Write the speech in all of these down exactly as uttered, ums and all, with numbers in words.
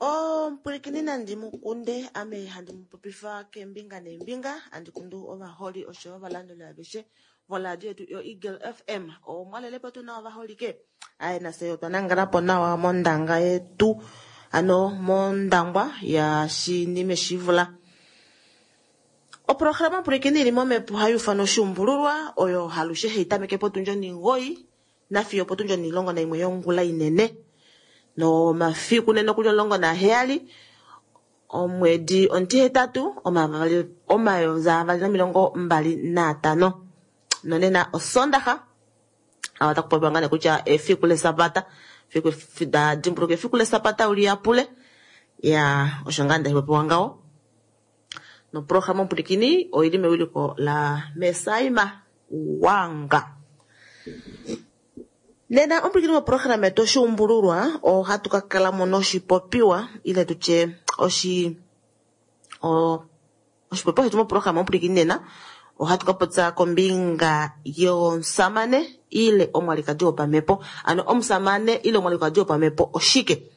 Omupwilikini nandi mukunde ame handi mupopifa keembinga neembinga handi kundu ovaholi oshoyo ovalanduli aveshe voladio yetu yo Eagle F M. Omwalelepo tu na ovaholike aye nase otwa nangalapo nawa mondanga yetu ano mondangwa ya shinime shivula. Oprograma pwilikini ili momepo hayi ufana oshuumbululwa oyo halushe hei tameke potundi oningoi nafiyo potundi onilongo naimwe yongula inene. No mafiku nene okuli omulongo naheyali omwedi ontihetatu omayovi avali nomilongo mbali naatano. Nonena osondaxa awa takupopiwa ngaa nee kutya efiku lesabata, efiku da dimbuluka efiku lesabata uliyapule ya osho ngaa ndapopiwa ngaho. Noprograma omupulikini oili mewiliko la Mesaima Wanga. Nena omupulikini woprograma yetu oshuumbululwa ohatu ka kala mo noshipopiwa ile tutye oshi o oshipopiwa shetu moprograma omupulikini nena ohatu ka popya kombinga yomusamane ile omwalikadi wopamhepo. Ano omusamane ile omwalikadi wopamhepo oshike?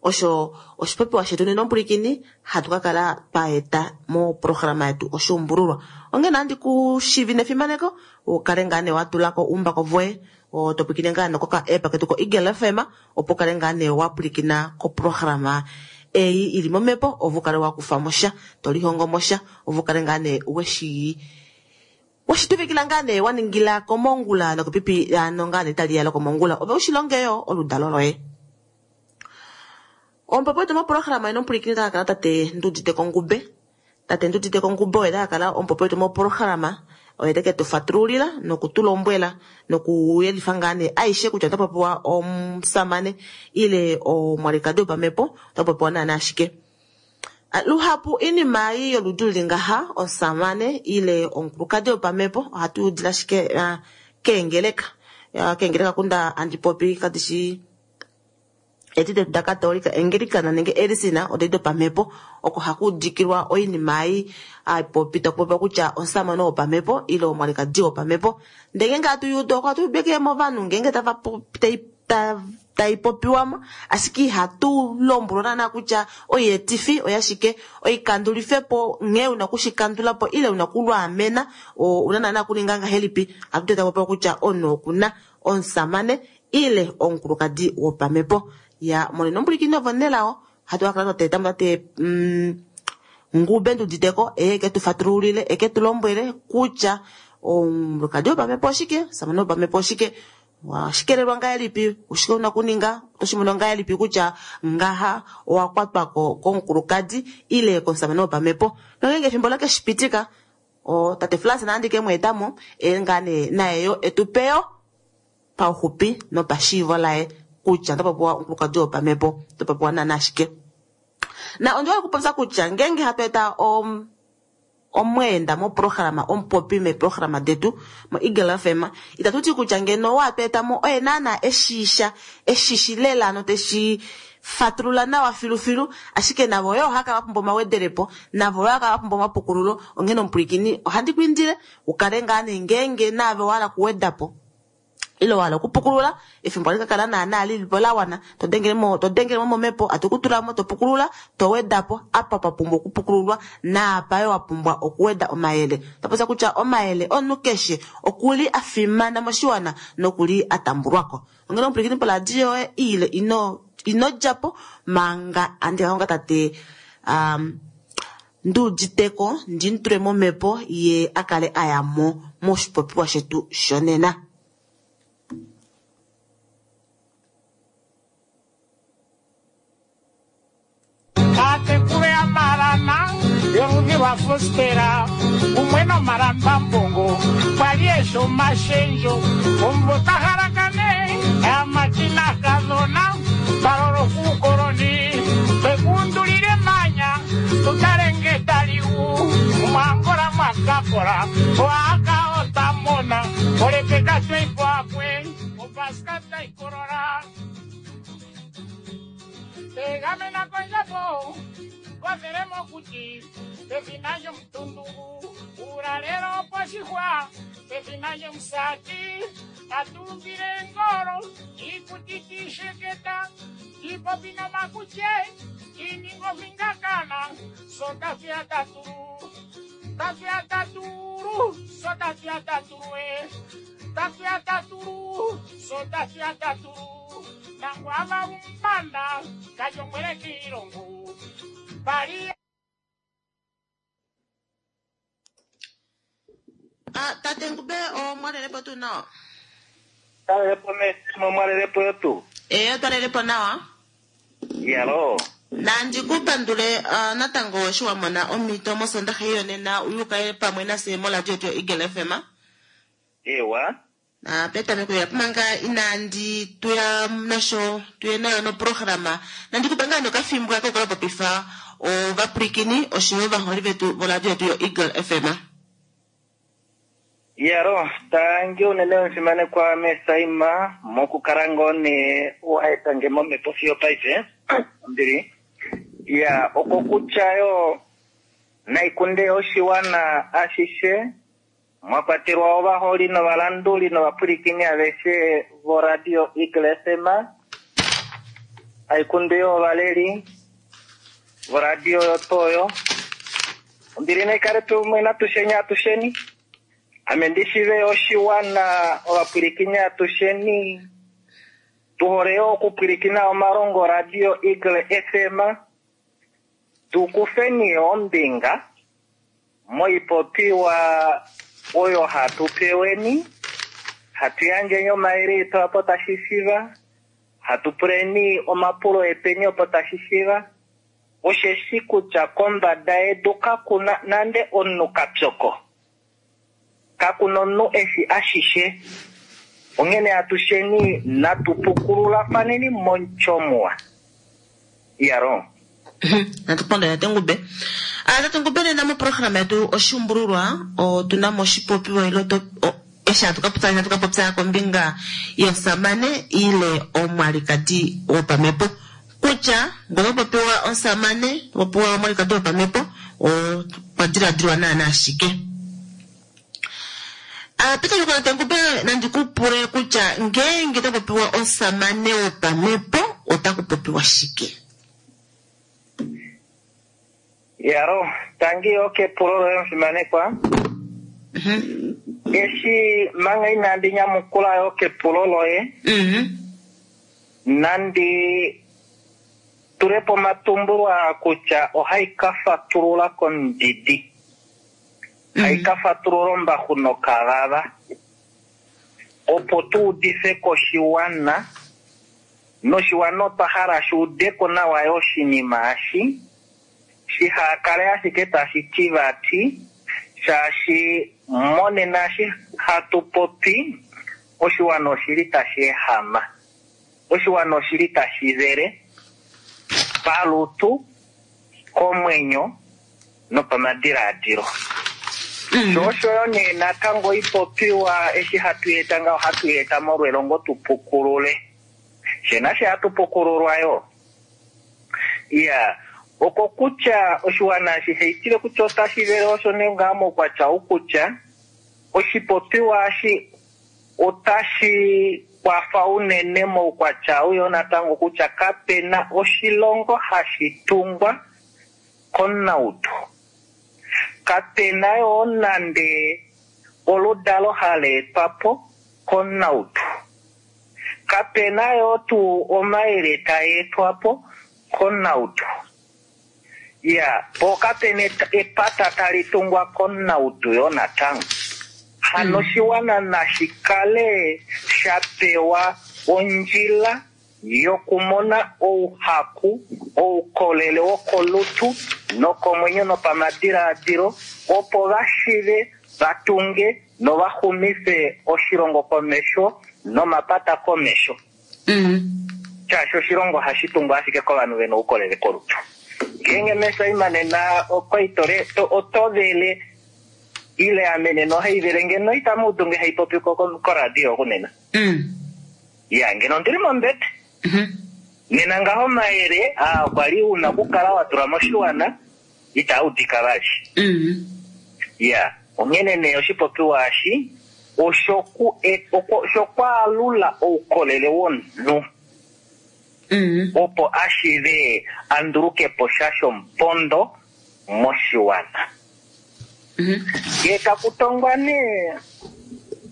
Osho oshipopiwa shetu nena omupulikini hatu ka kala twa eta moprograma yetu oshuumbululwa. Onghee nandi ku shivi nefimaneko ukale ngaa nee wa tulako uumbako voye to pwilikine ngaa nokoka app ketu ko Eagle F M opo ukale ngaa nee wa pwilikina koprograma ei ili momhepo ovo ukale wa kufa mo sha to lihongo mo sha ovo ukale ngaa nee weshi weshituvikila ngaa nee wa ningila komongula nokepipi ano ngaa nee tali ya lokomongula ove ushilonge yo oludalo loye. Omupopi wetu moprograma ino omupulikini taka kala tate Ndudite Kongube. Tate Ndudite Kongube oye taka kala omupopi wetu moprograma oye teke tu fatululila nokutulombwela nokuyelifa ngaa nee aishe kutya ota popiwa omusamane ile omwalikadi wopamhepo ota popiwa naana ashike. Luhapu inima ei yoludi luli ngaha omusamane ile omukulukadi wopamhepo ohatu udila ashike keengeleka. Keengeleka kunda handi popi kadishi Edi detu daKatolika, Anglicana nenge Elisina odedi dopamhepo oko haku udikilwa oinima ei haipopi takupopiwa kutya omusamane wopamhepo ile omwalikadi wopamhepo. Ndele ngeenge hatu yuudu oko ohatu udike movanhu ngeenge tava popi tai popiwamo, ashike ihatu lombwelwa naana kutya oietifi oyashike, oikandulifepo nghee una okushikandula po ile una okulwaamena ouna naana okuninga ngahelipi. Ohatu teta popiwa kutya omunhu okuna omusamane ile omukulukadi wopamhepo. Ya monena omupulikini ovo nelao hatu kakala twateta tate mm, Ngube Nduditeko eye eke tu fatululile eke tu lombwele kutya omukulukadi wopamhepo oshike, omusamane wopamhepo oshike, washikelelwa ngahelipi, oshike una okuninga, otoshi mono ngahelipi kutya ngaha owa kwatwako komukulukadi ile komusamane wopamhepo. Nongeenge efimbo lakeshipitika o tate Frans nandi ke mweetamo e ngaa nee naye yo etupeyo pauxupi nopashiivo laye kutya otapopiwa omukulukadi wopamhepo otapopiwa naana ashike. Na ondiwa okupopya kutya ngeenge hatu eta om omweenda moprograma omupopi meeprograma detu mo Eagle F M itatu ti kutya ngeno owa tu etamo oye naana eshisha eshishi lela noteshi fatulula nawa filufilu, ashike navo yo ohava kala va pumbwa omawedelepo, navo yo ohava kala va pumbwa omapukululo. Onghene omupulikini ohandi ku indile ukale ngaa nee ngeenge naave owa hala okuweda po ile wahala okupukulula efimbo ohali ka kala naana lilipo la wana, to dengelemo to dengelemo momhepo hatu ku tulamo to pukulula to wedapo apa pa pumbwa okupukululwa naapa yo wa pumbwa okuweda omayele. Topopya kutya omayele omunhu keshe okuli a fimana moshiwana nokuli a tambulwako. Onghene omupulikini poladio yoye ile ino ino djapo manga andi ka konga tate um, Nduditeko ndi mutule momhepo ye a kale a yamo moshipopiwa shetu shonena. Aatekulu yaMalana yoludhi lwaFostera kumwe nomalambambongo kwali eshi omashendjo omumvo tahalakane aamati naakadhona balolo kuukoloni twekundulile emanya tutale nge taliwu omwangola mwakakola oaka otamona olepeka tweipwakwe opaska taikolola tegamena kondjapo kothele mokuti pethina lyomutundungu uulalelo oposhihwa pethina lyomusati tatumbile engolo iikuti tiisheketa tiipopi nomakutye tiininga ovingakana so tatuya tatulu tatuya tatulu so tatuya tatulu e tatuya tatulu so tatuya tatulu nangwava umbanda kajongwele kiilongo pali Ah, tate Ngube omwalelepo tuu nawa? Talelepo mesimo mwalelepo yotu. Ee, otwalelepo nawa. Yalo. Nandi ku pandule uh, natango eshi wa mona omhito mosondaxa yonena uyukaye pamwe nase moradio yetu yo-Eagle F M. Ewa. Na petameko ya manga inandi tuya nasho tuye nayo noprograma nandi kupe ngaa nokafimbo ako kola popifa ovapwilikini oshoyo ovaholi vetu voradio yetu yo-Eagle F M. Yaro, tangi unene omufimanekwa Mesaima mokukala ngoo nee waetange momhepo fiyo paife. Ombili. Ya, oko kutya yo naikunde oshiwana ashishe mwa kwatelwa ovaholi novalanduli novapwilikini aveshe voradio Eagle F M, aikunde yo ovaleli voradio yotoyo. Ombili naikale tumwe natusheni atusheni. Ame ndishive oshiwana ovapwilikini atusheni tuhole yo okupwilikina omalongo radio Eagle F M, tukufeni ombinga moipopiwa oyo hatu peweni, hatu yandjeni omayele etu opo tashi shiva, hatu puleni omapulo epeni opo tashi shiva. Osheshi kutya kombada yedu kakuna nande omunhu kapyoko, kakuna omunhu eshi ashishe. Onghene atusheni natupukululafaneni monchomuwa. Yaro. Natupandula tate Ngube. Ah, tate Ngube nena moprograma yetu oshumbululwa otuna mo oshipopiwa ile to eshi hatu ka popya, hatu ka popya kombinga yomusamane ile omwalikadi wopamhepo. Kutya ngee popiwa omusamane, popiwa omwalikadi wopamhepo, okwa diladilwa naana ashike. Ah, Peter Tengube, nandi ku pule kutya ngeenge ta popiwa omusamane wopamhepo otaku popiwa shike? Yaro, tangi yo kepulo loye omufimanekwa. Mhm. Eshi manga inandi nyamukula yo kepulo loye, Mhm. nandi tule po omatumbulo aa kutya ohai ka fatulula kondidi. Hai ka fatulula ombaxu nokavava. Opo tu udife koshiwana, noshiwana otwa hala shi ude ko nawa yo oshinima eshi, shiha kale ashike tashi ti vati, shaashi monena eshi hatu popi, oshiwana oshili tashi ehama. Oshiwana oshili tashi vele, palutu, komwenyo, nopamadiladilo. Sho osho yo nee natango ipopiwa eshi hatu eta ngaho, hatu eta molwelongo tu pukulule. She nashe hatu pukululwa yo. Iya, oko kutya oshiwana eshi haitile kutya otashi vele osho nee ngaa moukwatya ou kutya oshipopiwa eshi otashi kwafa unene moukwatya ou yo natango kutya kapena oshilongo hashi tungwa komunaudu. Kapena yo nande oludalo hali etwa po komunaudu. Kapena yo tuu omayele taa etwa po komunaudu. Ya, po kapena epata tali tungwa komunaudu yo natango. Hano oshiwana nashi kale sha pewa ondjila yokumona ouhaku, oukolele wokolutu nokomwenyo nopamadiladilo, opo va shive va tunge nova xumife oshilongo komesho nomapata komesho. Mm. Shaashi oshilongo hashi tungwa ashike kovanhu vena oukolele kolutu. Ngeenge mesaima nena okoitole, to, oto vele ile ame nena ohai vele ngeno itamu udu nge hai popi ko, ko, koradio kunena. Mm. Ya, ngeno ondili mombete. Mm-hmm. Nena ngaho omayele aa okwa li una okukala wa tula moshiwana itaa udika vali. Mm. Ya, onghene nee oshipopiwa eshi oshoku e, oko, oshokwaalula oukolele womunhu. Mm. Opo ashive a nduluke po sha shomupondo moshiwana. Mm-hmm. Ngee taku tongwa nee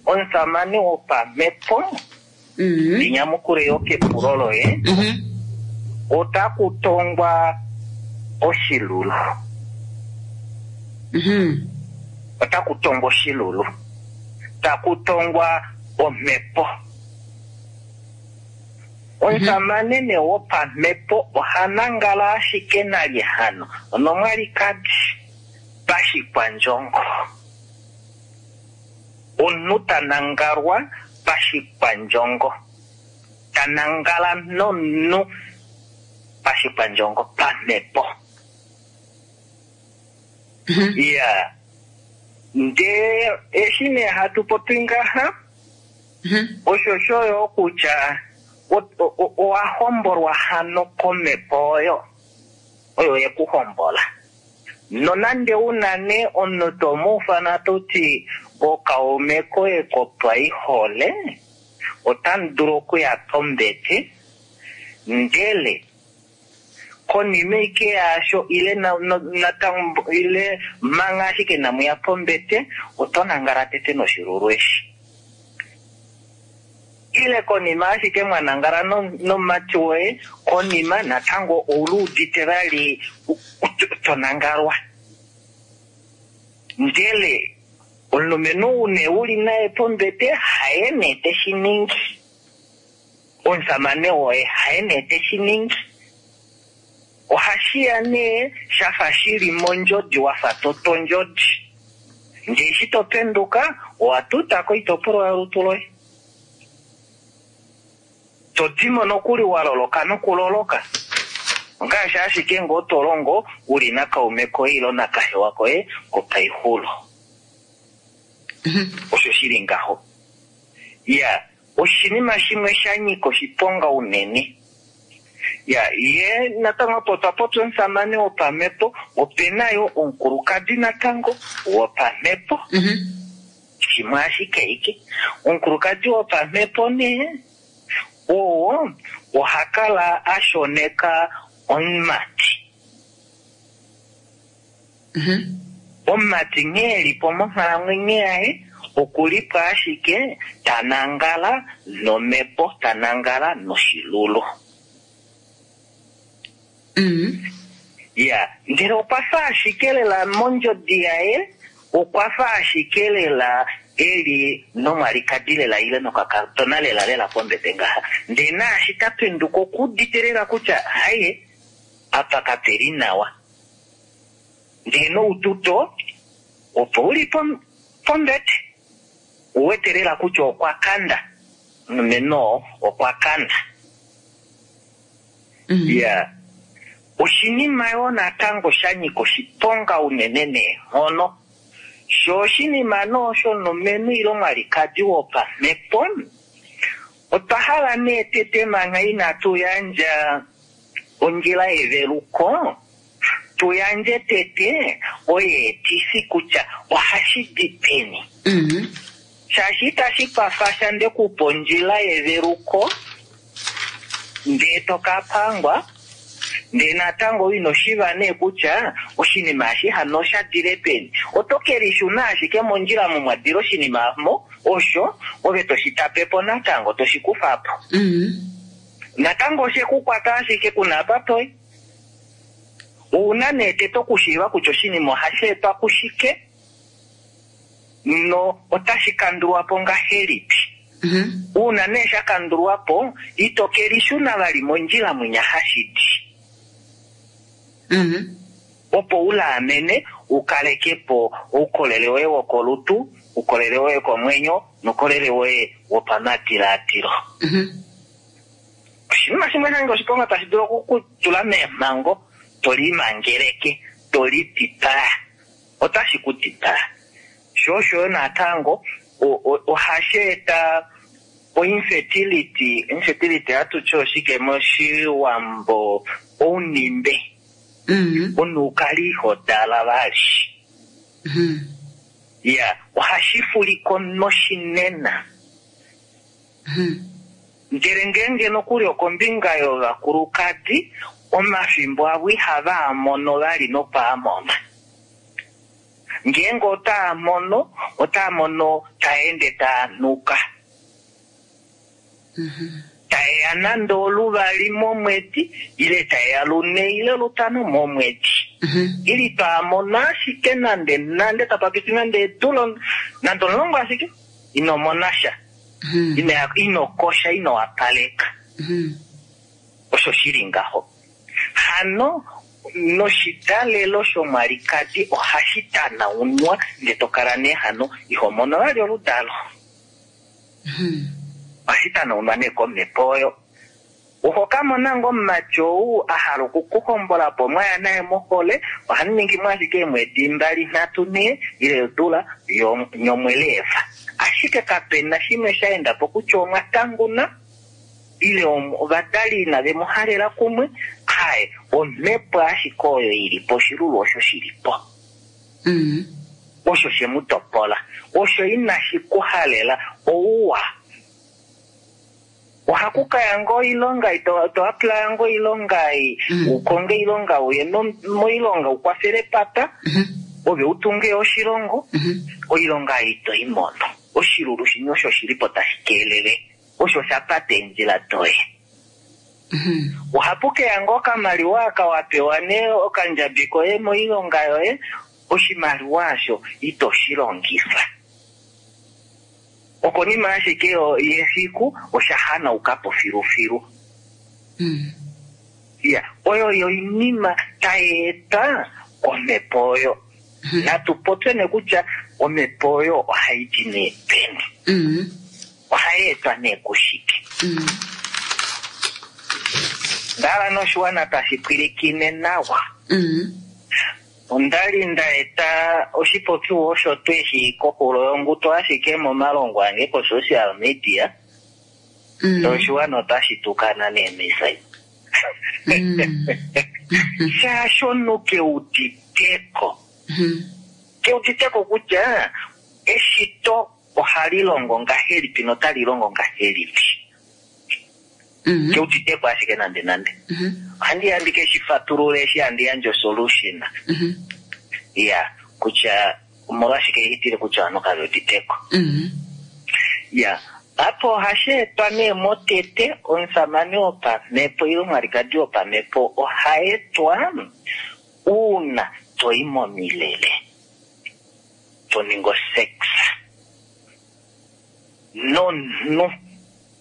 omusamane wopamhepo, Mm-hmm. ndinyamukule yo kepulo loye, Mm-hmm. otaku tongwa oshilulu. Mm-hmm. Otaku tongwa oshilulu. Taku tongwa omhepo. Omusamane nee wopamhepo oha nangala ashike nalye hano onomwalikadi pashikwandjongo. Omunhu ta nangalwa pashikwandjongo. Ta nangala nomunhu pashikwandjongo pamhepo. Mm-hmm. Ya. Ndee eshi nee hatu popi ngaha, Mm-hmm. osho shoyo kutya owa hombolwa hano komhepo oyo, oyo yekuhombola. Nonande una nee omunhu to mu ufana to ti okaume koye kopaihole, otamu dulu okuya pombete, ndele konima ike yaasho ile na, no, natango, ile manga ashike namuya pombete, oto nangala tete noshilulu eshi. Ile konima ashike mwa nangala no, nomumati woye, konima natango ouluudite vali to nangalwa. Ndele omulumenhu une uli naye pombete haye nee teshi ningi. Omusamane woye haye nee teshi ningi. Ohashi ya nee shafa shili mondjodi wafa to tondjodi. Ndee eshi to penduka owa tuta koitopolwa yolutu loye. To dimo nokuli wa loloka nokuloloka. Ongaashi ashike ngoo to longo uli nakaume koye ile nakahewa koye kopaixulo. Osho shili ngaho. Ya, oshinima shimwe sha nyika oshiponga unene. Ya, ye natango opo otwa popya omusamane wopamhepo, ope na yo omukulukadi natango wopamhepo. Mhm. Shimwe ashike ike. Omukulukadi wopamhepo nee, oo oha kala a shoneka omumati. Mhm. Omumati nghee e li po monghalamwenyo yaye, oku li po ashike ta nangala nomhepo, ta nangala noshilulu. Mhm. Ya, ndele okwa fa ashike lela mondjodi yaye, okwa fa ashike lela e li nomwalikadi lela ile nokakadona lela lela pombete ngaha. Ndele naashi ta penduka oku udite lela kutya haye, apa kape li nawa. Ndele noututo opo u li pom-, pombete, u wete lela kutya okwa kanda. Omulumenhu oo okwa kanda. Mhm. Ya. Oshinima yo natango sha nyika oshiponga unene neenghono. Sho oshinima no shomulumenhu ile omwalikadi wopamhepo, otwa hala nee tete manga inatu yandja ondjila yeveluko, tu yandje tete oyeetifi kutya ohashi di peni. Mhm. Shaashi itashi kwafa sha nde kupa ondjila yeveluko, ndee to ka pangwa, ndee natango ino shiva nee kutya oshinima eshi hano osha dile peni. Oto ke lishuna ashike mondjila omo mwa dila oshinima mo, osho ove to shi tape po natango, to shi kufa po. Mhm. Natango oshe ku kwata ashike kuna apa toi. Ouna nee tete okushiiva kutya oshinima ohashi etwa kushike, no otashi kandulwa po ngahelipi. Mhm. Uuna nee sha kandulwa po, ito ke lishuna vali mondjila mwinya hashi di. Mhm. Opo u laamene, u kaleke po oukolele woye wokolutu, oukolele woye komwenyo, noukolele woye wopamadiladilo. Mhm. Oshinima shimwe sha nyika oshiponga tashi dulu oku ku tula meemhango, to limangeleke, to lidipaa. Otashi ku dipaa. Sho osho yo natango, o-, o-, ohashi eta o-infertility. Infertility ohatu ti oshike moshiwambo? Ounimbe. Mhm. Omunhu ukale iho dala vali. Mhm. Ya, ohashi fuliko noshinena. Mhm. Ndele ngeenge nokuli okombinga yovakulukadi, omafimbo avo ihava mono vali nopaamona. Ngeenge otaa mono, otaa mono taa ende taa nuka. Mhm. Taeya nande oluvali momwedi, ile taeya lune ile lutano momwedi. Mhm. Ili twamona ashike nande nande tapa piti nande eedula nande omulongo ashike, ino mona sha. Mhm. Ino, ino kosha, ino wapaleka. Mhm. Osho shili ngaho. Hano noshidalelo shomwalikadi ohashi tanaunwa, ndele to kala nee hano iho mono vali oludalo. Mhm. Ohashi tanaunwa nee komhepo oyo. Oho ka mona ngoo omumati ou a hala okukuhombola po mwaya naye mohole, ohamu ningi mo ashike eemwedi mbali nhatu nhee ile odula yo-, nyomweleeva. Ashike kapena shimwe sha enda po kutya omwa tanguna ile om-, ovadali inave mu halela kumwe. Haye, omhepo ashike oyo ili po, oshilulu osho shili po. Mm. Osho she mu topola. Osho inashi ku halela ouwa. Ohaku kaya ngoo oilonga, ito, to apply ngoo oilonga, i, Mm. ukonge oilonga, uye no-, moilonga, ukwafele papa, Mm-hmm. ove utunge oshilongo, Mm-hmm. oilonga ito i mono. Oshilulu shimwe osho shili po tashi keelele, osho sha pata eendjila doye. Mm-hmm. Ohapu keya ngoo okamaliwa aka wa pewa nee okandjabi koye moilonga yoye, oshimaliwa osho ito shi longifa. Okonima ashike yo-, yefiku osha hanauka po filufilu. Mm. Ya, oyo yo oinima tai eta omhepo oyo. Mm-hmm. Natu popye nee kutya omhepo oyo ohai di nee peni. Mm-hmm. Ohai etwa nee kushike. Mm-hmm. Ndala noshiwana tashi pwilikine nawa. Mm-hmm. Onda li nda eta oshipopiwa osho tweshi koxulo yonguto ashike momalongo ange ko-social media. Mm. Noshiwana otashi tukana neemesai. Mm. Shaashi omunhu keuditeko. Mhm. Keuditeko kutya eshito ohali longo ngahelipi notali longo ngahelipi. Mhm. Keuditeko ashike nande nande. Mhm. Ohandi ya ndike shi fatulule eshi handi yandje osolution. Mhm. Ya, kutya omolwashike ihitile kutya ovanhu kave uditeko. Mhm. Ya, apo ohashi etwa nee motete omusamane wopamhepo ile omwalikadi wopamhepo oha etwa uuna toyi momilele to ningi osex nomunhu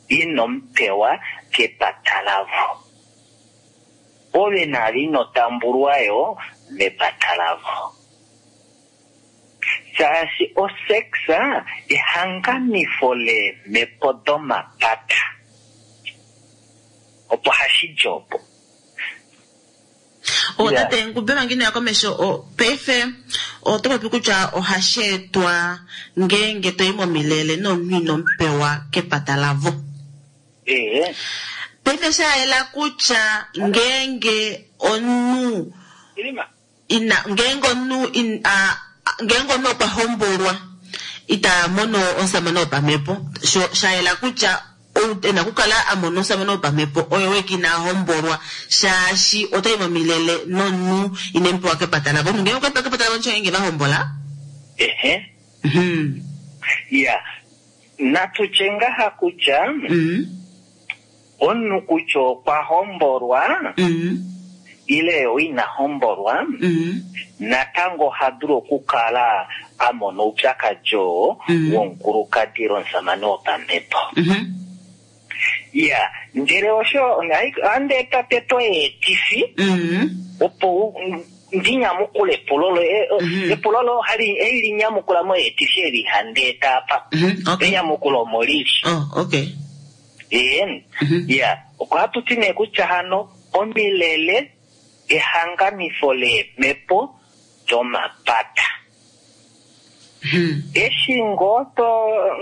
ino mupewa kepata lavo. Ove nale ino tambulwa yo mepata lavo. Shaashi osexa ehanganifo leemhepo domapata. Opo hashi di opo. O Yeah. tate Ngube manga ino ya komesho o paife oto popi kutya ohashi etwa ngeenge toyi momilele nomunhu ino mupewa kepata lavo. Ee. Paife sha yela kutya ngeenge omunhu Ilima. ina ngeenge omunhu in, a, a- ngeenge omunhu okwa hombolwa ita mono omusamane wopamhepo sho sha yela kutya ou ena okukala a mona omusamane wopamhepo oyo weke ina hombolwa shaashi otayi momilele nomunhu ine mupewa kepata lavo. Omunhu ngeenge okwa pewa kepata lavo ngeenge va hombola. Ehe. Mhm. Ya. Natu tye ngaha kutya Mhm. omunhu kutya okwa hombolwa Mhm. ile ina hombolwa Mhm. natango oha dulu okukala a mona oupyakadi oo Mhm. womukulukadi ile omusamane wopamhepo. Mhm. Ya, ndele osho ohandi eta tete oyeetifi Mhm. opo u- ndi nyamukule epulo loye. Mhm. Epulo loye ohali eli linyamukula moyeetifi eli handi eta apa. Mhm. Okay. Enyamukulo omo lili. Oh, okay. Ee, Mhm. ya, ohatu ti nee kutya hano omilele ehanganifo leemhepo domapata. Mhm. Eshi ngoo to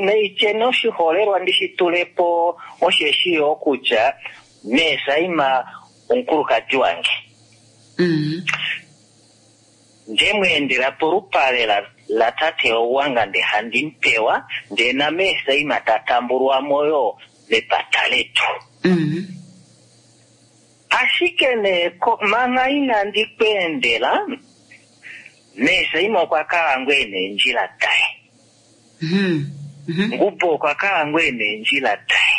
neityeni oshiholelwa ndishi tulepo osheshi yo kutya meesaima omukulukadi wange Mhm. nde mweendela polupale la, la tate Owanga nde handi mupewa ndee nameesaima ta tambulwamo yo mepata letu. Mhm. Ashike nee ko- manga inandi kweendela meesaima okwa kala ngoo ena eendjila daye. Mhm. Mhm. Ngubo okwa kala ngoo ena eendjila daye.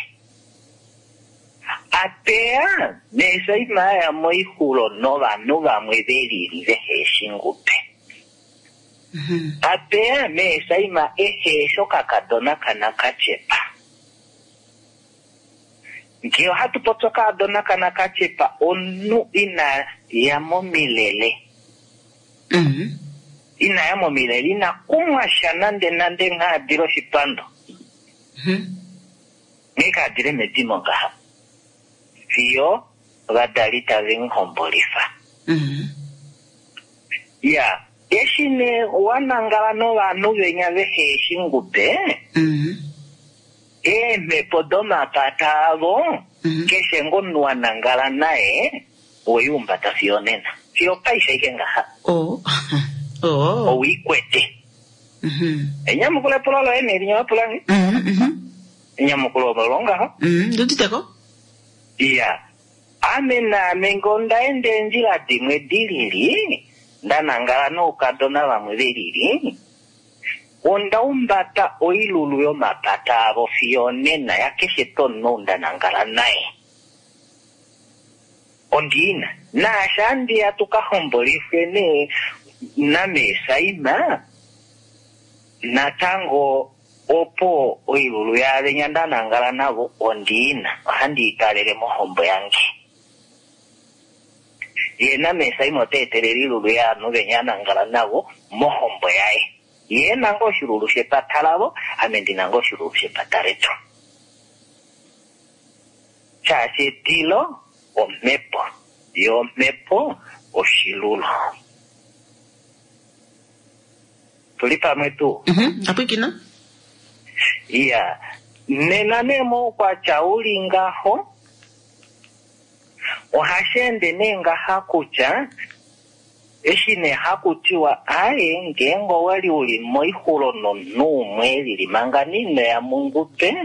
Apeya meesaima aya moixulo novanhu vamwe velili vehe shi Ngube. Mhm. Apeya meesaima ehe shi okakadona kanakatyepa. Ngee ohatu popi okakadona kanakatyepa omunhu ina ya momilele. Mhm. Ina ya momilele ina kumwa sha nande nande nghaadile oshipando. Mhm. Nghee kaadile medimo ngaha. Fiyo ovadali tave mu hombolifa. Mhm. Ya, eshi nee wanangala novanhu venya vehe shi Ngube, Mhm. eemhepo domapata avo, Mhm. keshe ngoo omunhu wanangala naye, oweiumbata fiyo nena. Fiyo paife ashike ngaha. Oh. Oh. Owiikwete. Mhm. Enyamukulo epulo loye nee linya wapula nge? Mhm. Mhm. Enyamukulo olo ngaho. Mhm. Nduditeko? Iya. Ame naame ngee onda enda eendjila dimwe dilili, nda nangala noukadona vamwe velili, onda umbata oilulu yomapata avo fiyo nena yakeshe tonno nda nangala naye. Ondiina. Naashi andiya tuka hombolifwe nee nameesaima, natango opo oilulu yaavenya nda nangala navo ondiina. Ohandi ikalele mohombo yange. Ye nameesaima ota etelele oilulu yaanhu venya anangala navo mohombo yaye. Ye ena ngoo oshilulu shepata lavo, ame ndina ngoo oshilulu shepata letu. Shaashi etilo omhepo, yo omhepo oshilulu. Tuli pamwe tuu? Mhm. Apwikina? Iya, nena nee moukwatya uli ngaho, Ohashi ende nee ngaha kutya eshi nee haku tiwa aye ngeenge owali uli moixulo nomunhu umwe lili manga ino ya mungube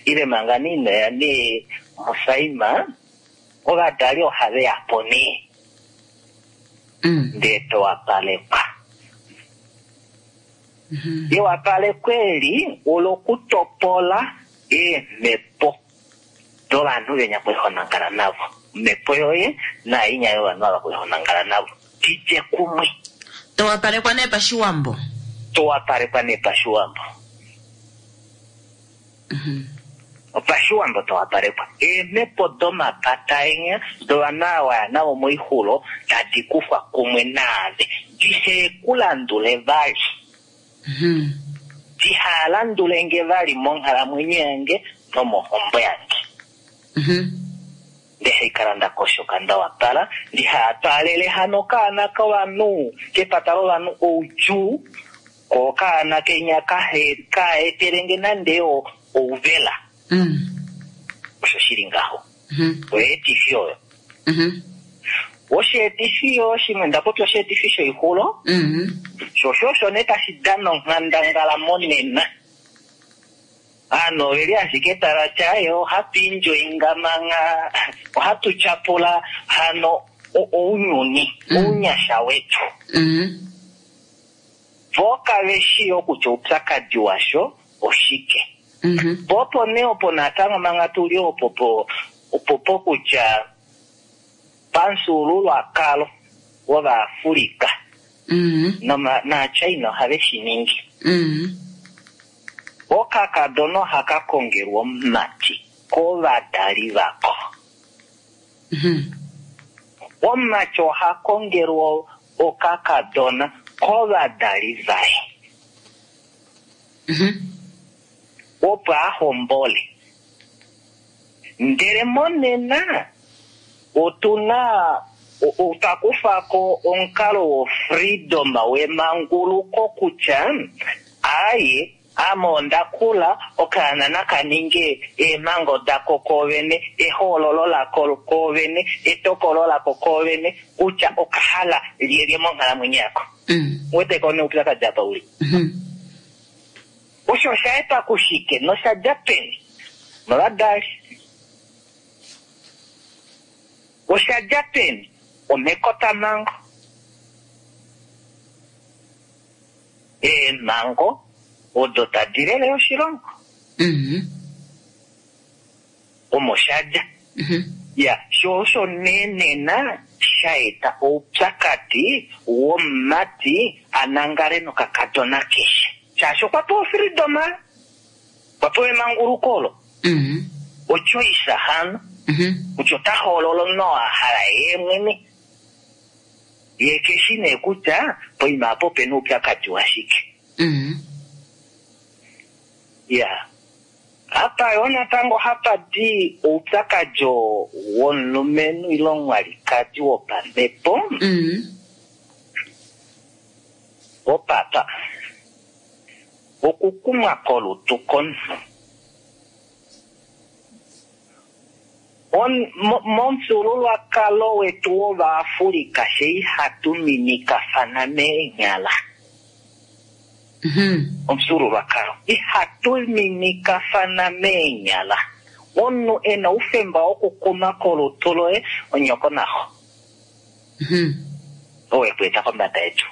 ile manga ino ya nee musaima, ovadali ohave ya po nee ndee towapalekwa. Ewapaleko eli olokutopola eemhepo dovanhu venya kwehonangala navo, omhepo yoye nainya yovanhu ava kwehonangala navo didje kumwe. Towapalekwa nee pashiwambo. Towapalekwa nee pashiwambo. Opashiwambo towapalekwa eemhepo domapata enya dovanhu ava waya navo moixulo tadi kufwa kumwe naave dihekulandule vali, dihalandule nge vali monghalamwenyo yange nomohombo yange. Ndehaikala ndakoshoka ndawapala, ndihatwaalele hano kaana kovanhu kepata lovanhu oudjuu, ko kaana kenya kaetelenge nande ouvela. Osho shili ngaho. Oyeetifi oyo. Osheetifi yo shimwe ndapopya osheetifi shoixulo, sho osho osho nee tashi dana onghandangala monena. Aanhu oveli ashike tava ti aye ohatu enjoyinga manga, ohatu tyapula hano ounyuni, ounyasha wetu. Vo kave shii okutya oupyakadi washo oshike. Po opo nee opo natango manga tuli opo po opo pokutya pamufyuululwakalo wOvaafrika naaChina ohave shi ningi. Okakadona ohaka kongelwa omumati kovadali vako. Omumati oha kongelwa okakadona kovadali vaye. Opo a hombole. Ndele monena otuna otwa kufa ko omukalo wo freedom wemanguluko kutya aye ame onda kula okaana naka ninge eemhango dako koovene, ehoololo lako koovene, etokolo lako koovene kutya okahala lyelye monghalamwenyo yako. Wete ko neupyakadi apa uli. Osho osha etwa kushike nosha dja peni? Novadali. Osha dja peni? Omekotamhango. Eemhango odo tadi lele oshilongo. Omo sha dja. Ya, sho osho nee nena sha eta oupyakadi womumati a nangale nokakadona keshe. Shaashi okwa pewa freedom, okwa pewa emanguluko olo. Ochoice hano. Kutya ota hoolola omunhu oo a hala yee mwene. Ye keshi nee kutya poima apo opena oupyakadi washike. Ya. Apa yo natango hapa di oupyakadi womulumenhu ile omwalikadi wopamhepo. Opapa. Okukumwa kolutu komunhu. Momufyuululwakalo wetu wOvaafrika she ihatu minikafana meenyala. Omufyuululwakalo ihatu minikafana meenyala. Omunhu e na oufemba wokukuma kolutu loye onyoko naxo. Oo e ku eta kombada yetu.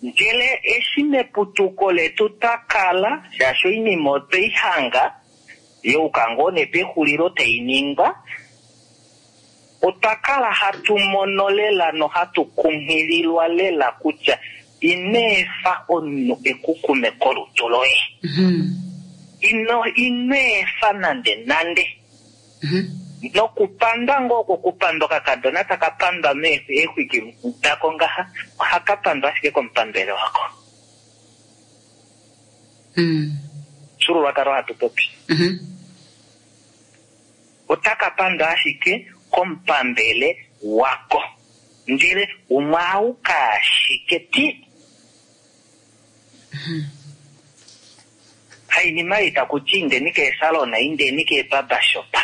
Ndele eshi meputuko letu twa kala, shaashi oinima otwe i hanga, youka ngoo nee pexulilo tai ningwa, otwa kala hatu mono lela nohatu kunghililwa lela kutya ino efa omunhu e ku kume kolutu loye. Ino ino efa nande nande. Nokupandwa ngoo oko kupandwa okakadona taka pandwa meexwiki dako ngaha, ohaka pandwa ashike komupambele wako. Omufyuululwakalo hatu popi. Otaka pandwa ashike komupambele wako. Ndele umwe auka ashike ti. Hainima ei taku ti indeni keesalona, indeni keebabashopa.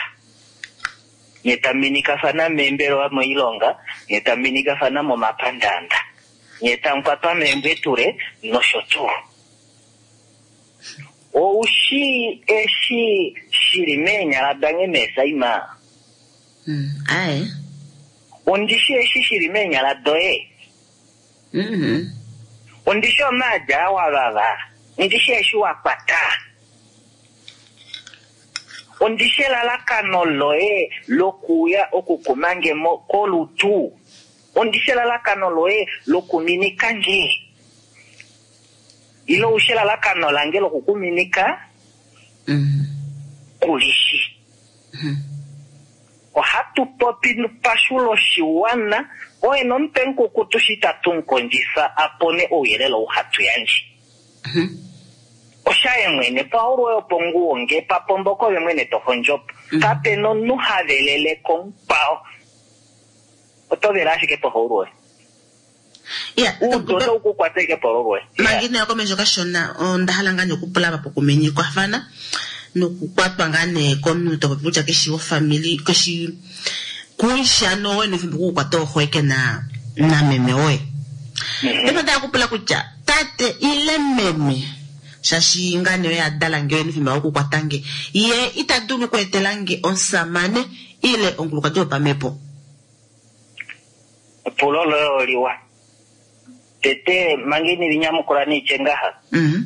Nye tamu minikafana meembelewa moilonga, nye tamu minikafana momapandaanda, nye tamu kwatwa meembwetule nosho tuu. Oushi eshi shili meenyala dange meesaima? Mm. Aye. Ondishi eshi shili meenyala doye? Mhm. Ondishi omaadi aa wa vava? Ondishi eshi wa kwata? Ondishi elalakano loye lokuuya okukuma nge mo kolutu? Ondishi elalakano loye lokuminika nge? Ile oushi elalakano lange lokukuminika? Mm. Kulishi. Mhm. Ohatu popi pashulo shiwana, oye nomutwe mukukutu shi tatu mukondjifa a pone ouyelele ou hatu yandje. Mhm. Oshaye mwene, paulu oyo ponguwo nge papomboko ove mwene to hondjopo. Mm. Kape nomunhu ha velele komukwao. Oto vele ashike pohaulu oye. Ya, Uudu otau ku kwata ashike pohaulu oye. manga inayo komesho kashona onda hala ngaa nee okupula apa pokuminyikwafana nokukwatwa ngaa nee komunhu to popi kutya keshi wofamili keshi kuishano woye nefimbo kukukwata oxweke na nameme woye. Mhm. Paife otaya kupula kutya tate ile meme shaashi ngaa nee oye a dala nge oye nefimbo okukwata nge ye ita dulu okweetela nge omusamane ile omukulukadi wopamhepo. Epulo loye oliwa. Tete manga ini linyamukula neitye ngaha. Mhm.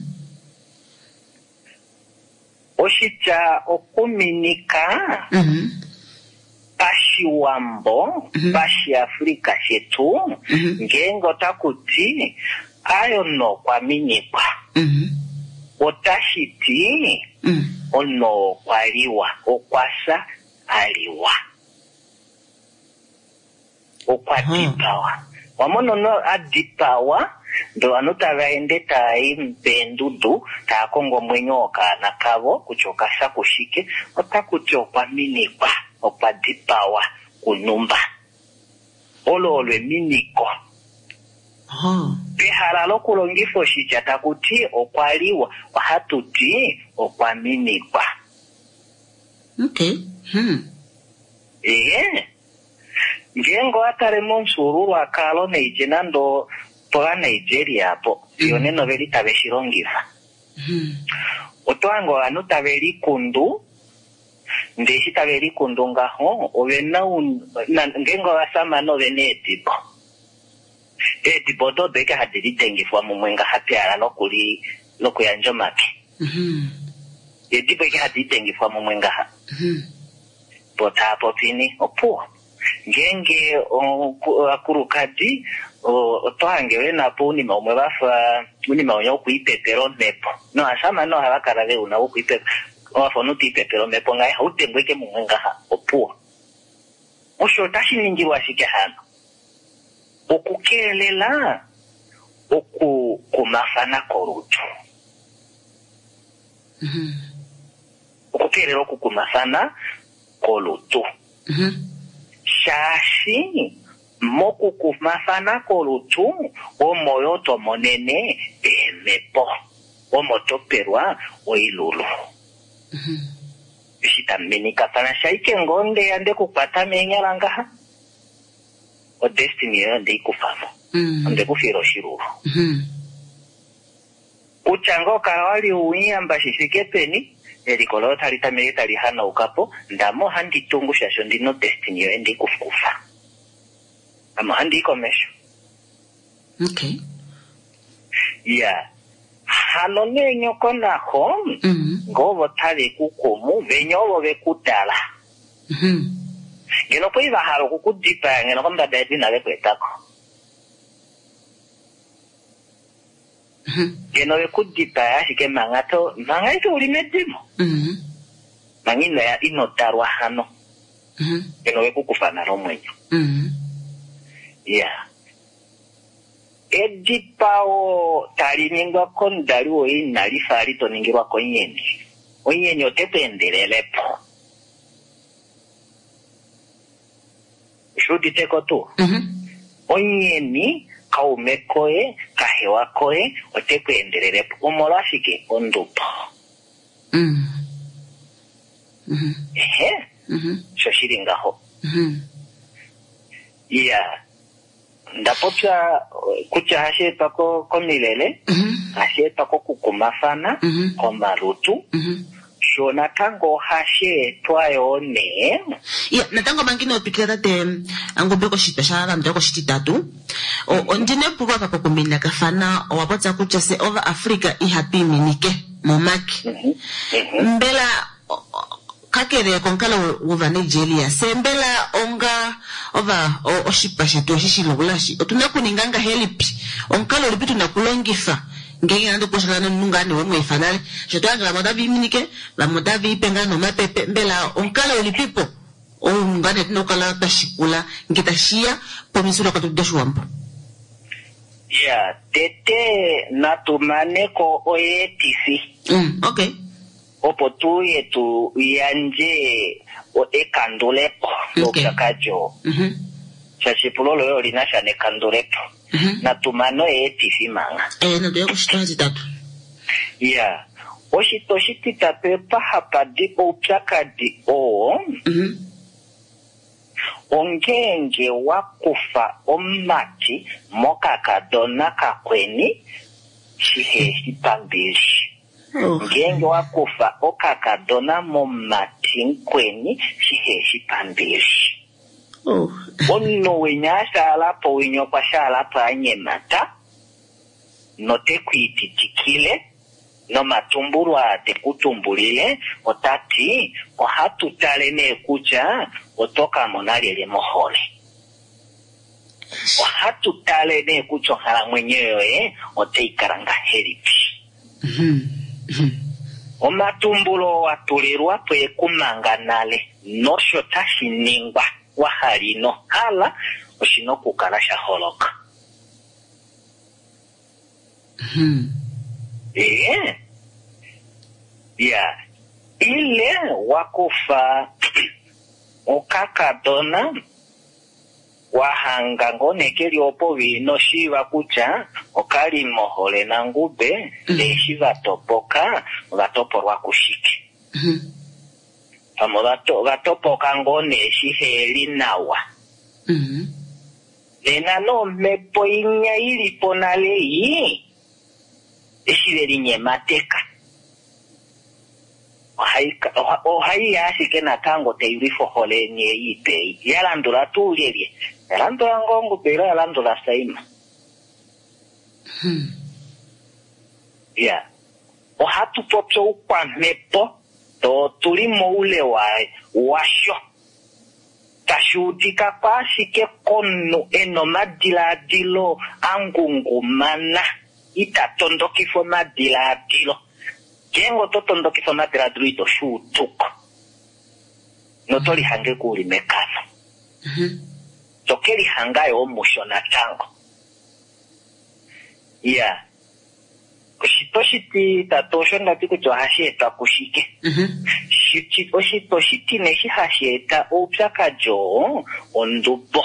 Oshitya okuminika Mhm. pashiwambo, Mhm. pashiafrika shetu, Mhm. ngeenge otaku ti ayo nokwa minikwa, Mhm. otashi ti Mhm. ono okwa liwa, okwa fya a liwa, okwa Aha. dipawa. Wamona ono a dipawa, ndee ovanhu tava ende tava i peendudu tava kongo omwenyo wokaana kavo kutya okafya kushike, otaku ti okwa minikwa, okwa dipawa kunumba. Olo olo eminiko. Aha. Pehala lokulongifa oshitya taku ti okwa liwa, ohatu ti okwa minikwa. Okay. Hmm. Ee, ngeenge owa tale momufyuululwakalo neitye nande pOvanigeria apo, fiyo nena oveli tave shi longifa. Mhm. Oto hange ovanhu tave likundu, ndee eshi tave likundu ngaho, ovena un-, na-, ngeenge ovasamane ovena eedibo. Eedibo odo odo eke hadi lidengifwa mumwe ngaha pehala lokuli-, lokuyandja omake. Mhm. Eedibo eke hadi lidengifwa mumwe ngaha. Mhm. Po taa popini, opuwo. Ngeenge ovakulukadi, oto hange ve na po ounima umwe vafa ounima unya wokuipepela omhepo. Novasamane ohava kala ve una wokuipepa, wafa omunhu te ipepele omhepo ngaha, ihau dengwa eke mumwe ngaha, opuwo. Osho otashi ningilwa ashike hano. Okukeelela okukumafana kolutu. Mhm. Okukeelela okukumafana kolutu. Mhm. Shaashi mokukumafana kolutu omo yo to monene eemhepo, omo to pelwa oilulu. Mhm. Eshi tamu minikafana shaike ngoo ndeya nde kukwata meenyala ngaha, odestiny yoye onde i kufa mo. Mhm. Onde ku fiila oshilulu. Mhm. Kutya ngoo kala wali uiyamba shi fike peni, eliko loye otali tameke tali hanauka po, ndame ohandi tungu shaashi ondina odestiny yoye ndi kufa. Ame ohandi i komesho. Okay. Ya. Hano nee nyoko naxo, Mhm. ngoo ovo tave ku kumu, venya ovo ve ku dala. Mhm. Ngeno okwa li va hala oku ku dipaya, ngeno kombada yedu inave ku etako. Mhm. Ngeno ve ku dipaya ashike manga to, manga ito uli medimo. Mhm. Manga ino ya, ino dalwa hano. Mhm. Ngeno ve ku kufa nale omwenyo. Mhm. Ya. Edipao tali ningwa komudali woye inali fa li to ningilwa konyeni. Onyeni ote ku endelelepo. Oshi udite ko tuu? Mhm. Onyeni kaume koye, kahewa koye, ote ku endelelepo. Omolwashike? Ondubo. Mhm. Mhm. Ehe. Mhm. Sho shili ngaho. Mhm. Iya, nda popya eh, kutya hashi etwa ko- komilele, Mhm. hashi etwa kokukumafana, Mhm. komalutu, Mhm. sho natango ohashi etwa yoo nee Ya, natango manga ino twikila tate Angombe koshitwa sha landula koshititatu O- ondina epulo apa pokuminikafana owa popya kutya fye Ovaafrika ihatu iminike momake Mhm, mhm. mbela o- o- kakele komukalo wOvanigeria fye mbela onga ova o- oshipa shetu eshi shilulashi otuna okuninga ngahelipi omukalo ulipi tuna okulongifa ngeenge nande okushakana nomunhu ngaa nee wemweefa nale sho tohange vamwe otava iminike vamwe otava ipe ngaa nomapepe mbela omukalo ulipipo ou ngaa nee tuna okukala twa shikula nge tashiya pomifyuulukwakalo doshiwambo Ya, tete natu maneko oyeetifi mm, okay opo tuye tu yandje o- ekandulepo Okay. loupyakadi oo Mhm, shaashi epulo loye oli na sha nekandulepo mhm. natu mane oyeetifi manga Eh, natuya koshitwa shititatu ya oshitwa oshititatu epa hapa di oupyakadi oo Mhm, ongeenge wa kufa omumati mokakadona kakweni shiheshi pambili Oh. ngeenge wa kufa okakadona momumati mukweni shiheshi pambili Oh. omunhu winya ashaalapo winya okwa shaalapo anyemata note kwiititikile nomatumbulo aa te ku tumbulile otati ohatu tale nee kutya oto ka mona lyelye mohole ohatu tale nee kutya onghalamwenyo yoye otai kala ngahelipi Mhm, mhm. omatumbulo wa tulilwa po ekumanga nale nosho tashi ningwa wa hala ino hala oshina okukala sha holoka Mhm. ee ya ile wa kufa okakadona wa hanga ngoo nee keli opo inoshiiva kutya okali mohole nangube Mm. eshi va topoka ova topolwa kushike Mhm. pamwe ovato- ova topoka ngoo nee shiheli nawa Mhm. nena nomhepo inya ilipo nale iyi eshi ve linyemateka ohai ka- oha- ohaiya ashike natango tailwifa ohole yeni ei ipei ya landula tuu lyelye ya landula ngoo Ngube ile ya landula Saima Mhm. ya ohatu popi oukwamhepo to tuli moule wa washo tashi udika ko ashike komunhu ena omadilaadilo angungumana ita tondokifa omadilaadilo ngeenge oto tondokifa omadilaadilo ito shuutuko noto lihange kuuli mekano Mhm. toke lihanga yo musho natango ya oshitwa oshititatu osho ndati kutya ohashi etwa kushike Mhm. Shiti- oshitwa oshitine eshi hashi eta oupyakadi oo ondubo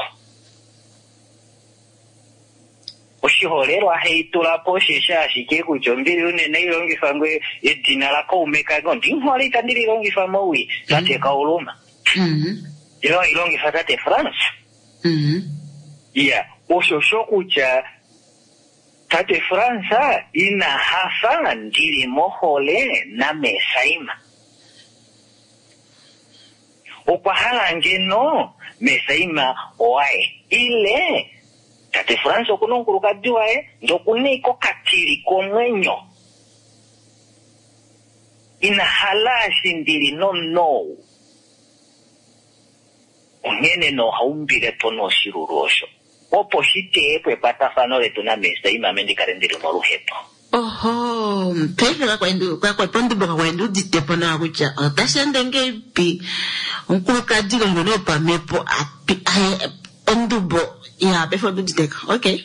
oshiholelwa haitula po osheshi ashike kutya ombili unene ilongifa ngwe edina lakaume kange ondinghole itandi lilongifa mowii tate Kauluma Mhm. ilo ilongifa tate France Mhm. iya osho sho kutya tate France ina hafa ndili mohole naMesaima okwa hala ngeno Mesaima owaye ile tate France okuna omukulukadi waye ndokuna iko okatili komwenyo ina hala eshi ndili nomunhu ou onghene nohaumbile po noshilulu osho opo shiteye po ekwatafano letu naMesaima ame ndikale ndili moluhepo Oho, paife kakwa pondubo kakwa ndi udite po nawa kutya otashi ende ngeipi omukulukadi longone wopamhepo api aye, ondubo ya paife ondiuditeko okay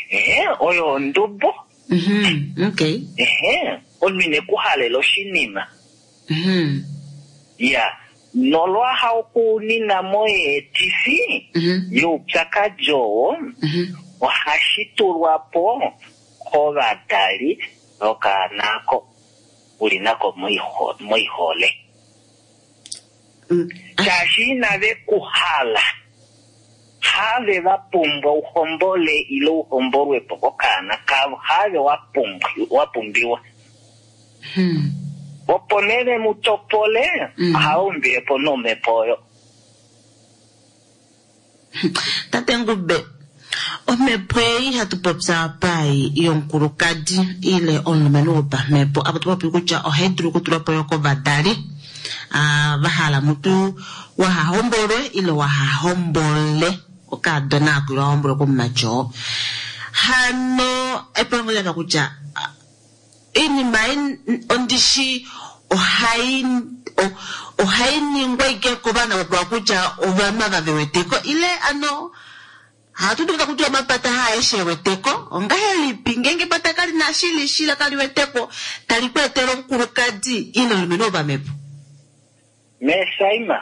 ehe oyo ondubo Mhm, okay ehe omunhu ine ku halela oshinima Mhm, ya nolwaha okunina moyeetifi mhm, youpyakadi oo mhm. ohashi tulwa po kovadali vokaana ako uli nako moiho- moihole Mm. Shaashi inave ku hala. Have va pumbwa uhombole ile uhombolwe po kokaana kavo. Have wa pumbwa, wa pumbiwa. Hmm. Opo nee ve mu topole, Mm. ohava umbile po nomhepo oyo. Tate Ngube, omhepo ei hatu popya apa ei yomukulukadi ile omulumenhu wopamhepo, apa tu popi kutya ohai dulu okutulwa po yo kovadali ah, va hala mutu wahahombolwe ile wahahombole okaadona ako ile wahombolwe komumati oo. Hano epango laka kutya ah, iinima ei ondishi ohai o- ohai ningwa ike kovana vopewa kutya ovanhu ava ve weteko ile ano hatu dulu kutya omapata haaeshe e weteko ongahelipi ngeenge epata kali na shili shila kali weteko tali ku etele omukulukadi ile omulumenhu wopamhepo. Mesaima,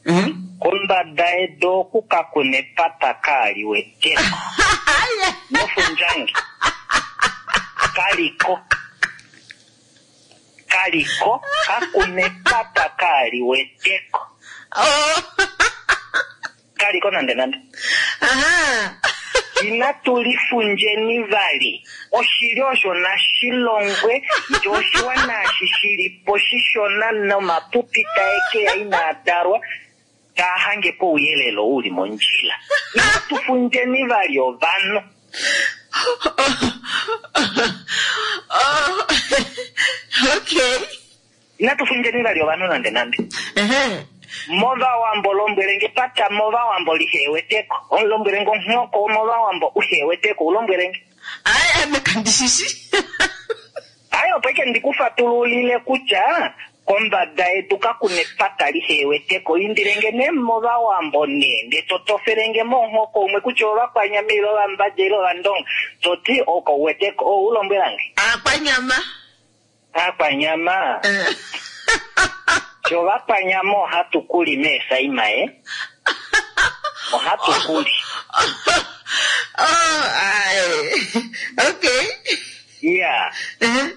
Mhm. kombada yedu oku kakuna epata kaali weteko. Nofundjange. Kaliko. Kaliko, kakuna epata kaali weteko. Oh. Kaliko nande nande. Aha. Inatu lifundjeni vali. Oshili osho nashilongwe, ndee oshiwana eshi shili po shishona nomapupi tae ke ya inaa dalwa, taa hange pouyelele oo uli mondjila. Inatu fundjeni vali ovanhu. Oh. Okay. Inatu fundjeni vali ovanhu nande nande. Ehe. Movawambo lombwelenge pata movawambo liheweteko. Omulombwelenge onghoko womovawambo uheweteko ulombwelenge. Ai, ame kandishishi. Ai, opo ike ndikufatululile kutya kombada yedu kakuna epata liheweteko. Indilenge nee movawambo nee, ndee totofelenge monghoko umwe kutya ovakwanyama ile ovambadja ile ovandonga. Toti okauweteko, ou ulombwelange. Akwanyama. Akwanyama. Eh. Sho ovakwanyama ohatu kuli meesaima ye. Ohatu kuli. Oh, ai. Okay. Ya. Eh.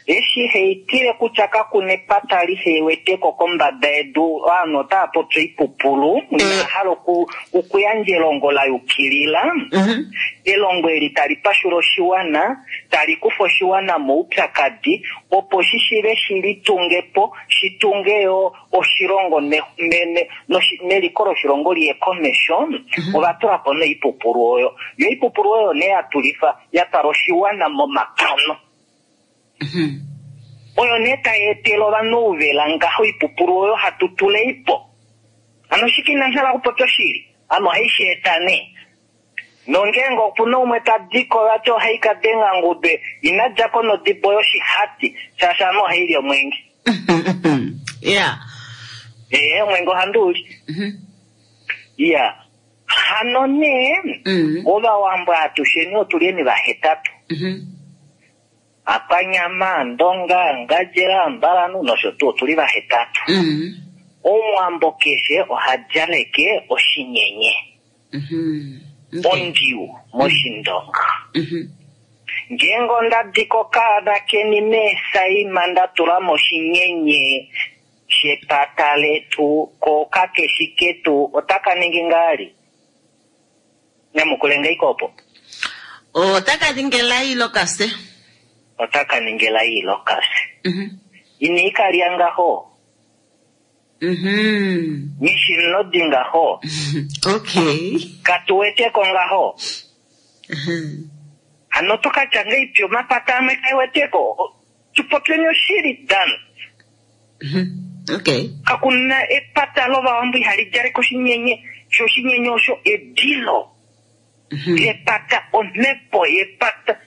Eshi heitile kutya kakuna epata liheweteko kombada yedu, ovanhu otava popi oipupulu, ina hala oku- okuyandja elongo la yukilila. Mhm. Elongo eli tali pashula oshiwana, tali kufa oshiwana moupyakadi, opo shi shive shi litunge po, shi tunge yo oshilongo ne- ne- ne- noshi- neliko loshilongo liye komesho. Ova tula po noipupulu oyo. Yo oipupulu oyo nee ya tulifa, ya twala oshiwana momakano. Mhm. Oyo nee tai etele ovanhu ouvela ngaho oipupulu oyo hatu tuleipo. Hano shike ina hala okupopya oshili? Hano ohai shi eta nee. Nongeenge opuna umwe ta diko vati ohai ka denga ngube, ina djako nodibo yoshihati, shaashi ame ohai li omwenge. Yeah. Ee, omwenge ohandi u li. Mhm. Iya. Hano nee, Mm. Ovawambo atusheni otulyeni vahetatu. Mhm. Akwanyama, Ndonga, Ngandjera, Mbalanhu nosho tuu otuli vahetatu. Mm. Omuwambo keshe oha djaleke oshinyenye. Mhm. Okay. Ondiu moshindonga. Mhm. Ngeenge onda diko okaana keni meesaima nda tula moshinyenye shepata letu ko kakeshi ketu, otaka ningi ngaali? Nyamukule ngaiko opo. Otaka ningi elai lokase. Otaka ningi elai lokase. Mhm. Ina ikalya ngaho. Mhm. Nishinodi ngaho. Okay. Katuweteko ngaho. Mhm. Hano tokatya ngaipi omapata amwe kaiweteko. Tupopyeni oshili dan. Mhm. Okay. Kakuna epata lovawambo ihali djaleke oshinyenye. Sho oshinyenye osho edilo. Mhm. Epata omhepo yepata.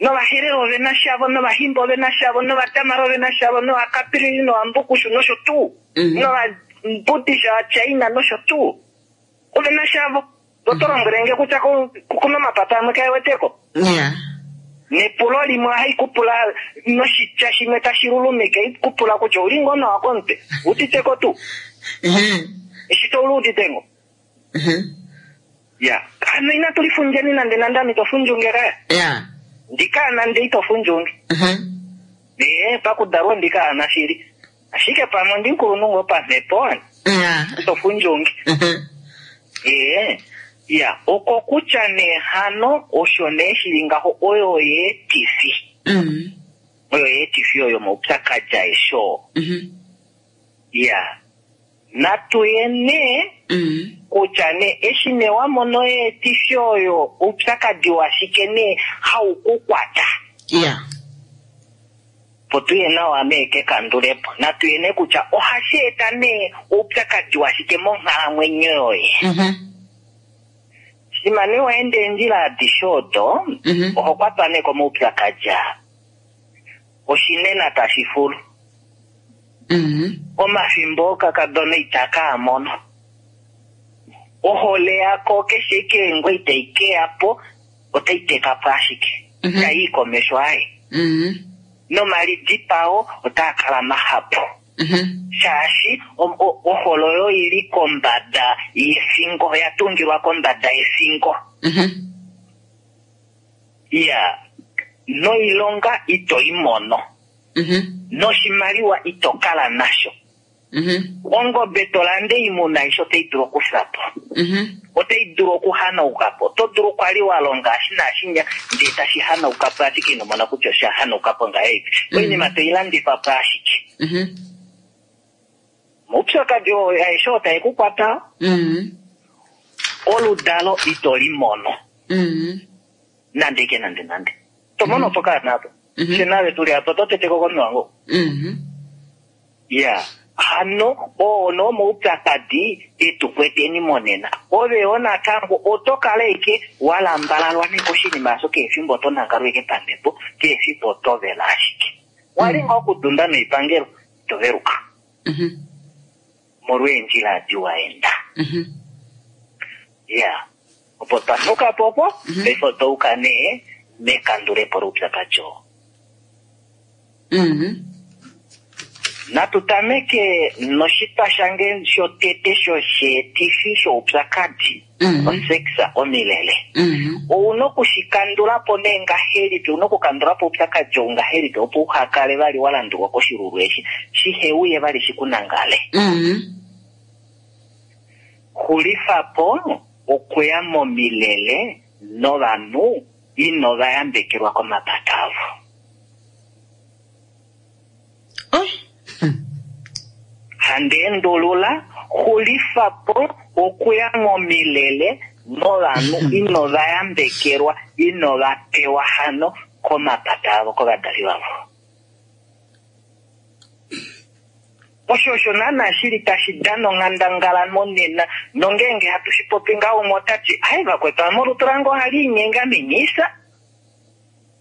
Novaherero ovena shavo, novahimba ovena shavo, novatamara ovena shavo, novakapiriri novambukushu nosho tuu. Mhm. Novambudisha vaChina nosho tuu. Ovena shavo. Oto lombwelenge kutya ku- kuna omapata amwe kaeweteko. Yeah. Nepulo limwe ohai kupula noshitya shimwe tashi lulumike, ikupula kutya ouli ngoo nawa komutwe, uditeko tuu. Mhm. Eshi to ulu udite ngoo. Mhm. Ya. Hano inatu lifundjeni nande nande ame ito fundjunge kaya. Yeah. Ndikaana nde ito fundjunge. Mhm. Ee, pakudalwa ndikaana shili. Ashike pamwe ondimukulunhu ngoo pamhepo, Ya. tofundjungi. Mhm. Ee, ya oko kutya nee hano osho nee shili ngaho oyo yeetifi. Mm. Oyo yeetifi oyo omaupyakadi aeshe oo. Mhm. Ya. Natu ye nee Mm. kutya nee eshi nee wa mono yeetifi oyo oupyakadi washike nee hau ku kwata. Ya. Po tuye nawa nee kekandulepo. Natu ye nee kutya ohashi eta nee oupyakadi washike monghalamwenyo yoye. Mhm. Shima nee wa enda eendjila adishe odo, Mhm. oho kwatwa nee komaupyakadi aa. Oshinena tashi fulu. Mhm. Omafimbo okakadona itaka a mono. Ohole yako keshe ike ngwe itai keya po, otai teka po ashike. Mhm. Tai i komesho aye. Mhm. Nomalidipao otaa kala mahapu. Mhm. Shaashi o- o- ohole oyo ili kombada yefingo, oya tungilwa kombada yefingo. Mhm. Ya, noilonga ito i mono. Mhm. Noshimaliwa ito kala nasho. Mhm. Ongobe to lande oimuna aishe otai dulu okufya po. Mhm. Otai dulu okuhanauka po. Oto dulu kwali wa longa eshi naashinya, ndee tashi hanauka po ashike ino mona kutya osha hanauka po ngahelipi. Mm. Oinima toi landifa po ashike. Mhm. Omaupyakadi oo aeshe oo tae ku kwata, Mhm. oludalo ito li mono. Mhm. Nande ke nande nande. To mono po kaana apo. Mhm. Fye nave tuli apa, oto teteko komiwango. Mhm. Ya. Hano oo no omaupyakadi etu kweteni monena. Ove yo natango oto kala eke wa lambalalwa nee koshinima osho kehe efimbo oto nangalwa eke pamhepo, kehe efimbo oto vela ashike. Wali ngoo okudunda noipangelo, ito veluka. Mhm. Molwa eendjila adi wa enda. Mhm. Ya. Opo twa nuka po opo, Mhm. paife otwa uka nee mekandulepo loupyakadi oo. Mhm. Natu tameke noshitwa shange shotete shosheetifi shoupyakadi. Mhm. Osexa omilele. Mhm. Ouna okushikandula po nee ngahelipi, ouna okukandula po oupyakadi ou ngahelipi opo uha kale vali wa landulwa koshilulu eshi, shihe uye vali shikunangale. Mhm. Xulifa po okuya momilele novanhu ino va yambekelwa komapata avo. Oi. Handi endulula, xulifa po okuya momilele novanhu ino va yambekelwa, ino va pewa hano komapata avo, kovadali vavo. Osho osho naana shili tashi dana onghandangala monena, nongeenge hatu shi popi ngaho umwe ota ti, ai vakwetu ame olutu lange ohali inyenge minisa.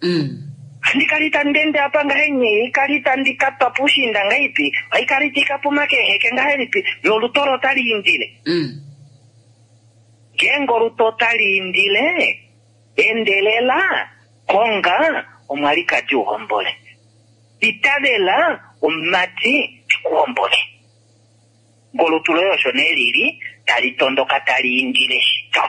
Mm. Handi kali tandi ende apa ngahelipi, kali tandi katwa puushiinda ngahelipi, haikali tikapuma keeheke ngahelipi, lolutu olo otali indile. Mm. Ngeenge olutu otali indile, endelela, konga omwalikadi uhombole. Itavela omumati ekuhombole. Ngolutu loye osho nee lili, tali tondoka tali indile shito.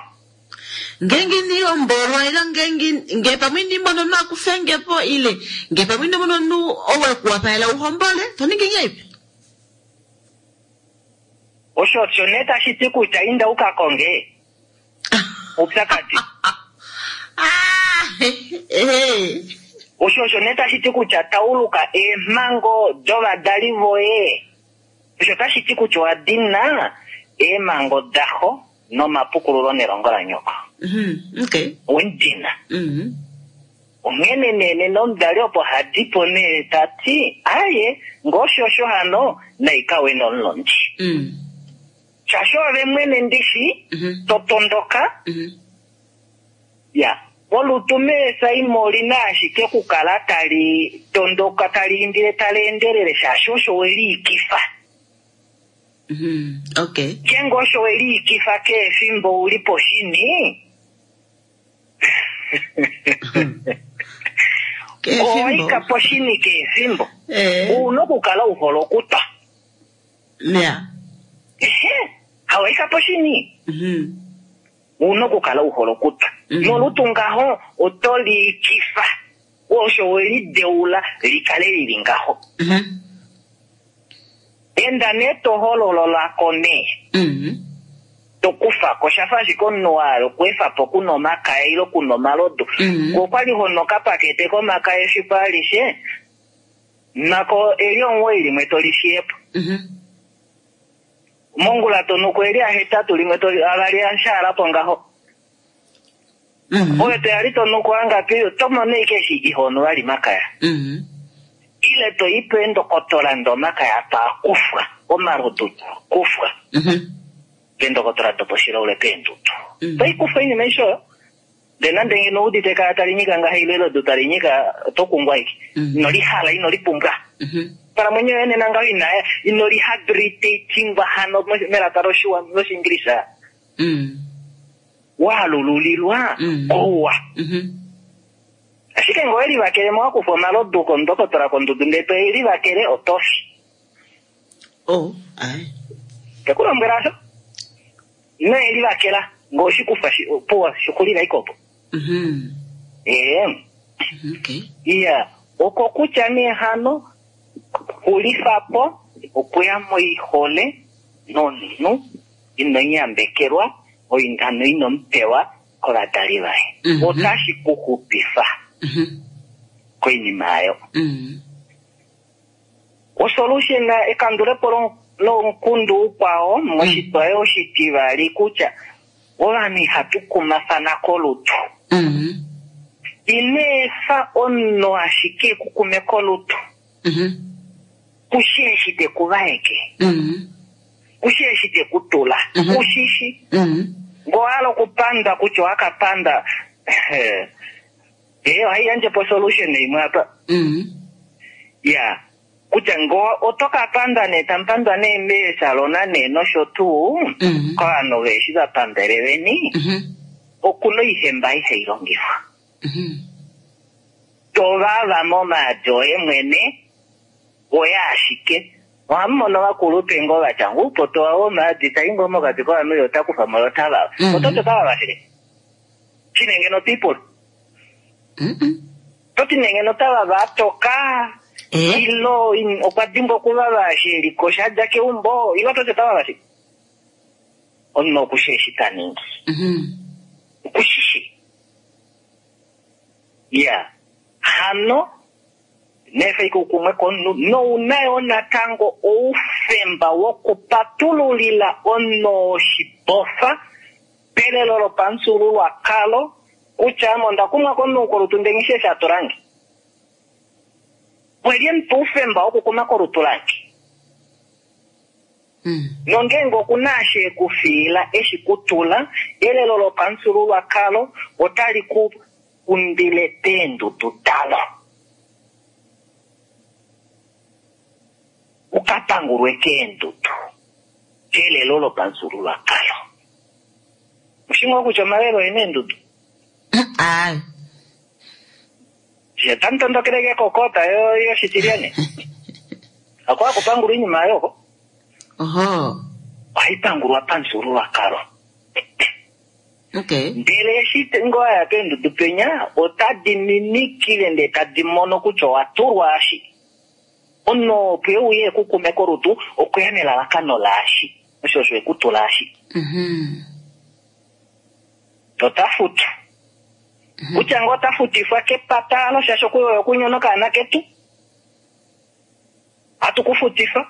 Ngeenge nihombolwa ile ngeenge nge pamwe indi mono omunhu akufenge po ile nge pamwe indi mono omunhu ou ekuwapalela uhombole, to ningi ngahelipi? Osho osho nee tashi ti kutya inda uka konge oupyakadi. Ah, eh. Osho osho nee tashi ti kutya tauluka eemhango dovadali voye. Osho tashi ti kutya owa dina eemhango daxo nomapukululo nelongo lanyoko. Mhm. Okay. Owedina. Mhm. Onghene nee nena omudali opo hadi po nee ta ti, aye, ngoo osho hano, naikawe nomulondi. Mm. Shaashi ove mwene ndishi, Mhm. to tondoka, Mhm. ya. Olutu meesaimo olina ashike okukala tali tondoka, tali indile, tali endelele, shaashi osho we liikifa. Mhm. Okay. Ngeenge osho we liikifa kehe efimbo uli poshini, Kehe owaika efimbo. poshini kehe efimbo. Eh. Ouna okukala u hole okutwa. Ya. Ehe, hawaika poshini. Mhm. Ouna okukala u hole okutwa. Mhm. Nolutu ngaho oto liikifa. Osho we lideula likale lili ngaho. Mhm. Enda nee to holololako nee. Mhm. To kufa ko shafa ashike omunhu wa hala okweefa po kuna omakaya ile kuna omalodu. Mhm. Okwali ho nu okapakete komakaya efiku alishe, nako eli omuwoi limwe to li fiye po. Mhm. Mongula to nuko eli ahetatu limwe to avali ashaala po ngaho. Mhm. Oyo to yali to nuko angapi oto mono ashike eshi iho nu vali makaya. Mhm. Ile to i peendokotola ndee omakaya taa kufwa, omalodu taa kufwa. Mhm. Peendokotola doposhilaule peendudu. Mhm. To i kufa oinima aishe oyo. Ndee nande ngeno udite ekaya tali nyika ngaha ile elodu tali nyika, oto kungwa ashike. Mhm. Ino lihala, ino lipumbwa. Mhm. Onghalamwenyo yoye nena ngaho ina ino rehabilitatingwa hano melaka loshiwa- loshiingilisa. Mhm. Waalululilwa Mhm. kouwa. Mhm. Ashike ngee owelivakele mo wakufa omalodu kondokotola kondudu ndee to elivakele oto fi. Oh, ai. Tekulombwela asho. Ino elivakela ngee oshikufa shi- puwa xixulila ashike opo. Mhm. Ee. Okay. Iya, oko kutya nee hano xulifa po okuya moihole nomunhu ino nyambekelwa oingano ino mupewa kovadali vaye. Mhm. Otashi ku xupifa Mhm. koinima ayo. Mhm. Osolution ekandulepo lo- lomukundu ukwao moshitwa oshitivali kutya ovanhu ihatu kumafana kolutu. Mhm. Ino efa omunhu ashike ekukume kolutu. Mhm. Kushi eshi te ku vaeke. Mhm. Kushi eshi te ku tula. Mhm. Kushishi. Mhm. Ngee owa hala okupanda kutya owakapanda ee ohai yandje po solution imwe apa. Mhm. Ya, kutya ngee oto ka panda nee tamupandwa nee meesalona nee nosho tuu Mhm. kovanhu veeshi vapambele veni Mhm. okuna oihemba ihai longifwa. Mhm. Tovava momaadi oye mwene oye ashike. Ohamu mono vakulupe ngoo vatya uupoto wawo womaadi tai ngoo mokati kovanhu ye ota kufa mo ye ota vava. Mhm. Ototi ota vava shike? Shine ngeno people. Mhm. Toti nee ngeno ota vava atoka Eh? ilo in- okwa dimbwa okuvava eshi eliko shadja keumbo ilo toti ota vava shike? Omunhu okushi eshi ta ningi. Mhm. Okushishi. Ya. Hano nefa ike ukumwe komunhu nouna yo natango oufemba wokupatululila omunhu oshibofa pelelo lopamufyuululwakalo kutya ame onda kumwa komunhu kolutu ndee nghi shi eshi a tulange. Pwelye emupa oufemba wokukuma kolutu lange. Mhm. Nongeenge okuna eshi ekufiila eshi kutula, elelo lopamufyuululwakalo otali ku kundile peendudu dalo. Ukapangulwe keendudu kelelo lopamufyuululwakalo. Oshimwe kutya omalelo oena eendudu. Ai. She tamu tondokeleke kokota yo yoshitilyane. Ako akupangulwa oinima ayo oko. Oho. Ohai pangulwa pamufyuululwakalo. Okay. Ndele eshi ngoo waya peendudu penya otadi minikile ndee tadi mono kutya owa tulwa ashi. Omunhu opo euye ekukume kolutu okweya nelalakano laashi. Osho osho ekutula ashi. Mhm. Tota futu. Kutya ngoo ota futifwa kepata alo shaashi oku- okunyona okaana ketu. Hatu ku futifa.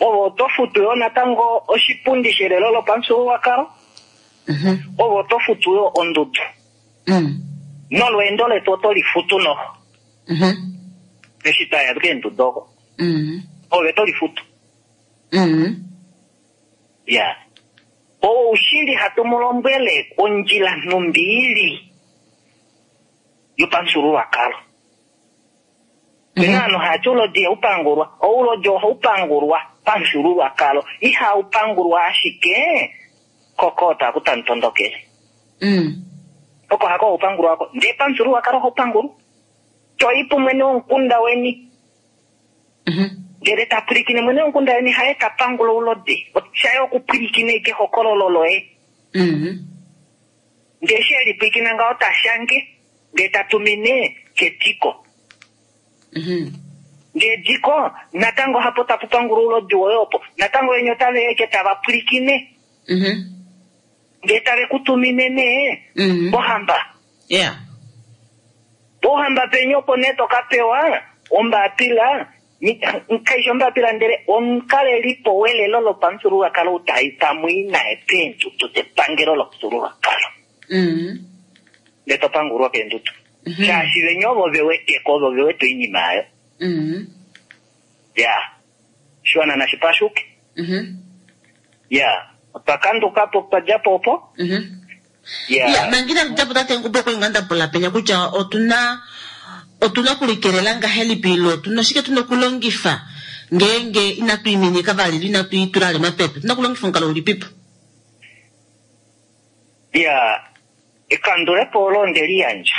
Ove oto futu yo natango oshipundi shelelo lopamufyuululwakalo. Mhm. Ove oto futu yo ondudu. Mhm. Nolweendo letu oto lifutu noho. Mhm. Eshi twaya keendudu oko. Mhm. Ove to lifutu. Mhm. Ya. Oushili hatu mu lombwele ondjila nhumbi ili yopamufyuululwakalo. Pena ovanhu hati oulodi ihaupangulwa. Oulodi ohaupangulwa pamufyuululwakalo. Ihaupangulwa ashike kokota aku tamu tondokele. Mhm. Oko hako haupangulwa ako. Ndee pamufyuululwakalo ohaupangulwa. Toi pumwene womukunda weni. Mhm. Ndele ta pwilikine mwene womukunda weni haye ta pangula oulodi. Shaye okupwilikina ashike ehokololo loye. Mhm. Ndee eshi elipwilikina ngaho ta shange, ndee ta tumine ketiko. Mhm. Ndee diko natango hapo tapu pangula oulodi woye opo natango yenye otave eke tava pwilikine Mhm. ndee tave ku tumine nee Mhm. pohamba Yeah. pohamba penye opo nee toka pewa ombapila ni- kaishi ombapila ndele omukalelipo welelo lopamufyuululwakalo ou tai tamui naye peendudu depangelo lomufyuululwakalo Mhm. ndee topangulwa keendudu Mhm. shaashi venye ovo veweteko ovo vewete oinima ayo Mhm. ya shiwana nashi pashuke Mhm. ya otwa kandukapo twadjapo opo Mhm. ya Ya, mangina japo tate Ngube okwa inga ndapula penya kutya otuna otuna okulikelela ngahelipi ilo otuna oshike tuna okulongifa ngeenge inatu iminika vali ilo inatu itula vali omapepe otuna okulongifa omukalo ulipipo ya ekandulepo olo onde liyandja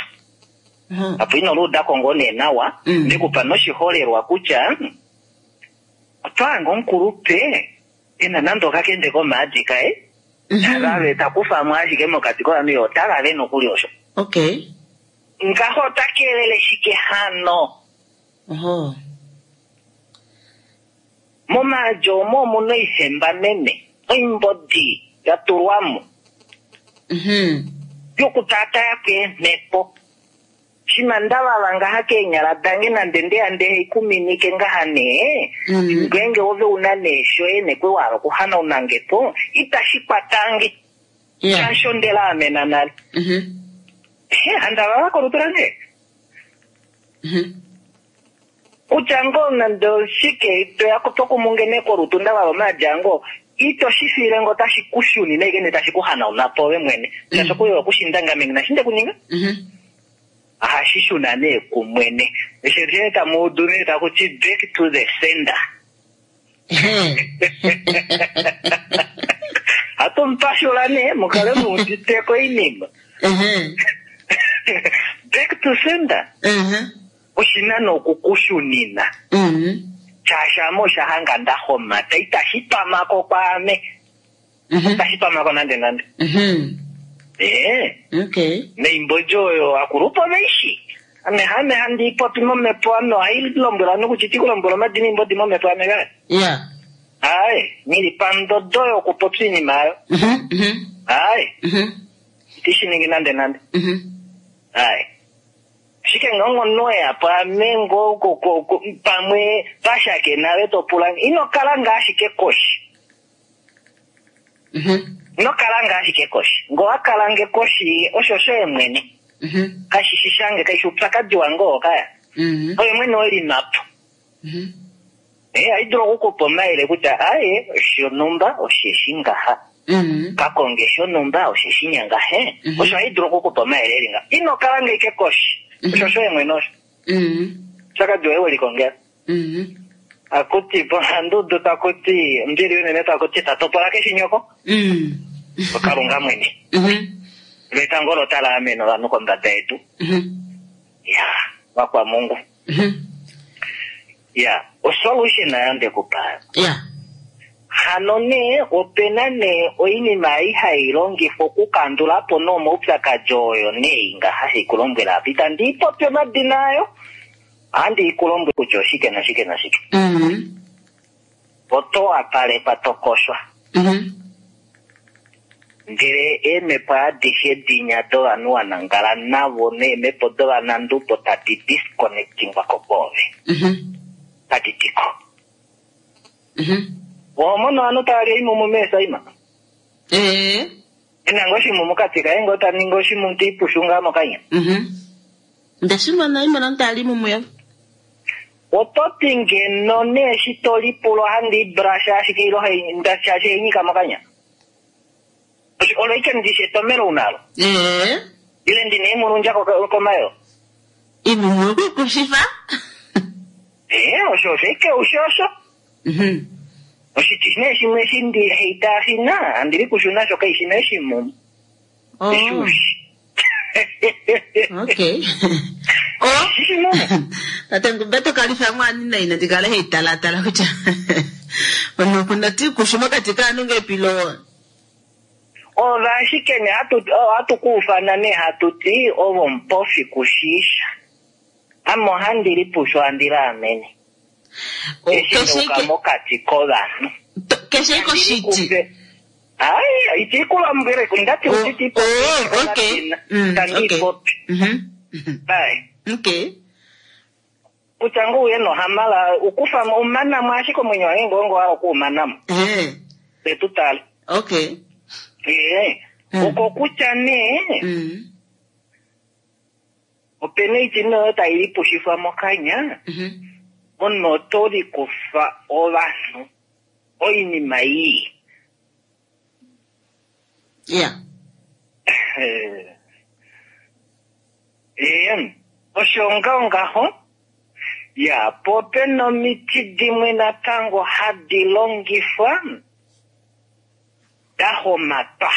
apo ino luudako ngoo nee nawa Mm. ndekupa noshiholelwa kutya otwaanga omukulupe ena nande okakende komaadi kaye tagave takufamo ashike mokati kovanhu ye otagave nokuli osho okay ngaho ota kelele shike hano oho momaadi omo omuna oifemba meme oimbodi ya tulwamo Mhm. yokutaataya keemhepo shima ndavava ngaha keenyala dange nande ndeya nde ikuminike ngaha nee Mhm. ngeenge ove una nee shoye nekwe wahala okuhanaunange po itashi kwatange Yeah. shaashi ondela amena nale Mhm. he handavava kolutu lange Mhm. kutya ngoo nande oshike toya tokumunge nee kolutu ndavava omaadi ango ito shi fiile ngo tashi ku shunine ike nee tashi ku hanauna po ove mwene shaashi okuyo okushinda ngame ngina shi ndekuninga Mhm. ohashi shuna nee kumwene eshe tamu udu nee takuti back to the sender Ehe. hatu mupashula nee mukale muuditeko oinima Ehe. back to sender Ehe. oshina nokukushunina Mhm. shaashi ame osha hanga nda homata itashi twamako kwaame Mhm. itashi twamako nande nande Mhm. ee Okay. neimbodjo oyo akulupo veishi ame hame handi ipopi momhepo ame ohai lombwela nokuti tikulombwela omadina imbodi momhepo ame kale Yeah. aye nili pandodo yokupopya iinima ayo Mhm. Mhm. aye Mhm. itishi ningi nande nande Mhm. aye ashike ngongo yapo ame ngo ko- ko- ko- pamwe pashakenale topula ino kala nga ashike koshi Mhm. ino kala nga ashike koshi ngo wakala nge koshi osho shoye mwene Mhm. kashi shi shange kaishi upyakadi wange oo kaya Mhm. oye mwene welimapo Mhm. e ayi dulu okukupa omayele kutya aye shonumba osheshi ngaha Mhm. kakonge shonumba osheshi nyangahe Mhm. osho ayi dulu okukupa omayele eli nga ino kala ngeike koshi Mhm. osho shoye mwene osho Mhm. upyakadi woye welikongela Mhm. akuti pohandudu takuti mbili unene takuti tatopola keshinyoko Mhm. okalunga mwene Mhm. lwetango olo tala amene ovanhu kombada yedu Mhm. ya vakwamungu Mhm. ya osolution ayo ndekupayo Yeah. hano nee opena nee oinima ei hai longifwa okukandula po nomaupyakadi oyo nee ngaha haikulombwela apa itandi ipopi omadina ayo ohandi ikulombwela kutya oshike nashike nashike Mhm. oto wapalekwa tokoshwa Mhm. ndele eemhepo adishe dinya dovanhu wanangala navo neemhepo dovanandubo tadi disconnectingwa ko kwoove Mhm. tadi tiko Mhm. ohomono ovanhu tavali oimumu meesaima Eh. enanga oshimumu kati kaye ngoo taningi oshimumu tiipushu ngaa mokanya Mhm. Ndashimona imona ntali mumuya. oto ti ngeno nee eshi tolipula ohandi ibrasha ashike ilo hai- nda- shaashi hainyika mokanya Osho- olo ike ndishi etomelo unalo Eh. ile ndina imulundja ko- komayo Imumu kukushifa. ee osho osho ike usho osho Mhm. oshiti nee shimwe eshi ndi heitaashina andili kushuna sho kaishina eshimumu Oh. eshushi Okay. Oh. shishimumu Tate Ngube tokalifa mwani na ina ndikale heitalatala kutya. Ono kuna ti kushuma katika anu ngepilo. ova ashike ne hatu hatu kuufana nee hatu ti ovo mupofi kushiisha ame ohandi lipushu handi laamene Oh, Eshi keshe ndeuka ike mokati kovanhu. to- keshe ike oshiti. Ai, iti kulombwele ndati Oh, utiti oh, okay. Mm, tandi okay. popi. Mhm. Mhm. Ai. Okay. Kutya ngoo uye nohamala ukufa umanamo ashike omwenyo wange ngongo walo kuumanamo. Eh. Setu tale. Okay. Ee. Mm. Oko kutya nee Mm. opena oiti noyo tai lipushifwa mokanya Mhm. omunhu oto likufa ovanhu oinima ii. Yeah. Ee, osho ngaho ngaho ya po opena omiti dimwe natango hadi longifwa da homatwa.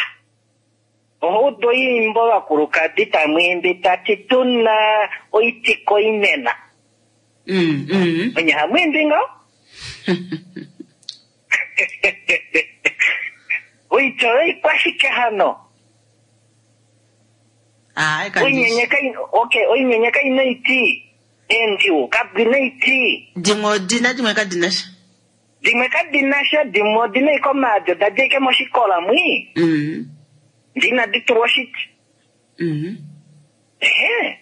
Oho udu oimbo vakulukadi tamwiimbi tati tuna oitiko inena. Mm. Mm. Onye hamwiimbi ngaho? Oiti oyo ikwashike hano? Ah, kandi. Oinyenye kai okay, oinyenye kaina iti. Endiwo kabwina iti. Dimwe odina dimwe kadina sha. Dimwe kadina sha dimwe odina iko maadi oda ike moshikola mwi. Mm. Ndina ditulwa oshiti. Mm. Ehe.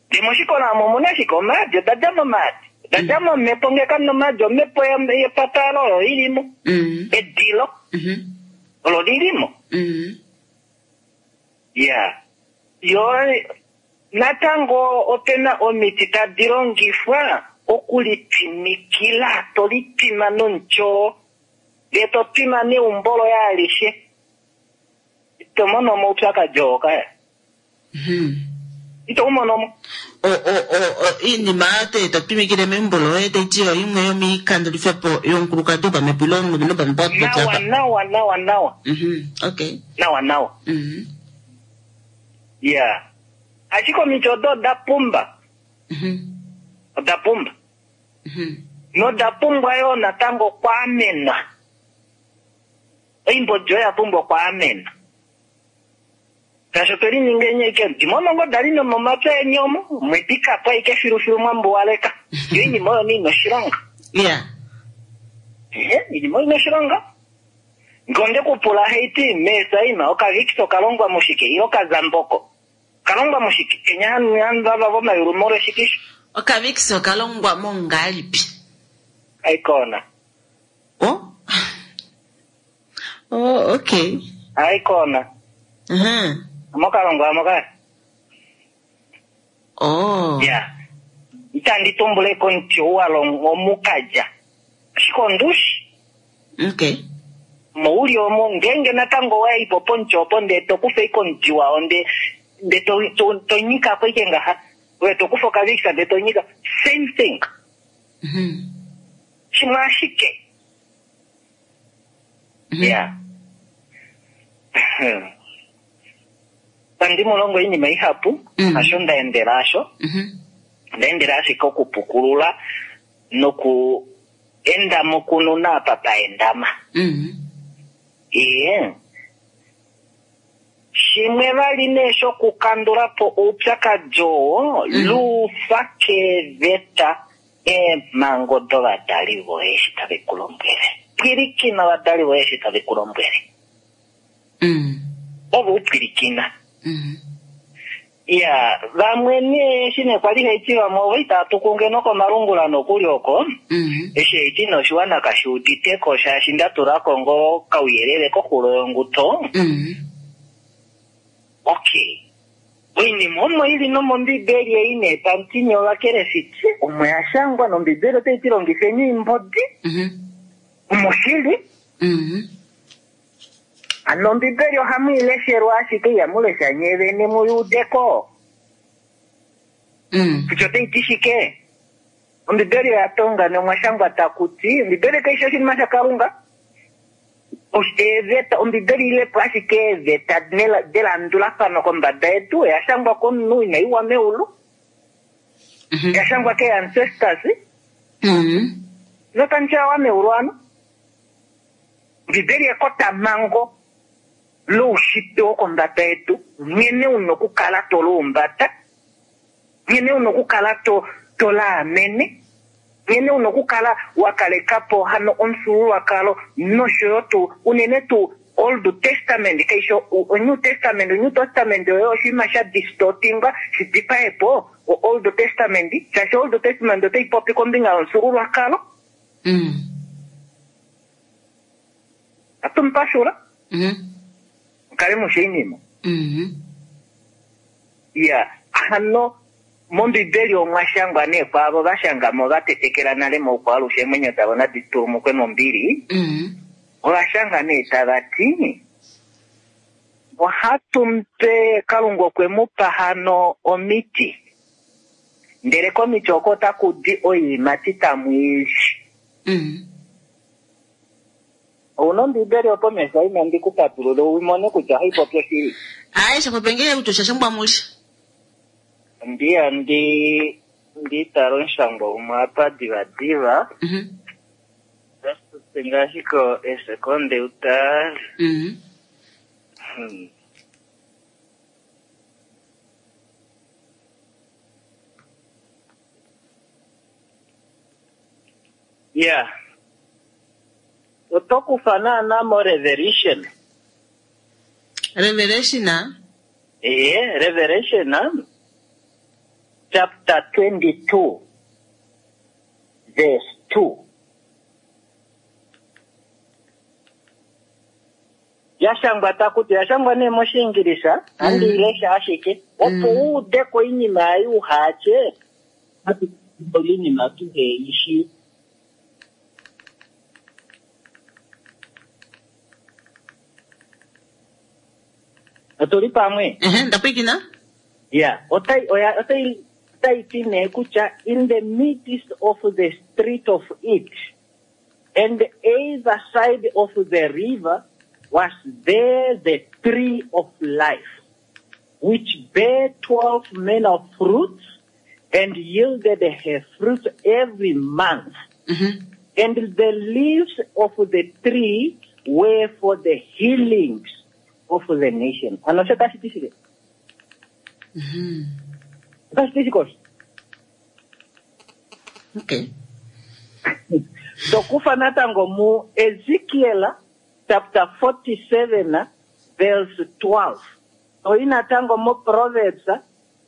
Ndi moshikola omo omuna ashike omaadi oda dja momaadi. Oda dja momhepo ngee kamuna omaadi omhepo ye- yepatalo oyo ilimo. Mm. Edilo Mhm. olo lilimo. Mm. Ya. Yo natango opena omiti tadi longifwa okulipimikila tolipima nomutyoo ndee topima neumbo loye alishe ito mono omaupyakadi oo kaya Mhm. ito umonomo O o o o iinima te to pimikile meumbo loye taiti oyo imwe yomiikandulifepo yomukulukadi wopamhepo ile omulumenhu wopamhepo nawa wapopyapa. nawa nawa nawa Mhm. Okay. nawa nawa Mhm. ya ashike omiti odo oda pumba Mhm. oda pumba Mhm. noda pumbwa yoo natango okwaamenwa oimbodi oyo ya pumbwa okwaamenwa shaashi otwe lininga enye ndimono ngo dali nomomapya eni omo mwedikapo aike filufilu mwambuwaleka yo iinima oyo niina oshilonga Yeah. Ehe, iinima oyo ina oshilonga ngonde kupula heiti meesaima okavikis okalongwa mushike ile okazamboko kalongwa mushike kenya hanvava vomayulu molweshikisho Okavikisi okalongwa mongalipi. aikona Oh. Oh, okay. aikona Mhm. mokalongwa amoka Oh. ya itandi tumbuleko omuti ou walongwa omukalya ashike ondushi Okay. mouli omo ngenge natango waipo pomuti opo ndee tokufa ike omuti wao nde nde to- to- tonyikako ike ngaha oye tokufa okavikisa ndee tonyika same thing Mhm. shimwe ashike Mhm. ya tandi mulongo iinima ihapu Mm. asho ndaendela asho Mhm. ndaendela ashike okupukulula noku enda mokununa apa paendama Mhm. Iye. Shimwe vali nee shokukandula po oupyakadi oo Mm. luufa keeveta eemhango dovadali voye eshi tave ku lombwele. Pwilikina ovadali voye eshi tave ku lombwele. Mm. Ove u pwilikina. Mhm. Ya, vamwe nee eshi nee kwali haiti vamwe ovo itava tuku ngeno komalungula nokuli oko. Mhm. Eshi haiti noshiwana kashi uditeko shaashi nda tulako ngoo kauyelele koxulo yonguto. Mhm. Okay. Oinima omo ili nomombibeli ei nee tamutini ovakelefiti omo ya shangwa nombibeli otai ti longifeni oimbodi Mhm. omo shili Mhm. hano ombibeli ohamu i leshelwa ashike ihamu lesha nyee vene muyudeko Mm. kutya otai ti shike ombibeli oya tonga nomwa shangwa taku ti ombibeli kaishi oshinima shakalunga Osh- eeveta ombibeli ilepo ashike eeveta nela- delandulafano kombada yedu oya shangwa komunhu inaiwa meulu Mhm. ya shangwa ke ancestors Mhm. notandiawa meulu ano ombibeli ekotamhango loushitwe wokombada yedu nghene una okukala to luumbata nghene una okukala to to laamene Nghene una okukala wa kaleka po hano omufyuululwakalo nosho yo tuu unene tuu Old Testament kaishi o New Testament. New Testament oyo oshinima sha distortingwa shi dipae po o Old Testament, shaashi Old Testament otai popi kombinga yomufyuululwakalo. Mm. Atumupashula Mhm. kale mushe inima. Mhm. Ya, hano mOmbibeli omwa shangwa nee kwaavo va shanga mo va tetekela nale moukwaalushe, eemwenyo davo nadi tulumukwe mombili. Mhm. Ova shanga nee tava ti ohatu mupe Kalunga okwe mu pa hano omiti, ndele komiti oko otaku di oiimati tamu i li. Mhm. Ouna Ombibeli opo mesha ina ndi ku patulule u mone kutya ohai popi oshili. Aye, shapopengele kutya oshashangwa muli. Ndiya ndi ndi tala omushangwa umwe apa divadiva. Mhm. Ngaashi ko esekonde utale. Mhm. Hmm. Ya, oto kufa naana mo Revelation. Revelation ah? Ee, Revelation ah, chapter twenty-two verse two. Yashangwa takuti yashangwa nee mOshiingilisa, andi ilesha ashike opo u ude ko oinima ei uhaatye oinima tuhe ishi. Otuli pamwe? Ehe, ndapwikina. Ya, otai oya otai otai ti nee kutya in the midst of the street of it and either side of the river was there the tree of life, which bare twelve manner of fruits and yielded her fruit every month. Mhm. And the leaves of the tree were for the healings of the nation. Ano osho tashi ti shike? Mhm. Otashi ti shike osho? Okay. Tokufa natango mu Ezekiel chapter forty-seven verse twelve. Toyi natango mu Proverbs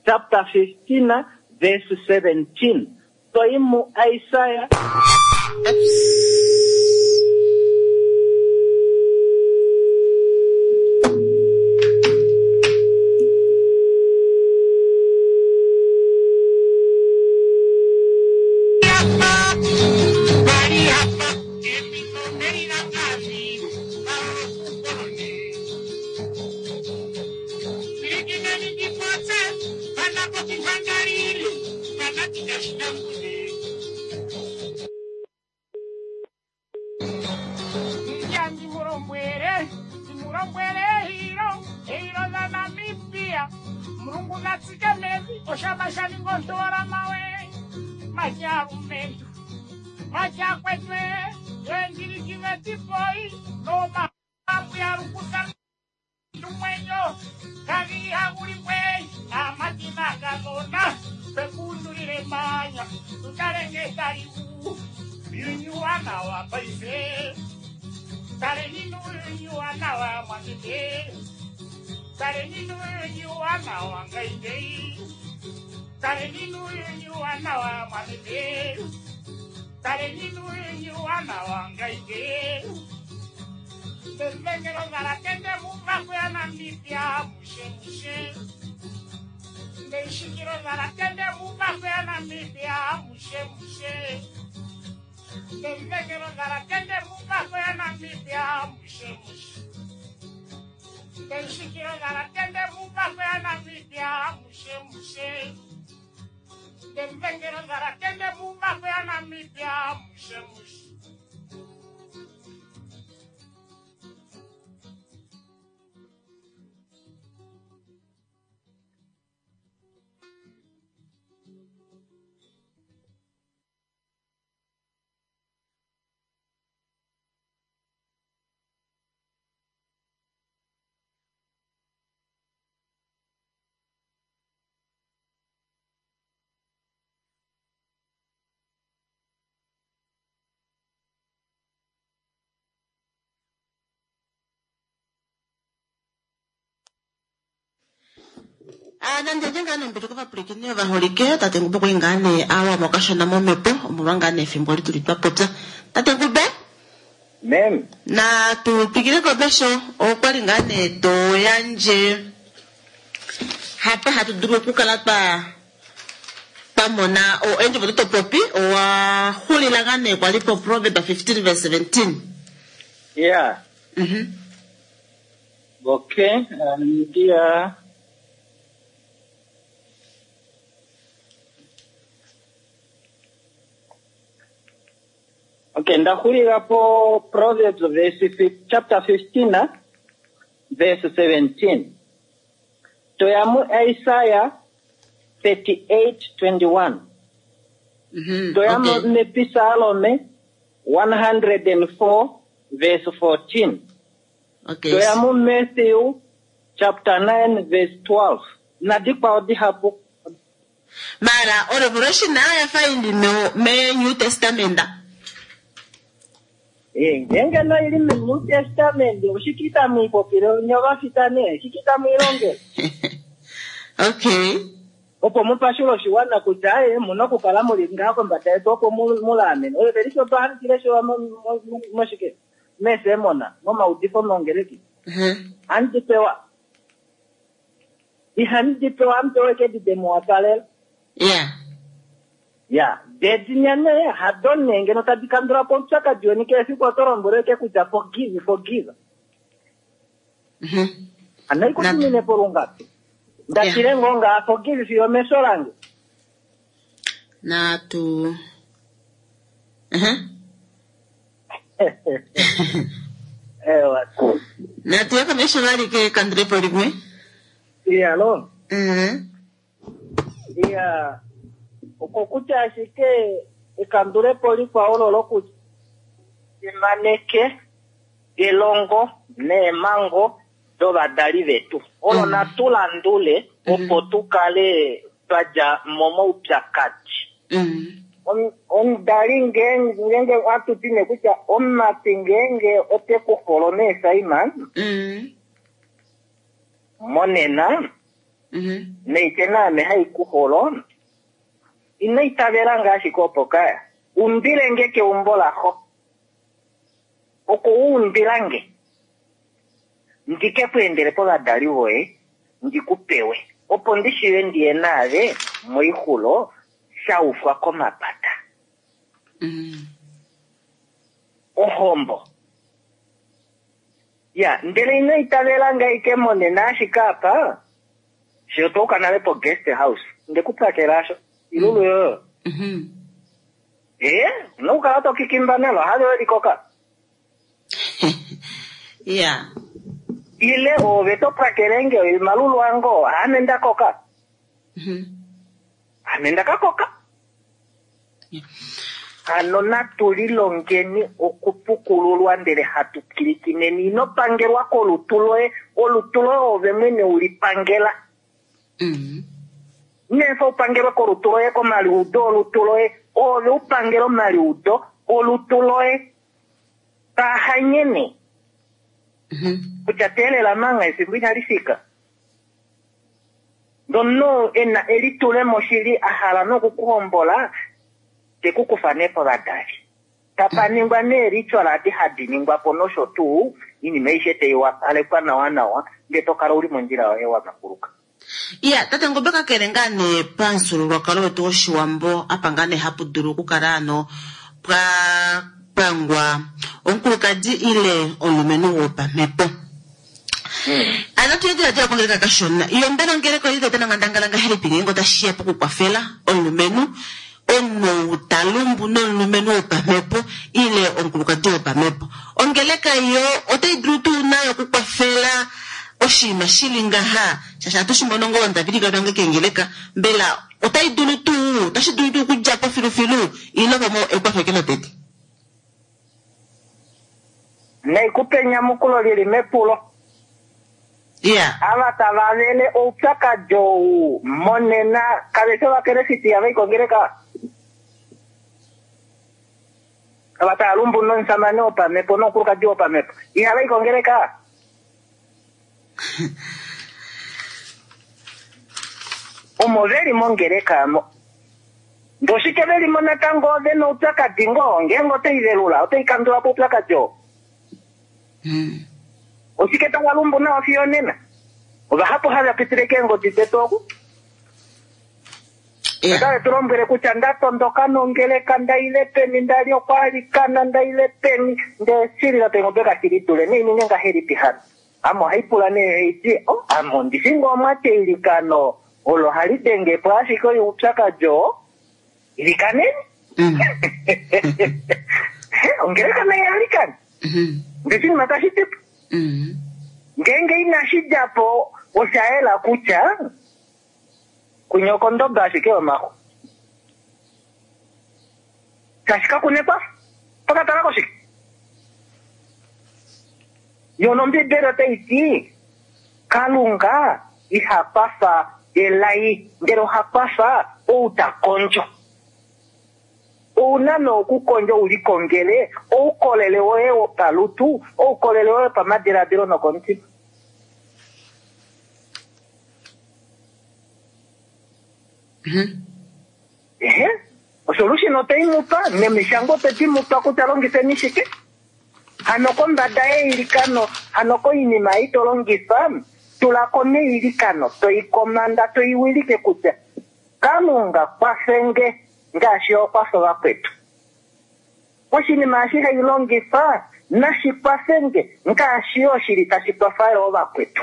chapter fifteen verse seventeen. Toyi mu Isaiah Oops. Ah, nande ngaa nee mbili kovapwilikini ovaholike tate Ngube okwa li ngaa nee awa mokashona momhepo omolwa ngaa nee efimbo li tuli twa popya. Tate Ngube, Mem, natu twikile komesho. Okwa li ngaa nee to yandje hapa hatu dulu okukala twa twa mona eendjovo dotopopi owa xulila ngaa nee kwali po Proverbs fifteen verse seventeen. Yeah. Mhm. Okay, ndiya Okay, ndaxulila po Proverbs verse chapter fifteen verse seventeen. Toya mu Isaiah thirty-eight twenty-one. Mhm. Toya mu Okay. Mepisalome one hundred and four verse fourteen. Okay. Toya mu Matthew chapter nine verse twelve. Nadikwao dihapu. Mara o Revelation nayo yafa ili me, me New Testament. Eh, ngenge no ili mu New Testament oshikita muipopile nyovafita ne shikita muilonge. Okay. Opo mupashule oshiwana kutya aye muna okukala muli ngaha kombada yetu opo mulamene. Oyo veli sho twahanikile sho moshike mesemona momaudifo mongereki. Mhm. Handi pewa. Ihandi pewa ampewe kedide muwapalela. Yeah. Ya, dedinyane hadone ngeno tadi kandula po omupyakadi weni kehe efiku oto lombwele kutya forgive, forgive. Mhm. Ano ikutumine po lungapi? Ndatile ngoo ngaa forgive fiyo mesho lange. Natu. Mhm. Ewa. Natu yaka mesho vali ke kandulepo limwe. Iya lo. Mhm. Iya. Okokutya ashike ekandulepo likwao lolo kutya fimaneke elongo neemango dovadali vetu. Olo Mm. natu landule opo Mm. tukale twadja momaupyakadi. Mm. Omudali ngeenge atuti nee kutya omumati ngeenge ote ku holo nee Simon Mm. monena Mhm. neite naame hai ku holo ino itavela ngaashi opo kaya umbile nge keumbo laxo oko u umbila nge ndike ku endele povadali voye ndikupewe opo ndishiwe ndiye naave moixulo shaufwa komapata. Mm. Ohombo. Ya, ndele ino itavela ngaike monena ashike apa fiyo touka nale po guest house ndekupakela asho ilulu yoyo. Mhm. Eh, unokukala tokikimba nalo hali welikoka. Yeah. Ile ove topakele nge malulu ango ame ndakoka. Mhm. Ame ndakakoka. Yeah. Hano natu lilongeni okupukululwa ndele hatu pwilikineni. Ino pangelwa kolutu loye, olutu loye ove mwene ulipangela. Mm. Nefa upangelwe kolutu loye komaliudo olutu loye, ove upangele omaliudo olutu loye tahanyene. Mhm. Kutya teelela manga efimbo inali fika. Ndono ena elitulemo shili a hala nokukuhombola te ku kufa nee povadali. Tapa ningwa nee ritual adi hadi ningwa po nosho tuu, iinima aishe tai wapalekwa nawa nawa, ndee to kala uli mondjila yoye wa manguluka. Iya, tate Ngube kakele ngaa nee pamufyuululwakalo wetu wOshiwambo apa ngaa nee hapu dulu okukala ano pwa pangwa omukulukadi ile omulumenhu wopamhepo. Ano tuyediladila kongeleka kashona. Iyo mbela ongeleka oili tayi dana onghandangala ngahelipi ngeenge otashi ya pokukwafela omulumenhu omunhu talumbu nomulumenhu wopamhepo ile omukulukadi wopamhepo. Ongeleka yo otai dulu tuu nayo okukwafela oshinima shili ngaha shaashi ohatu shi mono ngoo ndavili vange kengeleka mbela otai dulu tuu otashi dulu tuu okudja po filufilu ile pamwe ekwafo lotete. Naikupe enyamukulo lili mepulo. Yeah. Ava tava vele oupyakadi ou monena kave fi ovakelefiti ihava i kongeleka. Ava tava lumbu nomusamane wopamhepo nomukulukadi wopamhepo ihava i kongeleka. Omo veli mongeleka mo. Ndoshike veli mo natango ove noupyakadi ngoo ngeenge otai velula otai kandula po oupyakadi oo. Mm. Oshike tava lumbu nawa fiyo nena. Ovahapu hava pitile keengodi detu oku. Ya. Otave tu lombwele kutya nda tondoka nongeleka ndaile peni ndali okwaalikana ndaile peni ndee shilila pengobe kashili dule neininge ngahelipi hano. Ame ohai pula nee haiti oh, ame ondishi ngoo omwati eilikano olo hali denge po ashike oupyakadi oo ilikaneni. Mm. Ongeleka naye alikane Mhm. ndee oshinima tashi dipo. Mm. Ngeenge inashi dja po osha yela kutya kunya okondoba ashike yomaxu. Tashi ka kunekwa pakatala koshike. Yo nOmbibeli otai ti Kalunga iha kwafa elai ndele oha kwafa ou ta kondjo. Ouna nookukondja u likongele oukolele woye wopalutu, oukolele woye wopamadiladilo nokomutima. Mhm. Ehe, osolution otai mu pa nemishango otedi mu pa kutya longifeni shike. Hano kombada yeilikano, hano koinima ei to longifa, tula ko neilikano, toikomanda, toiwilike kutya Kalunga kwafenge ngaashi okwafa vakwetu. Oshinima eshi hai longifa nashi kwafenge ngaashi yo shili tashi kwafa yo vakwetu.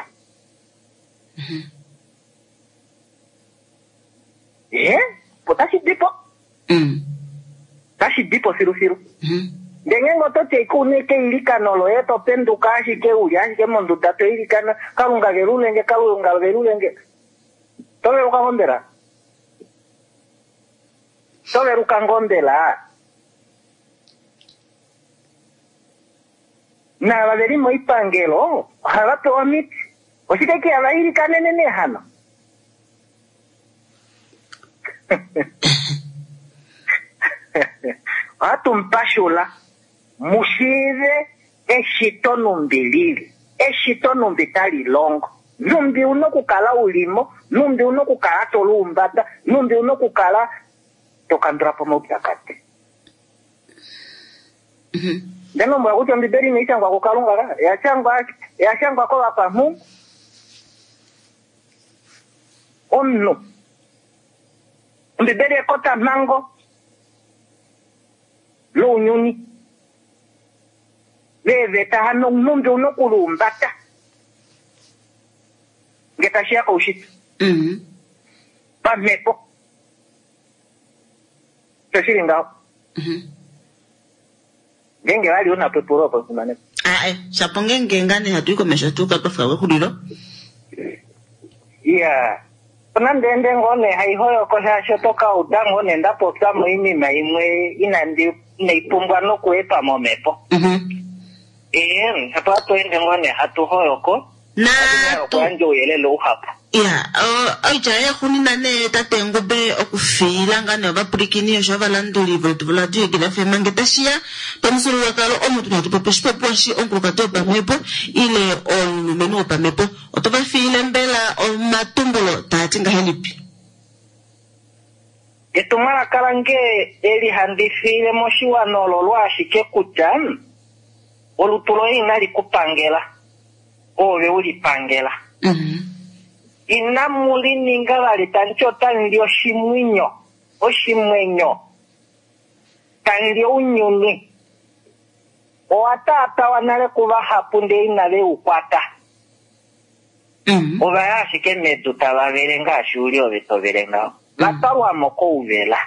Ehe, otashi di po, Mm. tashi di po filufilu. Mhm. Ndee ngeenge oto ti ashike keilikano loye to penduka ashike uli ashike monduda to ilikana Kalunga velulenge, Kalunga velulenge. To veluka ngoo mbela? To veluka ngoo mbela? Naava veli moipangelo ohava pewa omiti. Oshike ke hava ilikanene nee hano? Ohatu mupashula mushiive eshito numbi lili, eshito numbi tali longo, numbi una okukala ulimo, numbi una okukala to luumbata, numbi una okukala to kandula po omaupyakadi. Mhm. Ndele lombwela kutya Ombibeli inai shangwa kuKalunga ka, oya oya shangwa kovakwamhungu. Omunhu. Ombibeli ekotamhango lounyuni. Veeveta hano numbi una okuluumbata nge tashi ya koushitwe. Mm. Pamhepo. Osho shili ngaho. Mhm. Ngeenge vali una po epulo opo fimaneko. Ah, eh, shapo ngeenge ngaa nee hatu i komesho tuuka twafika kexulilo. Iya. Nande ende ngoo nee haihoyoko shaashi oto ka uda ngoo nee nda popya moinima imwe inandi inai pumbwa nokuepa momhepo. Mhm. Ee, apo hatu ende ngoo nee hatu hoyoko. Natu Okuyandja ouyelele uhapu. ya oitya yaxunina nee tate Ngube okufiila ngaa nee ovapulikini osho ovalanduli vetu voradio Egila F M nge tashiya pamufyuululwakalo omo tuna hatu popi oshipopiwa shi omukulukadi wopamhepo ile omulumenhu wopamhepo. Oto va fiile mbela omatumbulo taa ti ngahelipi? Etumwalaka lange eli handi fiile moshiwana ololo ashike kutya olutu loye inali ku pangela, ove u li pangela. Mhm. Inamu li ninga vali tamu ti otamu li oshimwenyo, oshimwenyo, tamu li ounyuni. Owa taatawa nale kuvahapu ndee inave u kwata. Mhm. Ova ya ashike medu tava vele ngaashi uli ove to vele ngaho. Va twalwa mo kouvela.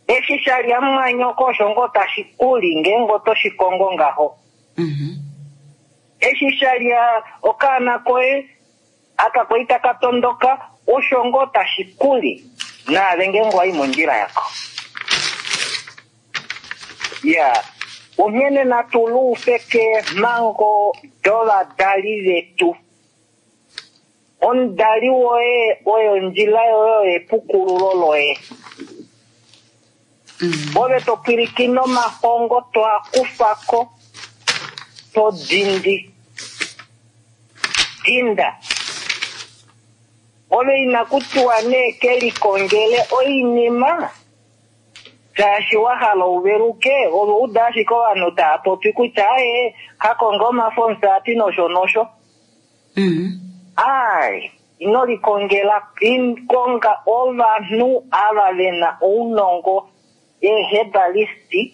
Eshi sha lya mumwanyoko osho ngoo tashi kuli ngeenge oto shi kongo ngaho. Mhm. Eshi sha lya okaana koye aka kwali taka tondoka osho ngoo tashi kuli naave ngeenge owa i mondjila yako. Ya, onghene natu luufe keemhango dovadali vetu. Omudali woye oyo ondjila yoye oyo epukululo loye. Mm. Ove to pwilikine omahongo to a kufa ko, to dindi. Dinda. Ove inakutiwa nee kelikongele oinima shaashi wa hala uveluke, ove uda ashike ovanhu tava popi kutya aye kakonga omafo omusati nosho nosho. Mm. Ai, ino likongela, konga ovanhu ava vena ounongo eehebalisti,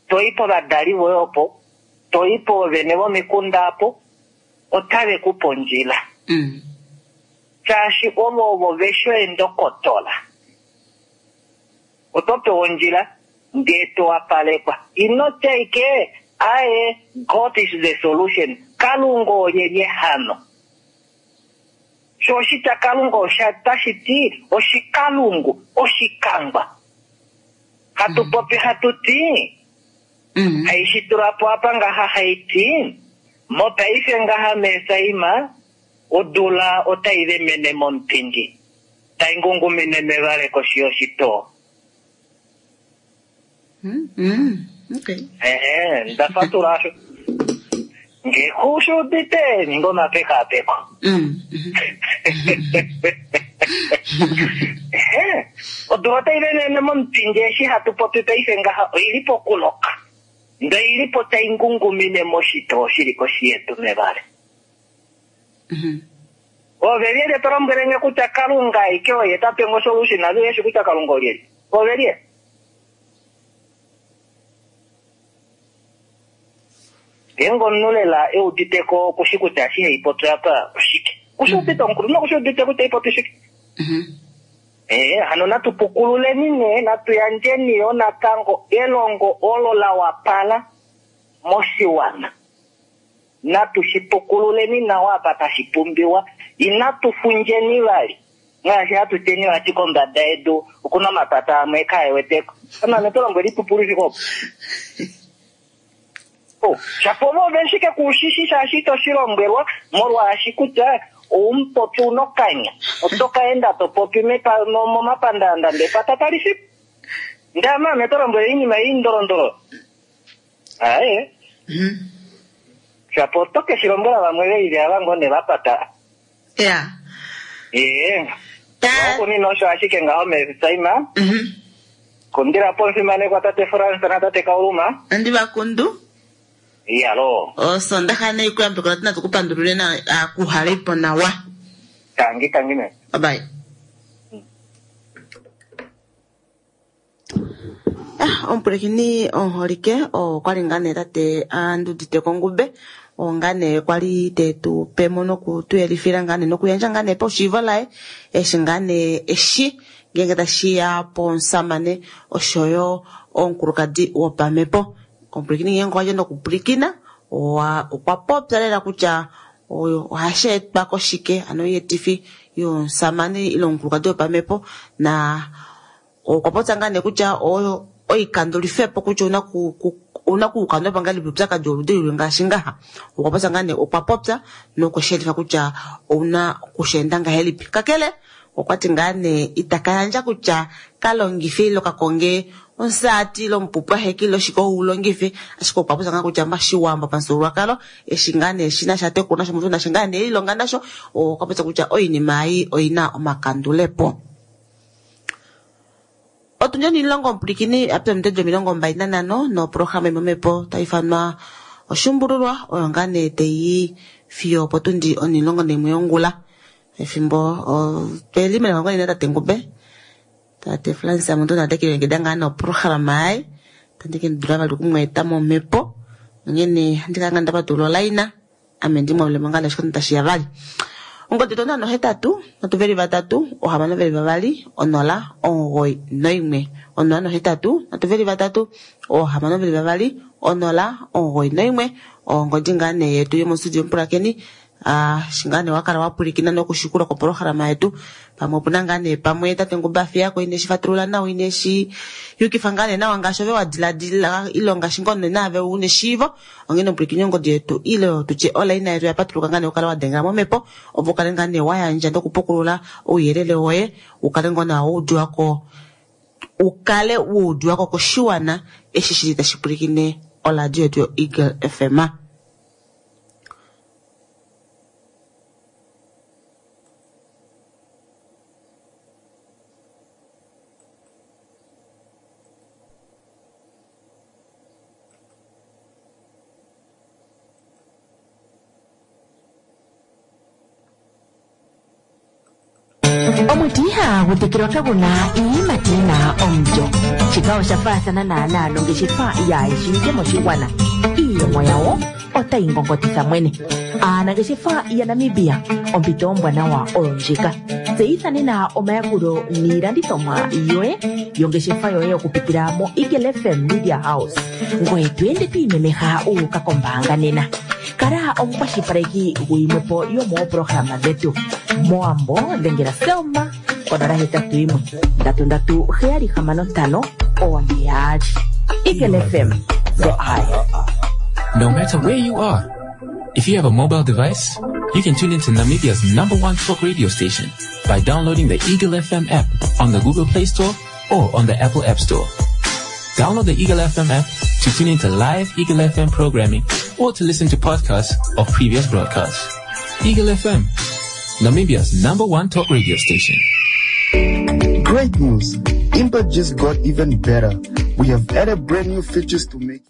toi povadali voye opo, toi poovene vomikunda apo, otave ku pe ondjila. Mm. Shaashi ovo ovo vesho eendokotola. Oto pewa ondjila ndee to wapalekwa. Ino tya ike aye God is the solution. Kalunga olyelye hano? Sho oshitya Kalunga osha tashi ti oshikalungu, oshikangwa. Hatu popi hatu ti, Mm. haishi tula po apa ngaha haiti, mopaife ngaha mesaima, odula otai vemene momupindi, tai ngungumine mevale koshi yoshitoo. Mm. Mm. Okay. Ehe, ndafatula asho. Nge kushudite ninga omapekapeko. Mm. Mhm. Ehe, odula otai vemene momupindi eshi hatu popi paife ngaha oili pokuloka. Ndele oili po tai ngungumine moshitoo shili koshi yedu mevale. Mhm. Ove lyelye to lombwele nge kutya Kalunga aike oye ta pe ngo solution, ave yeshi kutya Kalunga olyelye? Ove lye? Ngeenge omunhu lela e udite ko okushi kutya eshi hai popi apa oshike. Kushi udite omukulu, nokushi udite kutya ipopi shike. Mhm. Eh, hano natu pukululeni nee, natu yandjeni yo natango elongo olo la wapala moshiwana. Natu shi pukululeni nawa apa tashi pumbiwa, inatu fundjeni vali. Ngaashi hatu tyeni vati kombada yedu okuna omapata amwe kae weteko. Amame to lombwele ipupulu shike opo? Oh, shapo ove shike kuushishi shaashi ito shi lombwelwa molwaashi kutya oumupopi una okanya. Oto ka enda to popi mepa-, mo-, momapandaanda ndee pata tali fi. Ndee amame to lombwele oinima ei ndolondolo. Aye. Mhm. Shapo oto ke shi lombwela vamwe ve lili ava ngoo ne va pata. Yeah. Ee. Ta- Okunina osho ashike ngaho mesaima. Mhm. Kundila po omufimanekwa tate Frans na tate Kauluma. Andi vakundu. Iyalo. Osondaxa nei kuyambekwa tina tukupandulule na akuhale po nawa. Tangi tangi me. Bye bye. Ah, omupulakeni omuholike okwali ngaa nee tate andudite kongube oo ngaa nee kwali tetu pe mo noku tu yelifila ngaa nee nokuyandja ngaa nee paushiivo laye eshi ngaa nee eshi ngeenge tashiya pomusamane oshoyo omukulukadi wopamhepo. Omupulakeni ngeenge owadja nokupwilikina okwa popya lela kutya ohashi etwa koshike ano oyeetifi yomusamane ile omukulukadi wopamhepo na okwa popya ngaa nee kutya oyo oikandulifepo kutya ouna ku, ku, ouna kuukandulapo ngahelipi oupyakadi woludi luli ngaashi ngaha. Okwa popya ngaa nee, okwa popya nokushelifa kutya ouna kusheenda ngahelipi. Kakele okwa ti ngaa nee itaka yandja kutya ka longife ile ka konge omusati ile omupupwaheki ile oshike ou ulongife, ashike okwa popya ngaa kutya mashiwambo pamufyuululwakalo eshi ngaa nee shina sha tekula nasho omunhu nasho ngaa nee lilonga nasho, okwa popya kutya oinima ei oina omakandulepo. Otundi onilongo omupulikini apa omutedi omilongo mbali nanhano noprograma imwe omhepo tai ifanwa oshumbululwa oyo ngaa nee taiyi fiyo opotundi onilongo naimwe yongula. Efimbo tweli melongo ine tate Ngube tate Frans Amuntu nate kilongekida ngaa noprograma yaye tandi ke ndidula vali okumweeta momhepo onghene handi kala ngaa ndapatulula olaina ame ndimwalulemo ngaa nashikondo tashiya vali. Ongodi yetu onhano hetatu nhatu veli vatatu ohamano veli vavali onola omugoyi noimwe. Onola nohetatu nhatu veli vatatu ohamano veli vavali onola omugoyi noimwe. Ongodi ngaa nee yetu yomostudio mupulakeni ah, shi ngaa nee wakala wapwilikina nokushikula koprograma yetu pamwe opuna ngaa nee pamwe tate Ngube afiyako ine shi fatulula nawa ine shi yukifa ngaa nee nawa ngaashi ove wa diladila ile ngaashi ngoo nee naave una eshiivo onghene omupwilikini ongodi yetu ile tutye olaina yetu yapatuluka ngaa nee ukale wa dengela momhepo opo ukale ngaa nee wa yandja nokupukulula ouyelele woye ukale ngoo nawa wa udiwako ukale wa udiwako koshiwana eshi shili tashi pwilikine oradio yetu yo Eagle F M. Omuti ihagu tekelwa kaguna iiyimati yina omulyo. Shika osha faathana naanaa nongeshefa yaayishiwike moshigwana. Iiyemo yawo otayi ngongotitha mwene. Aanangeshefa yaNamibia, ompito ombwanawa oyo ndjika. Tseyitha nena omayakulo niilandithomwa yoye yongeshefa yoye okupitila mo Eagle F M Media House. Ngoye to ende to imemeha u uka kombaanga nena. Kala omukwashilipaleki guyimwepo yomooprograma dhetu. Moambo dhengela Selma konola hetatu yimwe ndatu ndatu heyali hamano ntano one yaali. Eagle F M, the eye. No matter where you are, if you have a mobile device, you can tune into Namibia's number one talk radio station by downloading the Eagle F M app on the Google Play Store or on the Apple App Store. Download the Eagle F M app to tune into live Eagle F M programming or to listen to podcasts of previous broadcasts. Eagle F M, Namibia's number one talk radio station. Great news! Impact just got even better. We have added brand new features to make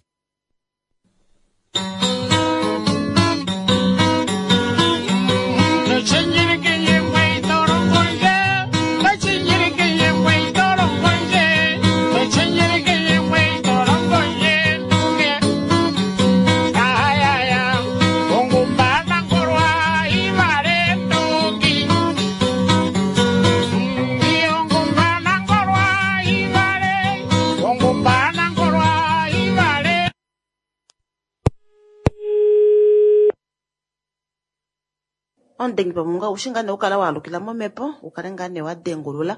Omudengi pamunga ushi ngaa nee okukala wa alukila momhepo, u kale ngaa nee wa dengulula.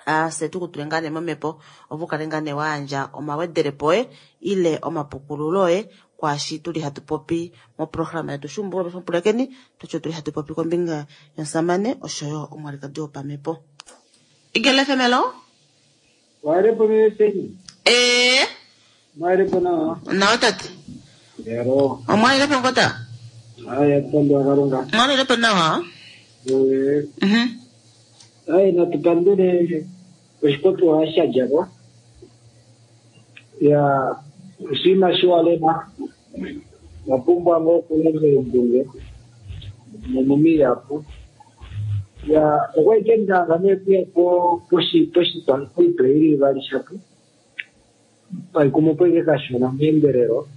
Ah, se tu kutule ngaa nee momhepo, opo u kale ngaa nee wa yandja omawedelepo oye, ile omapukululo oye, kwaashi tuli hatu popi moprograma yetu Shumbulwa Pulakeni, twatyo tuli hatu popi kombinga yomusamane oshoyo omwalikadi wopamhepo. Eagle F M, hello? Waelepo mimi. Eh. Mwaelepo nawa. Nawa tate. Hello. Omwaelepo ngota? Haya, mpando wa Kalunga. Mwaelepo nawa? Eh. Mhm. Haya, natupandele oshipopiwa shadjako. Ya oshinima shiwalema. Wapumbwa ngoo okulonga eendunge nomumiyapu. Ya okwa ike ndanga nee kuya po poshi poshitwa poitwa ili ivali shapo. Paikumo po ike kashona meendelelo.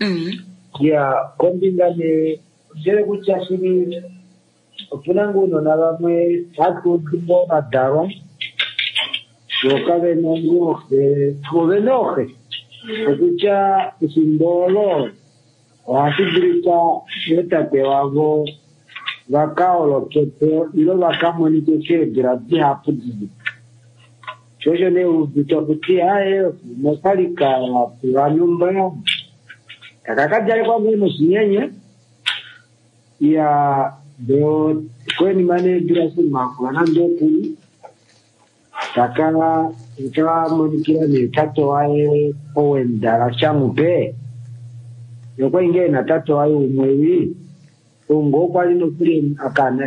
Mhm. Ya kombinga nee ndele kutya shili opuna ngoo uunona vamwe hatu udu vadalwa vo kavena ngoo xe vo vena ooxe okutya efimbo olo ohashi dulika ootate wavo vakaholokepo ile vakamonike keedula dihapu divi. Sho osho nee uudite kuti aye nokwali kapewa nyumba kakakadjalekwa ngoo noshinyenye ya do konima needula simakula nande okuli taka kamonikila nee tate waye owendala shamupe nokwali ngee na tate waye umwe wi ongo okwali nokuli akana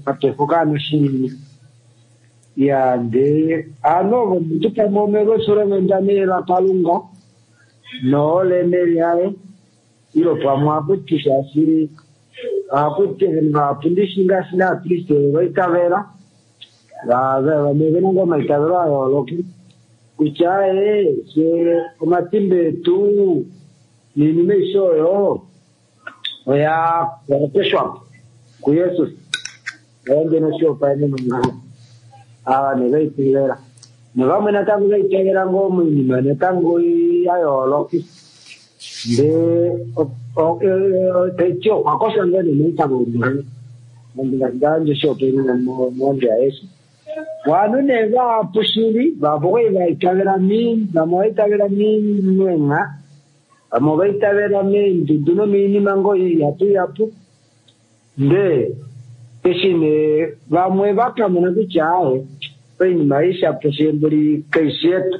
akefo kaana oshinini ya ndee ano ovo omuntu pamwe omelwesulo nee lakalunga nooleme lyaye ilo pamwe akuti shaashi akuti vapundishi ngaashi naakriste vaitavela vamwe vena ngoo omaitavelo a yooloka kutya ee fye omatimba etu niinima aishe oyo oya oyapeshwapo kuYesus oye noshihopaenenwa ngaho ava nee vaitavela novamwe natango vaitavela ngoo moinima natango ya yooloka ndee taiti okwakoshwa ngoo nee moitavo umwe ngandje oshihopaenenwa mondjo yaYesu vanhu nee vahapu shili vahapu okwali vaitavela vamwe vaitavela meenha vamwe vaitavela meendudu nomiinima ngoo ihapu ihapu ndee eshi nee vamwe vakamona kutya aaye oinima ishapu shembuli kaishi yetu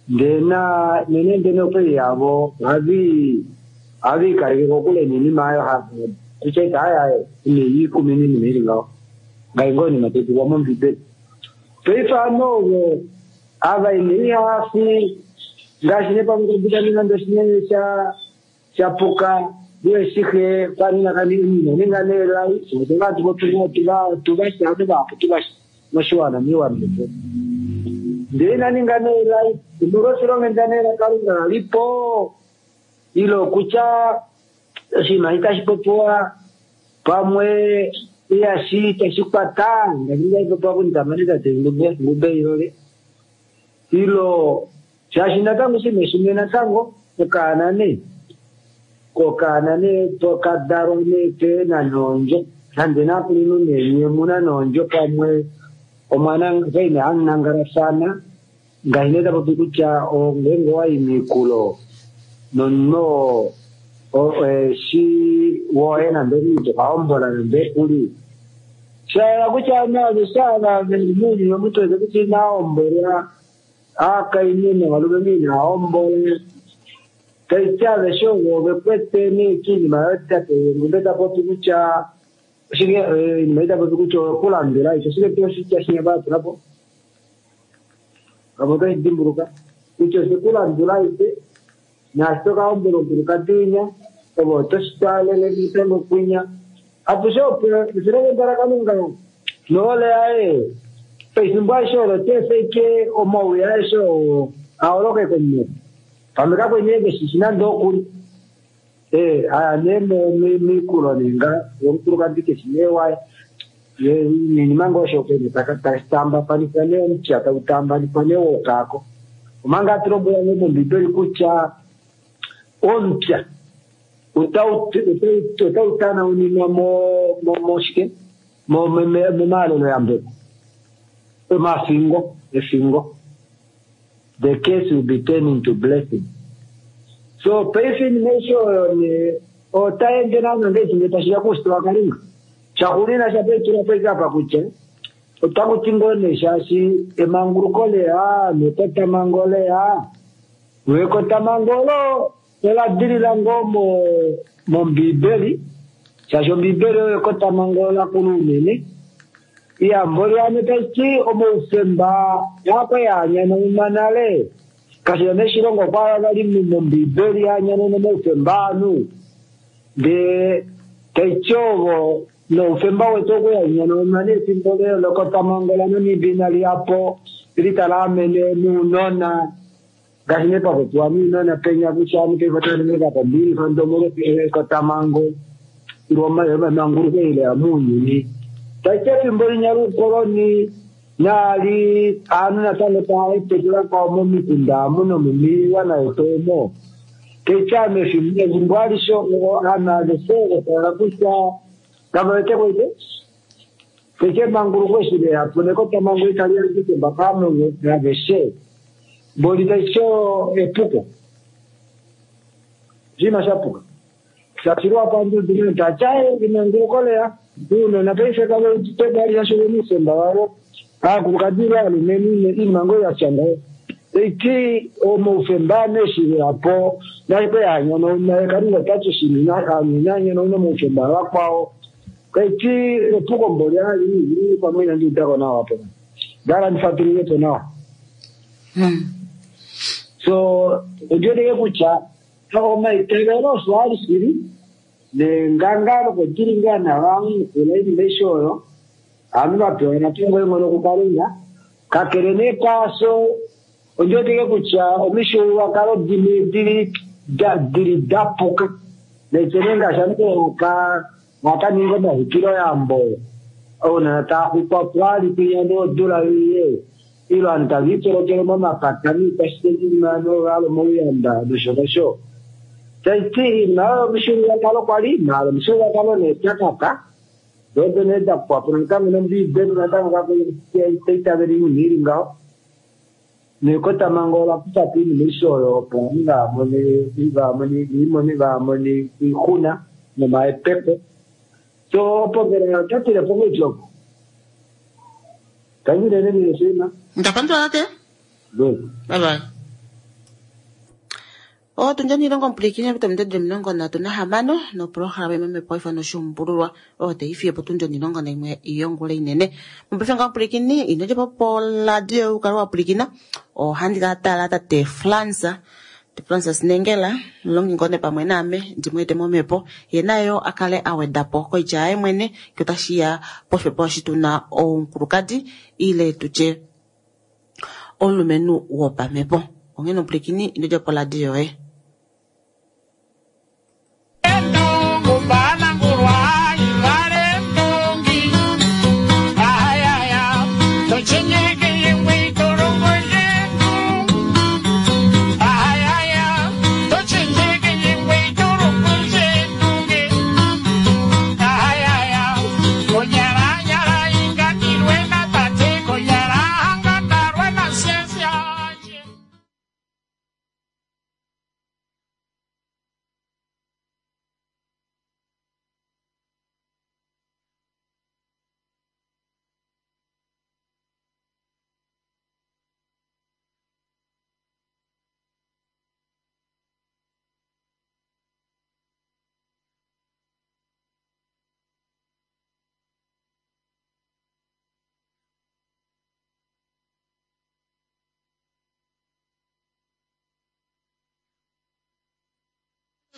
ndee na nene ndene okwali yavo ohavi ohaviikaleke kokule niinima ayo kutya ita aye aye ine ikumi iinima ili ngaho ngai ngoo inima taipulwa mombibeli paife ano ovo ava ine ihafi ngaashi nepamwe kabida nande oshinene sha shapuka iwe shihe kwanina kaninga nelai otevatu votuvasha vapo tuvasha moshiwana miiwana yetu. Ndele ina ninga neelai omolwoshilongo neela Kalunga lalipo ile okutya oshinima itashi popiwa pamwe ihashi itashi kwata ngaashi tashi popiwa kunitamane tate Ngube Ilole ilo shaashi natango shimwe shimwe natango okaana nee kokaana nee tokadalwa nee keena noondjo nande nakulunhu nee nye muna noondjo pamwe omwana kaine hamunangalafana ngaashi nee tapopi kutya ngeenge wayi miikulo nomunhu shi woye nande omuntu tokaombola nande kuli shayela kutya naavesha veli muuyuni omuntu wete kutya inaombolwa aakainhu novalumenhu inaombola taiti aveshe ovo vekwete nee kiinima yotate Ngumbe tapopi kutya oshike iinima itapopi kutya okulandula isho oshike tuu oshitya shinya vatulapo pamwe otoshi dimbuluka kutya oshikulandula ite naashi tokaombola omukulukadi winya ove otoshi twaalele natango kwinya atushe opo oshilongo laKalunga nohole yaye pefimbo aishe olo teefeike omauya aeshe oo aholoke komunhu pamwe kakweni keshishi nande okuli ee aya nee miikulo nenga yomukulukadi keshi nee waye niinima ngoo osho kwene tatambafanifwa nee omupya tau tambanifwa nee wokaako omanga atulombwela nee mombibeli kutya omupya otau tanauninwa moshike momaalelo yambeko omafingo efingo the case will be turned into blessing. So paife iinima aishe oyo ne otaende naana ngeishi tashiya kuushitwe waKalunga shaxuunina shapeitula po apa kutya otakuti ngoo nee shaashi emanguluko leya nekotamango leya ekotamango olo ola dilila ngoo mombibeli shaashi ombibeli oyo ekotamango lakulu unene iyambo lyane taiti omoufemba yakwe yaanyananwa nale kashila neshilongo kwa vali mombibeli yaanyanene moufemba anu ndee taiti ovo noufemba wetu okuyanyananwa nefimbo lekotamango laNamibia inali yapo litalaamene nuunona ngaashi nee papopiwa nuunona penya kutya anu peifotanemeka pombilifa ndomolo ekotamango emanguluko ile ya muunyuni taiti efimbo linya luukoloni naali aanhu natango taaetekela kwao momikunda amu nomomiiwana yetu omo taiti ame efimbo alishe aanhu aveshe vetala kutya kavawete koite taiti emanguluko eshi leyapo nekotamango itali yalikitemba kaanhu aveshe mboli taiti epuko oshinima shapuka shashilwa pandudu tachaye emanguluko leya uunona paife kavetebalisha omusemba wavo aakulukadi valumenhu iinima ngoo yatya ngaho taiti omoufemba neshileyapo nashikwe yanyanauna Kalunga tati shinanyanauna moufemba vakwao taiti epuko mboli ali pamwe inandiudako nawa po ndala ndifatululepo nawa so ondiweteke kutya omaitavelo osho ali shili nengangalo kodilingana vamukula iinima aishe oyo aanhu vapewa natango enghono kuKalunga kakele nee kwaaso ondiweteke kutya omishuluwakalo dimwe dili dili dapuka naitene ngaashi anhu akaninga omaxwikiloyambo ounona taaxwikwa po ali kwinya nodula iye ilo aanhu taviipolokele momapata niikwashitenima novalo mouyamba nosho nosho taiti iinima oyo omishuluwakalo kwali maala omishuluwakalo nee takaka dodo nee dapukapo natango nombiibeli natango kaitaitavela iinima ili ngaho nekotamango ola kufapo iinima aishe oyo opo ovanhu vaamone vaamone vaamone oixuna nomahepeko so opo ngele otatilepo ngeitloko tanyilene ninesima Ndapandula tate. Good. Bye bye. Otundi onilongo omupulikini pita omilongo ndatu nahamano noprograma imwe ifano oshuumbululwa oyo taifiye potundi onilongo naimwe yongula inene. Mopaife nga omupulikini ino djapo poradio ukale wa pulikina ohandi ka tala tate Fransa Francis Nengela mulongi ngone pamwe naame ndimweete momhepo ye nayo a kale a weda po koitya yaye mwene ngee otashiya poshipopiwa eshi tuna omukulukadi ile tutye omulumenhu wopamhepo. Onghee nomupwilikini ino dja po radio yoye.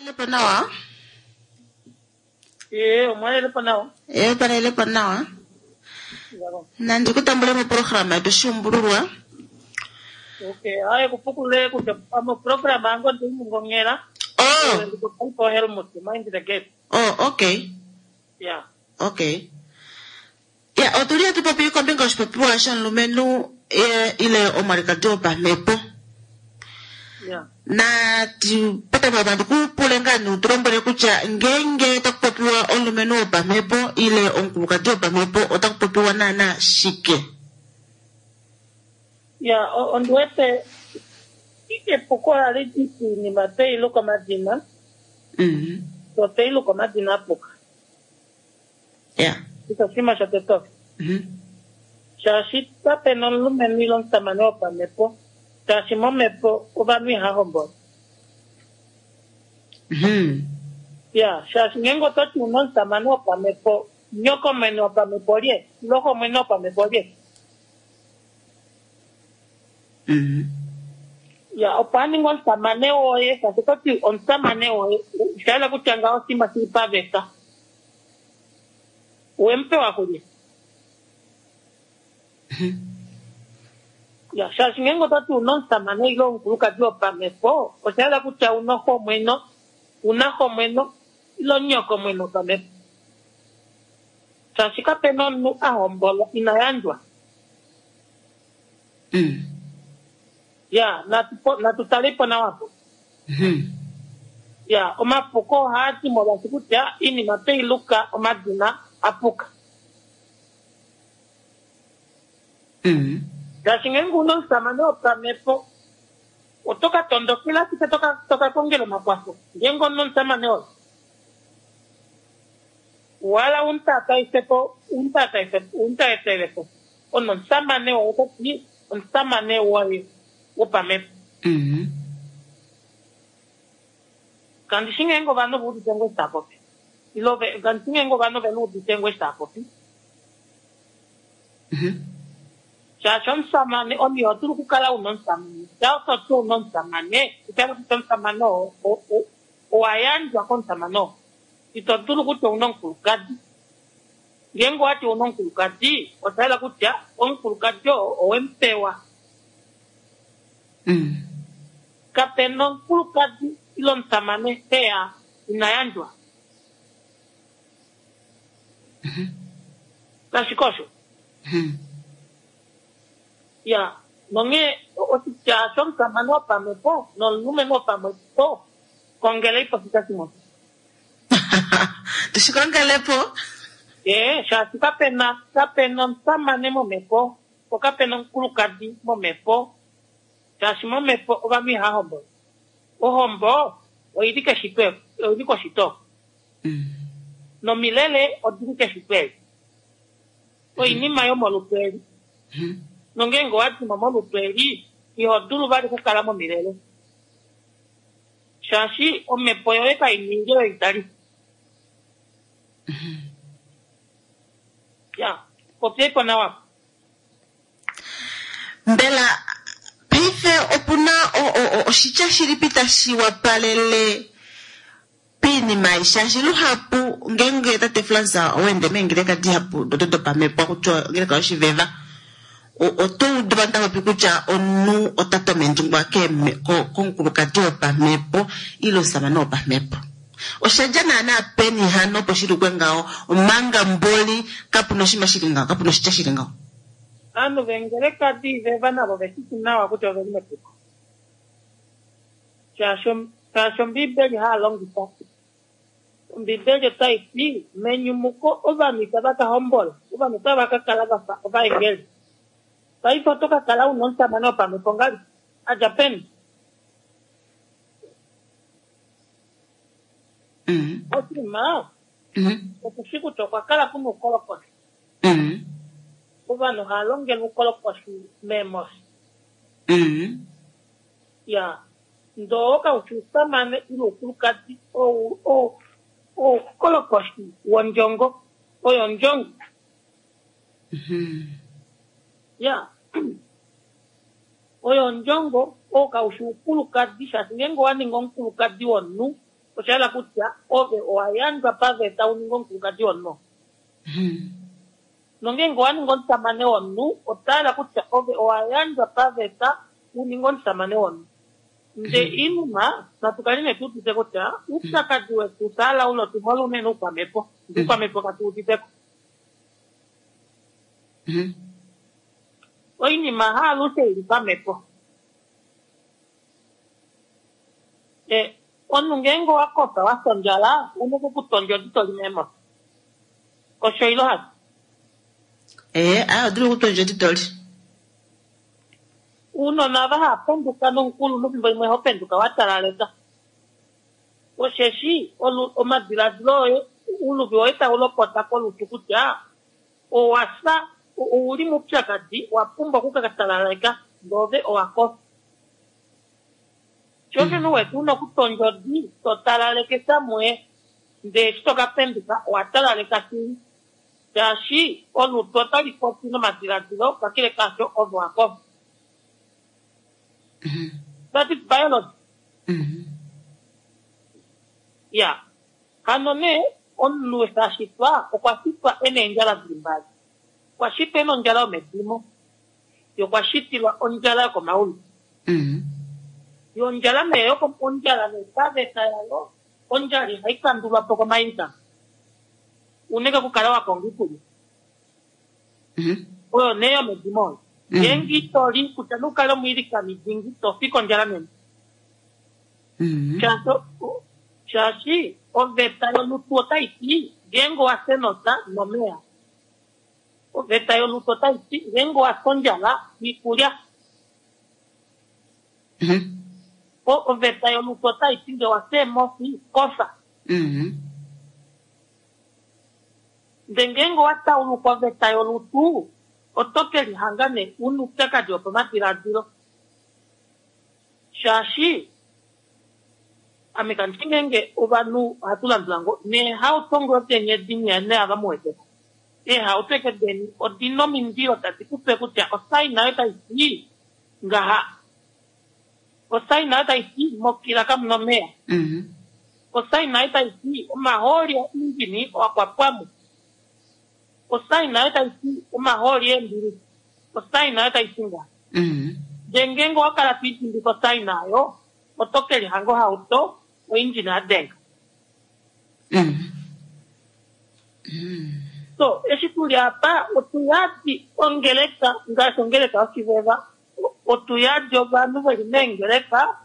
Lepo nawa? Ee, omwalelepo nawa. Ee, palelepo nawa. Nandi kutambule moprograma yetu Shiumbululwa. Okay, hayi kupukule kutya moprograma yango ndimungong'ela. Oh. Ndikupo Helmut, mind the gap. Oh, okay. Yeah. Okay. Ya, otuli hatu popi kombinga yoshipopiwa shomulumenhu ile omwalikadi wopamhepo. Yeah. Na petameko nandi kupule ngaa nee utulombwele kutya ngeenge taku popiwa omulumenhu wopamhepo ile omukulukadi wopamhepo otaku popiwa naana shike? Ya, ondiwete epuko ohali di piinima tweyi luka omadina. Mhm. So tweyi luka omadina apuka. Ya. Osho oshinima shotete osho. Mhm. Shaashi kapena omulumenhu ile omusamane wopamhepo, shaashi momhepo ovanhu ihava hombola. Mhm. Ya, shaashi ngeenge ototi una omusamane wopamhepo, nyoko mwene wopamhepo lye, ile xo mwene wopamhepo lye. Mhm. Ya, opo a ninge omusamane woye, shaashi ototi omusamane woye, osha yela kutya ngaho oshinima shili paveta. Wemupewa kulye. Ya, shaashi ngeenge ototi una omusamane ile omukulukadi wopamhepo, osha yela kutya una xomweno, una xomweno ile nyoko mwene wopamhepo. Shaashi kapena omunhu a hombolwa ina yandjwa. Mm. Ya, natu natutalepo nawa po. Mhm. Ya, omapuko ohaa di molwaashi kutya iinima tweyi luka omadina apuka. Mm. Ngaashi ngeenge una omusamane wopamhepo, oto ka tondokela ashike toka toka kongela omakwafo. Ngeenge una omusamane woye. Wala umutataifepo, umutataifepo, umutaetelepo. Ono omusamane woye ototi omusamane woye wopamhepo. Mhm. Kandi shi ngeenge ovanhu va udite ngoo eshi tava popi. Ile ove kandi shi ngeenge ovanhu ve udite ngoo eshi tava popi. Mhm. Shaashi omusamane omunhu iho dulu okukala una omusamane. Shaa ototi una omusamane, osha kutya omusamane oo owa yandjwa komusamane oo. Ito dulu kutya ouna omukulukadi. Ngeenge owati ouna omukulukadi, osha yela kutya omukulukadi oo owemupewa. Mm. Kapena omukulukadi ile omusamane heya ina yandjwa. Kashike osho? Mhm. Ya, nonghee oshitya shomusamane wopamhepo nomulumenhu wopamhepo kongeleipo oshitya shimwe. Tushikongelepo? Ee, shaashi kapena kapena omusamane momhepo, po kapena omukulukadi momhepo. Shaashi momhepo ovanhu ihava hombola. Ohombo oili keshito, oili koshito. Mm. Nomilele odili keshito eli. Oinima yomolutu eli. Mhm. Nongeenge owa dimo molutu eli, iho dulu vali okukala momilele. Shaashi omhepo yoye kainingi oyo itali. Ya, popyaipo nawa. Mbela paife opuna oshitya shilipi tashi wapalele piinima ei shaashi luhapu ngeenge tate Frans owende meengeleka dihapu dodo dopamhepo kutya ongeleka yoshiveva oto udu vanhu tava popi kutya omunhu ota tomendjingwa komukulukadi wopamhepo ile omusamane wopamhepo. Osha dja naana peni hano opo shi lukwe ngaho omanga mboli kapuna oshinima shili ngaho, kapuna oshitya shili ngaho. Ovanhu vengeleka diiveva navo veshishi nawa kutya oveli mepuko. Shaashi Ombiibeli haa longifa. Ombiibeli otai ti menyumuko ovanhu itava ka hombola, ovanhu otava ka kala vafa ovaengeli. Paife oto ka kala una omusamane wopamhepo ngali adja peni? Oshinima okushi kutya okwa kala kuna oukolokoshi. Ovanhu hava longele oukolokoshi meemofi. Ya ndoo kaushi ousamane ile oukulukadi oukolokoshi wondjongo oyo ondjongo. Ya oyo ondjongo oo kaushi oukulukadi shaashi ngeenge owa ninga omukulukadi womunhu osha hala kutya ove owa yandjwa paveta u ninge omukulukadi womunhu. Nongeenge owa ninga omusamane womunhu ota hala kutya ove owa yandjwa paveta u ninge omusamane womunhu. Nde inuma natu kale nee tuudite kutya oupyakadi wetu saala ulo tu hole unene oukwamhepo. Oukwamhepo katu uditeko. Oinima haalushe ili pamhepo. E omunhu ngeenge owa kofa wa fya ondjala una okukutondja odi toli meemofi. Osho ilo hasho? Ee, aa odili okutondja odi toli. Uunona ava hava penduka nomukulunhu fimbo limwe ho penduka wa talaleka. Osheshi omadiladilo oye uluvi woye tau lopota kolutu kutya owa fya ouli moupyakadi wa pumbwa okukatalaleka ndove owa kofa. Shosho nuwetu una okutondja odi to talaleke samwe ndee eshi toka penduka owa talaleka shili. Shaashi olutu otali popi nomadiladilo kakele kaasho ove wa kofa. That is biology. Ya hano nee omunhu eshi a shitwa okwa shitwa ena eendjala dili mbali. Okwa shitwa ena ondjala yomedimo ye okwa shitilwa ondjala yokomaulu. Yo ondjala nee ondjala nee paveta yayo ondjala ihai kandulwa po komailikano. Unene okukala wa konga iikulya. Oyo nee yomedimo oyo. Ngeenge ito li kutya nukale omwiilikani dingi to fi kondjala nene. Shaashi oveta yolutu otai ti ngeenge owa fya enota nomeya. Oveta yolutu otai ti ngeenge owa fya ondjala iikulya. Oveta yolutu otai ti ngee owa fya eemofi kofa. Ndee ngeenge owa tauluka oveta yolutu oto ke lihanga nee una oupyakadi wopamadiladilo. Shaashi ame kandi ngeenge ovanhu ohatu landula ngo neehauto ngoo deni edi nee ava mu weteko. Eehauto eke deni odina omindilo tadi kupe kutya osaina oyo tai ti ngaha. Osaina oyo tai ti mokila kamuna omeya. Osaina oyo tai ti omahooli oindjini owakwapwamo. Osaina oyo tai ti omahooli eembili. Osaina oyo tai ti ngaha. Ndee ngeenge owa kala to idimbika osaina oyo oto ke lihanga ohauto oindjini ya denga. So eshi tuli apa otu yadi ongeleka ngaashi ongeleka yoshiveva otu yadi ovanhu veli meengeleka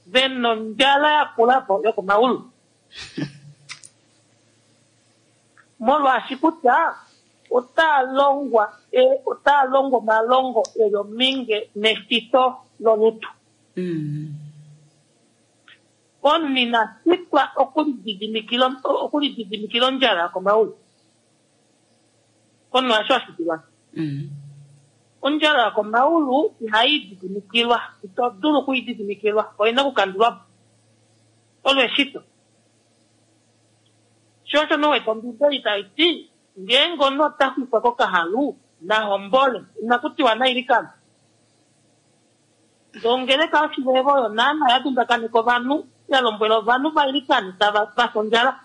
vena ondjala yakulapo yokomaulu. Molwaashi kutya otaa longwa otaa longwa omalongo eli ominge neshito lolutu. Omunhu ina shitwa okulididimikila okulididimikila ondjala yokomaulu. Omunhu hasho a shitilwa. Ondjala yokomaulu ihai ididimikilwa, ito dulu okuididimikilwa, oina okukandulwa po. Olo eshito. Sho osho nowete Ombiibeli tai ti ngeenge omunhu ota xwikwa kokahalu na hombole, inaku tiwa na ilikane. Ndongeleka oshivevo oyo naana ya dundakaneka ovanhu, ya lombwela ovanhu va ilikane tava va ondjala.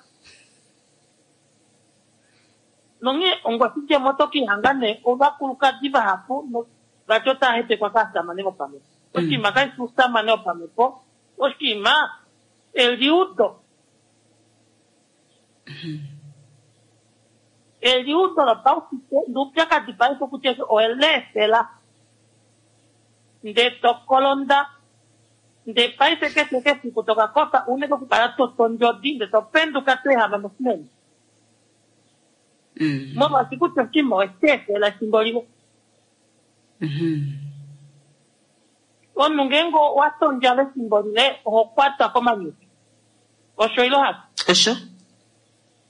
Nonghee ongoshidjemo oto kihanga nee ovakulukadi vahapu vati otava hepekwa kaasamane vopamhepo. Oshinima kashi fi ousamane wopamhepo, oshinima eliudo. Eliudo lopaushitwe noupyakadi paife kutya oweleefela ndee tokolonda ndee paife keshe kefiku tokakofa unene okukala totondjodi ndee topenduka toehama moshinene. Molwaashi kutya oshinima owesheefela efimbo lile. Omunhu ngeenge owa tondjala efimbo lile oho kwatwa komanyutu. Osho ilo hasho? Osho.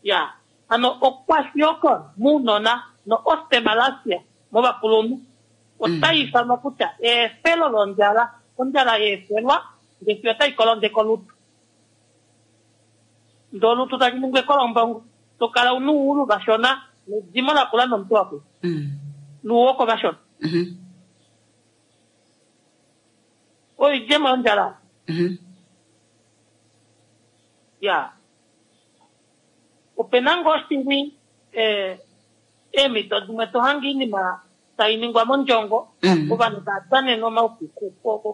Ya. Hano okwashiorkor mounona no osteomalacia movakulunhu otai ifanwa kutya eefelo londjala. Ondjala yeefelwa ndee fiyo otai kolondeke olutu. Ndee olutu tali ningi ekolombongo. Tokala una ouulu vashona nedimo lakula nomutu wakula. Nuuwoko vashona. Oidjemo yondjala. Ya. Opena ngoo shili eemhito dimwe tohange oinima tai ningwa mondjongo, ovanhu tava danene omaufiku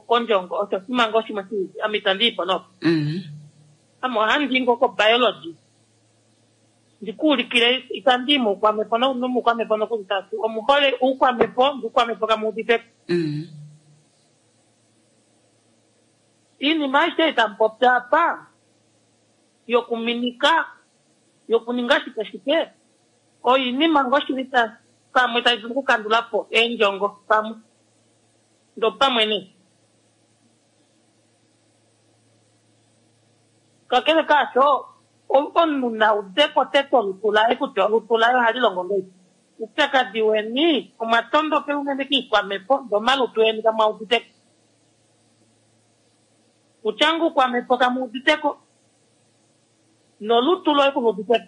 kondjongo, osho oshinima ngoo shimwe shili ame itandi ipo nopo. Ame ohandi i ngoo kobiology ndikuulikile, itandi i moukwamhepo nomoukwamhepo nokuli tati omuhole oukwamhepo, oukwamhepo kamu uditeko. Iinima aishe itamu popya apa yokuminika, yokuninga shike shike, oinima ngoo shili pamwe tai dulu okukandula po eendjongo pamwe ndopamwe nee. Kakele kaasho, omunhu na udeko tete olutu laye kutya olutu laye ohali longo ngahelipi. Upyakadi weni omwa tondokela unene kiikwamhepo ndee omalutu eni kamwa uditeko. Kutya ngoo oukwamhepo kamu uditeko nolutu loye kulu uditeko.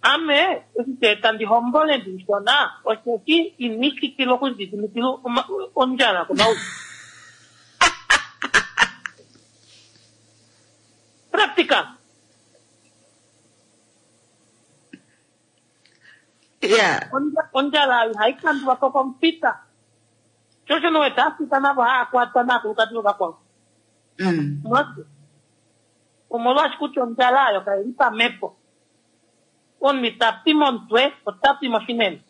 Ame eshi tandi hombole ndishona osheshi inishikilwa okulididimikila ondjala komaulu. Practical. Yeah. Ondjala ihai kandulwa po komufita. Shosho nowete afita navo haa kwatwa naakulukadi vovakwao. Omolwaashi kutya ondjala oyo kai li pamhepo. Omunhu ita pi momutwe, ota pi moshinene.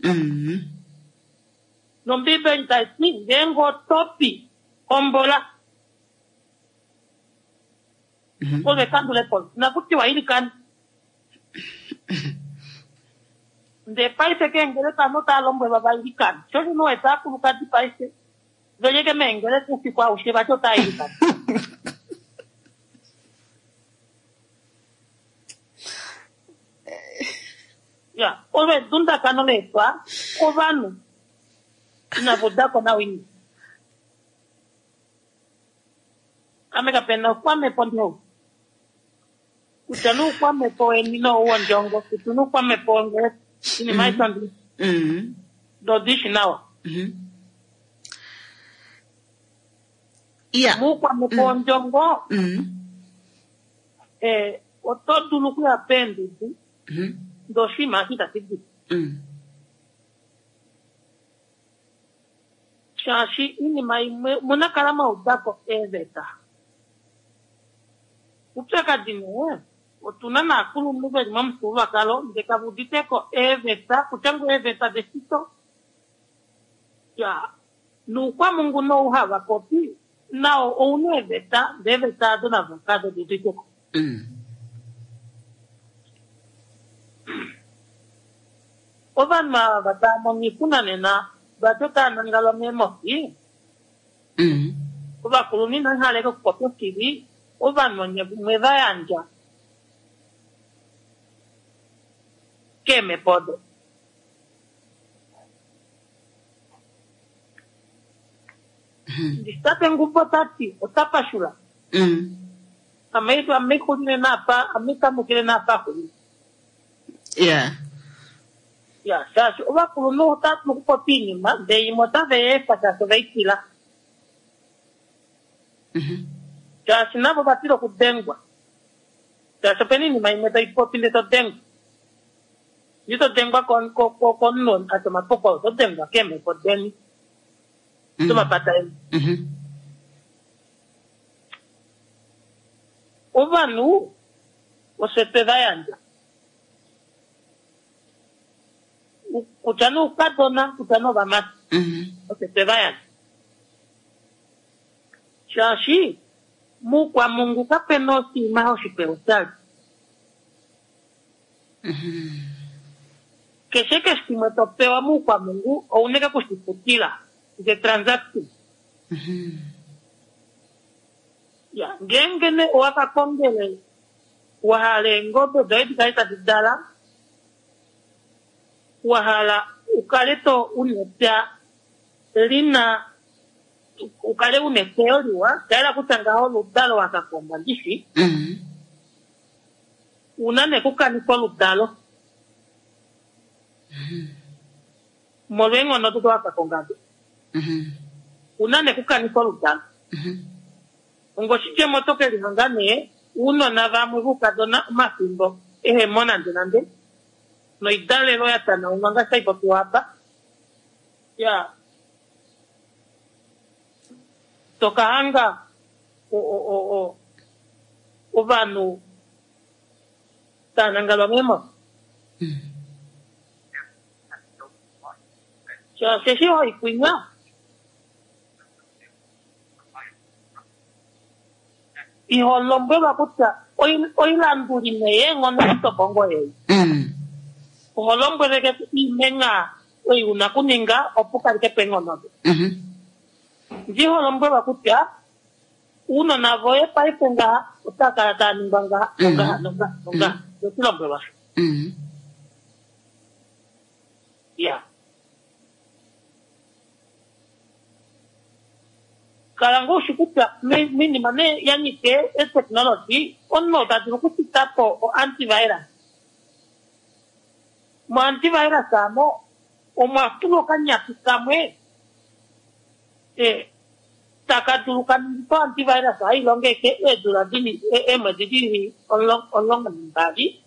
Nombiibeli tai ti ngeenge oto pi hombola. Ove kandulepo nakutiwa ilikana. Ndee paife keengeleka ovanhu otava lombwelwa va ilikane. Shosho nowete aakulukadi paife velieke meengeleka oufiku aushe vati otava ilikana. Ya, olo edundakano leetwa kovanhu inava udako nawa oinima. Ame kapena oukwamhepo ndihou. Kutya noukwamhepo weni nowondjongo, kutya noukwamhepo wongeleka, oinima aishe ondi ndodishi nawa. Moukwamhepo wondjongo, oto dulu okuya peendudu ndee oshinima eshi itashi di. Shaashi oinima imwe munakala mwaudako eeveta. Upyakadi nee otuna naakulunhu veli momufyuululwakalo ndee kava uditeko eeveta, kutya ngoo eeveta deshito. Ya, noukwamungu nou hava popi nao ouna eeveta, ndee eeveta ado navo kave di uditeko. Ovanhu ava tava mono oixuna nena vati otava nangala meemofi. Ovakulunhu inava hala okupopya oshili, ovanhu onye mwe va yandja keemhepo odo. Nditate Ngubo tati ota pashula. Ame ame xulile napa, ame kamukile napa xulile. Yeah. Ya, shaashi ovakulunhu otava dulu okupopya oinima ndele imwe otave i efa shaashi ovei tila. Shaashi navo ova tila okudengwa. Shaashi opena oinima imwe tai popi ndele to dengwa. Ito dengwa komunhu ati omapoko, oto dengwa keemhepo deni domapata eni. Ovanhu oshe twe va yandja. Kutya nee oukadona, kutya nee ovamati. Oshe twe va yandja. Shaashi muukwamungu kapena oshinima oshipe oshali. Keshe keshe shimwe to pewa muukwamungu ouna ike kushifutila. The transaction. Ya, ngeenge nee owa ka kongele wa hala eengobe doye di kale tadi dala, wa hala u kale to una epya lina, u kale una eteyo liwa, sha yela kutya ngaho oludalo wa ka konga ndishi, una nee kukanifa oludalo molwa eenghono odo wa ka konga do. Una nee kukanifa oludalo. Ongoshidjemo oto ke lihonga nee ounona vamwe voukadona omafimbo ehemo nande nande noidalelo ya tanaunwa ngaashi tai popiwa apa. Ya, toka hanga ovanhu tava nangalwa meemhofi. Shaashi eshi hoikwinya iho lombwelwa kutya oilanduli neenghono itokongo ei. Oho lombweleke iimenga ei una kuninga opo kaleke po eenghono do. Ndiho lombwelwa kutya uunona voye paife ngaha otava kala tava ningwa ngaha nongaha nongaha nongaha. Otilombwelwa. Ya. Kala ngoo ushi kutya minima nee ya nyike e-technology omunhu ota dulu okupita po o-antivirus. Mo-antivirus amo omwa tulwa okanyapi kamwe taka dulu kaningifa o-antivirus hai longeke eedula dili eemwedi dili omulongo nambali.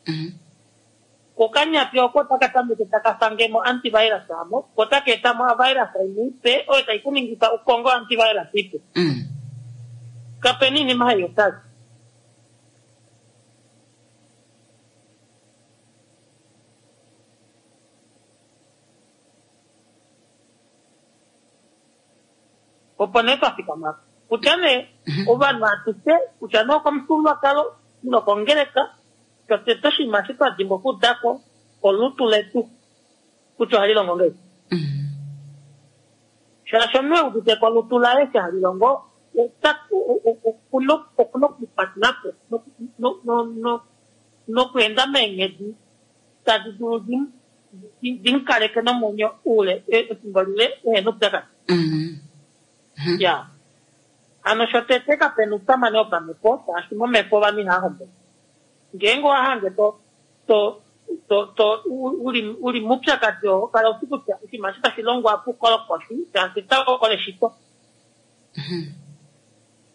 Kokanyapi oko otaka tameke taka fange mo antivirus amo, ko taka eta mo virus imwe ipe oyo tai kuningifa ukongo antivirus ipe. Kapena iinima hai oshali. Opo nee twa fikama kutya nee ovanhu atushe kutya nee okomufyuululwakalo ile okongeleka, totete oshinima eshi twa dimbwa okuudako olutu letu kutya ohali longo ngahelipi. Shaashi omunhu e udite ko olutu laye eshi hali longo, okuna okukwatela po nokweenda meenghedi tadi dulu di mu kaleke nomwenyo oule efimbo lile ehena oupyakadi. Ya, hano shotete kapena ousamane wopamhepo, shaashi momhepo ovanhu ihava hombola. Ngeenge owa hange to to to to uli uli mupyakadi oo, kala ushi kutya oshinima eshi tashi longwa pukolokoshi, shaashi ota eshito.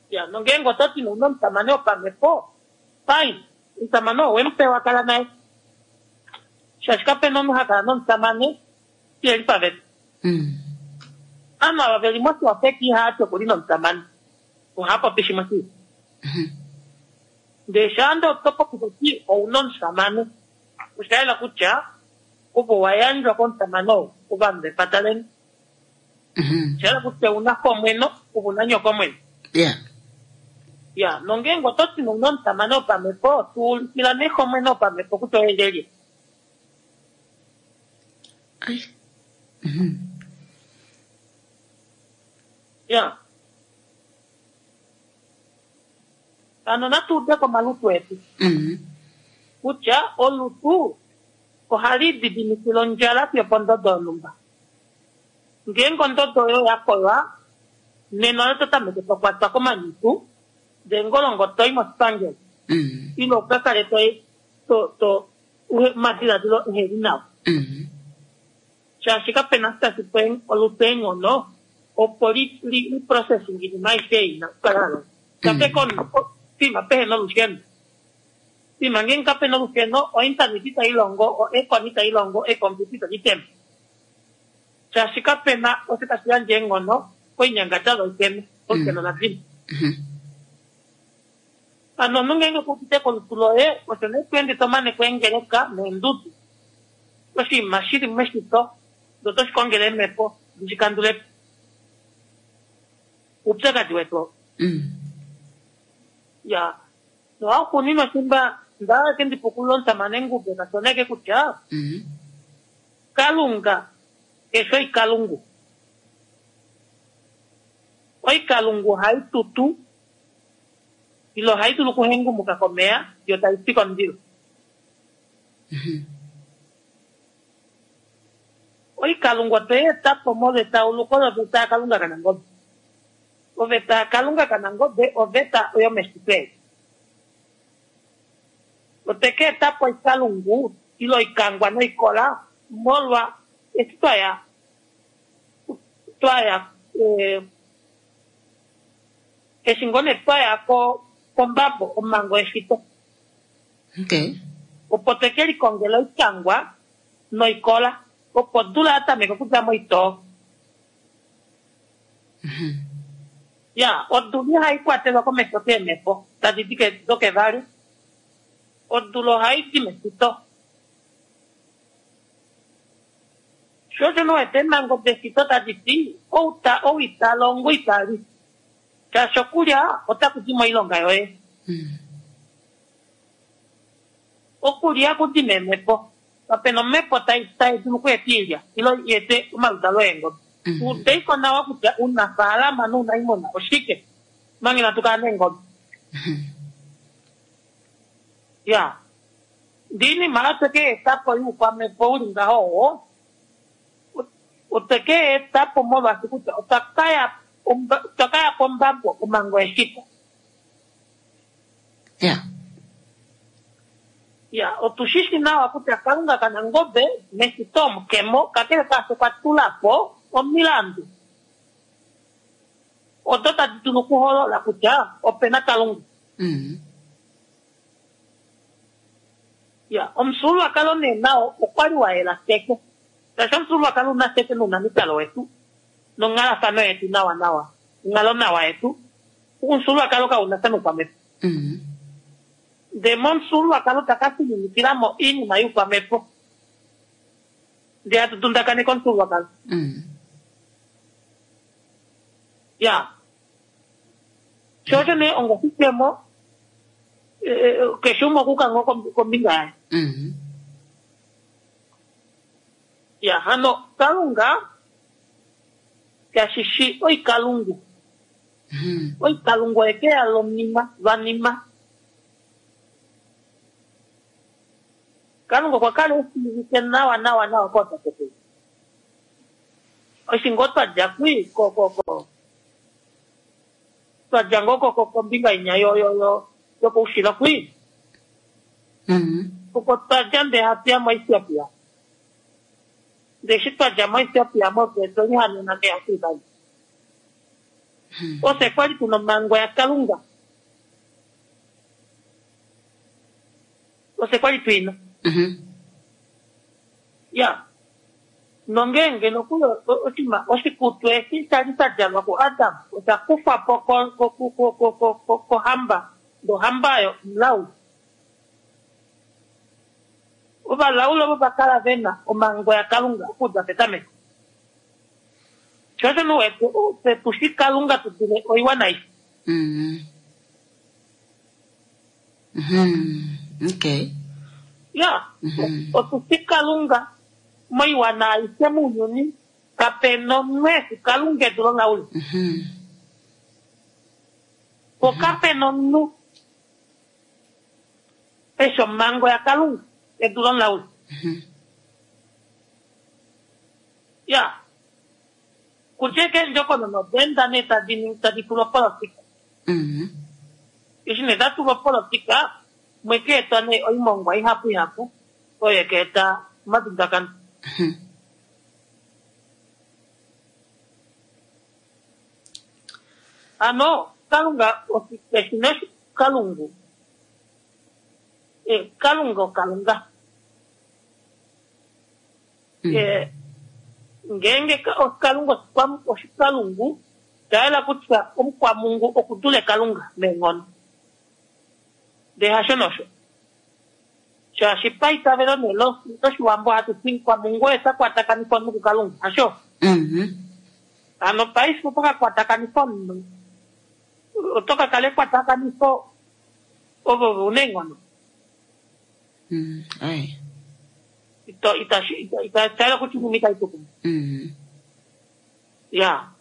Ya, nongeenge oto ti ouna omusamane wopamhepo, fine, omusamane oo owemupewa kala naye. Shaashi kapena omunhu ha kala nomusamane shiheli paveta. Ovanhu ava veli moshiwafeki ihava ti okuli nomusamane, ohava popi shimwe shili. Ndele shaande oto popi toti ouna omusamane, osha yela kutya ovo wa yandjwa komusamane oo ovanhu vepata leni. Osha yela kutya ouna xomweno, ove una nyokomweno. Ya, nongeenge oto ti ouna omusamane wopamhepo, tuulikila nee xomweno wopamhepo kutya oye lyelye. Ya. Hano natu ude komalutu etu. Kutya olutu ohali didimikile ondjala fiyo pondodo yonhumba. Ngeenge ondodo oyo ya koywa, nena oyo to tameke to kwatwa komanyutu, ndele ngolongo toi moshipangelo. Ile uka kale to to to omadiladilo eheli nawa. Shaashi kapena tashi pe olutu eenghono opo li li li processing iinima aishe ei ina okukala ya longa. Kakele komunhu pima pehena olusheno. Pima ngeenge kapena olusheno, ointernet itai longo, oaircon itai longo, eecomputer itadi tema. Shaashi kapena osho tashi yandje eenghono koinyangadalwa iteme, olusheno la dima. Hano omunhu ngeenge kuudite kolutu loye, osho nee to ende to mane kweengeleka neendudu. Oshinima shili meshito, ndee otoshi kongele eemhepo di shi kandule po. Oupyakadi wetu oo. Ya, nohauxuuninwa shimba ndaake ndipukulula omusamane Ngube kashoneke kutya Kalunga keshe oikalungu. Oikalungu ohai tutu ile ohai dulu okuhengumuka komeya yo tai pi komundilo. Oikalungu otwe i eta po molwa etauluko loveta yaKalunga kaNangobe. Oveta yaKalunga kaNangobe oveta yomeshito eli. Otwe ka eta po oikalungu ile oikangwa noikola molwa eshi twaya twaya eh, eshi ngoo nee twaya ko kombabo omhango yeshito. Okay. Opo tweke likongela oikangwa noikola opo odula ya tameka okudja moitoo. Ya, odula ihai kwatelwa komesho keemhepo tadi di dokevali. Odula ohai di meshito. Sho osho nowete eemhango deshito tadi ti outa ou ita longo ita li. Shaashi okulya otaku di moilonga yoye. Okulya ku di meemhepo. Kapena omhepo tai tai dulu okweeta oilya ile i ete omaludalo eengobe. Udeiko nawa kutya unafaalama nounaimuna oshike manga inatu kala neengobe. Ya, ndee oinima oyo tweke eta po youkwamhepo uli ngaho oo, otwe ke eta po molwaashi kutya otwa kaya otwa kaya pombabo omhango yeshito. Ya. Ya, otu shi shi nawa kutya Kalunga kaNangobe meshito omukemo, kakele kaasho okwa tula po omilandu odo tadi dulu okuholola kutya opena Kalunga. Ya, omufyuululwakalo nee nao okwa li wa yela teke. Shaashi omufyuululwakalo una teke nounamikalo wetu nonghalafano yetu nawa nawa, onghalo nawa yetu, omufyuululwakalo kauna sha noukwamhepo. Ndee momufyuululwakalo taka fininikilamo oinima youkwamhepo. Ndee hatu dundakaneke omufyuululwakalo. Ya. Sho osho nee ongoshidjemo, keshe umwe okuuka ngoo kombinga yaye. Ya, hano Kalunga kashishi oikalungu. Oikalungu oye ke ya lonima lwanima. Kalunga okwa kala eshiivike nawa nawa nawa kootatekulu. Eshi ngoo twa dja kwi ko ko ko twa dja ngoo ko ko kombinga inya yo yo yo yokoushilo kwi. Oko twa dja ndee hatu ya moEthiopia. Ndee eshi twa dja moEthiopia mofye otwe lihanena nee hatu i. Ofye kwali tuna omhango yaKalunga. Ofye kwali tuina. Ya. Nongeenge nokuli oshinima oshikutu eshi sha li sha djalwa kuAdam osha kufwa po kohamba, nohamba oyo omulauli. Ovalauli ovo va kala ve na omhango yaKalunga okudja petameko. Sho osho nuwete ofye tushi Kalunga tu dule oiwana aishe. Okay. Ya, otushi Kalunga moiwana aishe mounyuni, kapena omunhu eshi Kalunga e dule omulauli. Po kapena omunhu eshi omhango yaKalunga e dule omulauli. Ya, kutya eendjokonona oda enda nee tadi tadi tulwa opolotika. Eshi nee da tulwa opolotika, mwe ka etwa nee oimongwa ihapu ihapu oyo ka eta omadundakano. Ano kalunga oshina kalungu. E, kalunga okalunga. Mm. E, ngeenge ka- okalunga oshikwa- oshikalungu tayela kutya omukwamungu okudule kalunga meenghono. Ndee hasho nosho. Shaashi paitavelo nee lo- loshiwambo hatu ti mukwamungu oye ta kwatakanifwa omunhu kukalunga, hasho? Mhm. Ano paife oto ka kwatakanifwa omunhu, oto ka kala ekwatakanifo ovo una eenghono. Mm. Ai. Ito- itashi- ita- ita- itayela kutya inima itayi tu kumwe. Mm. Ya.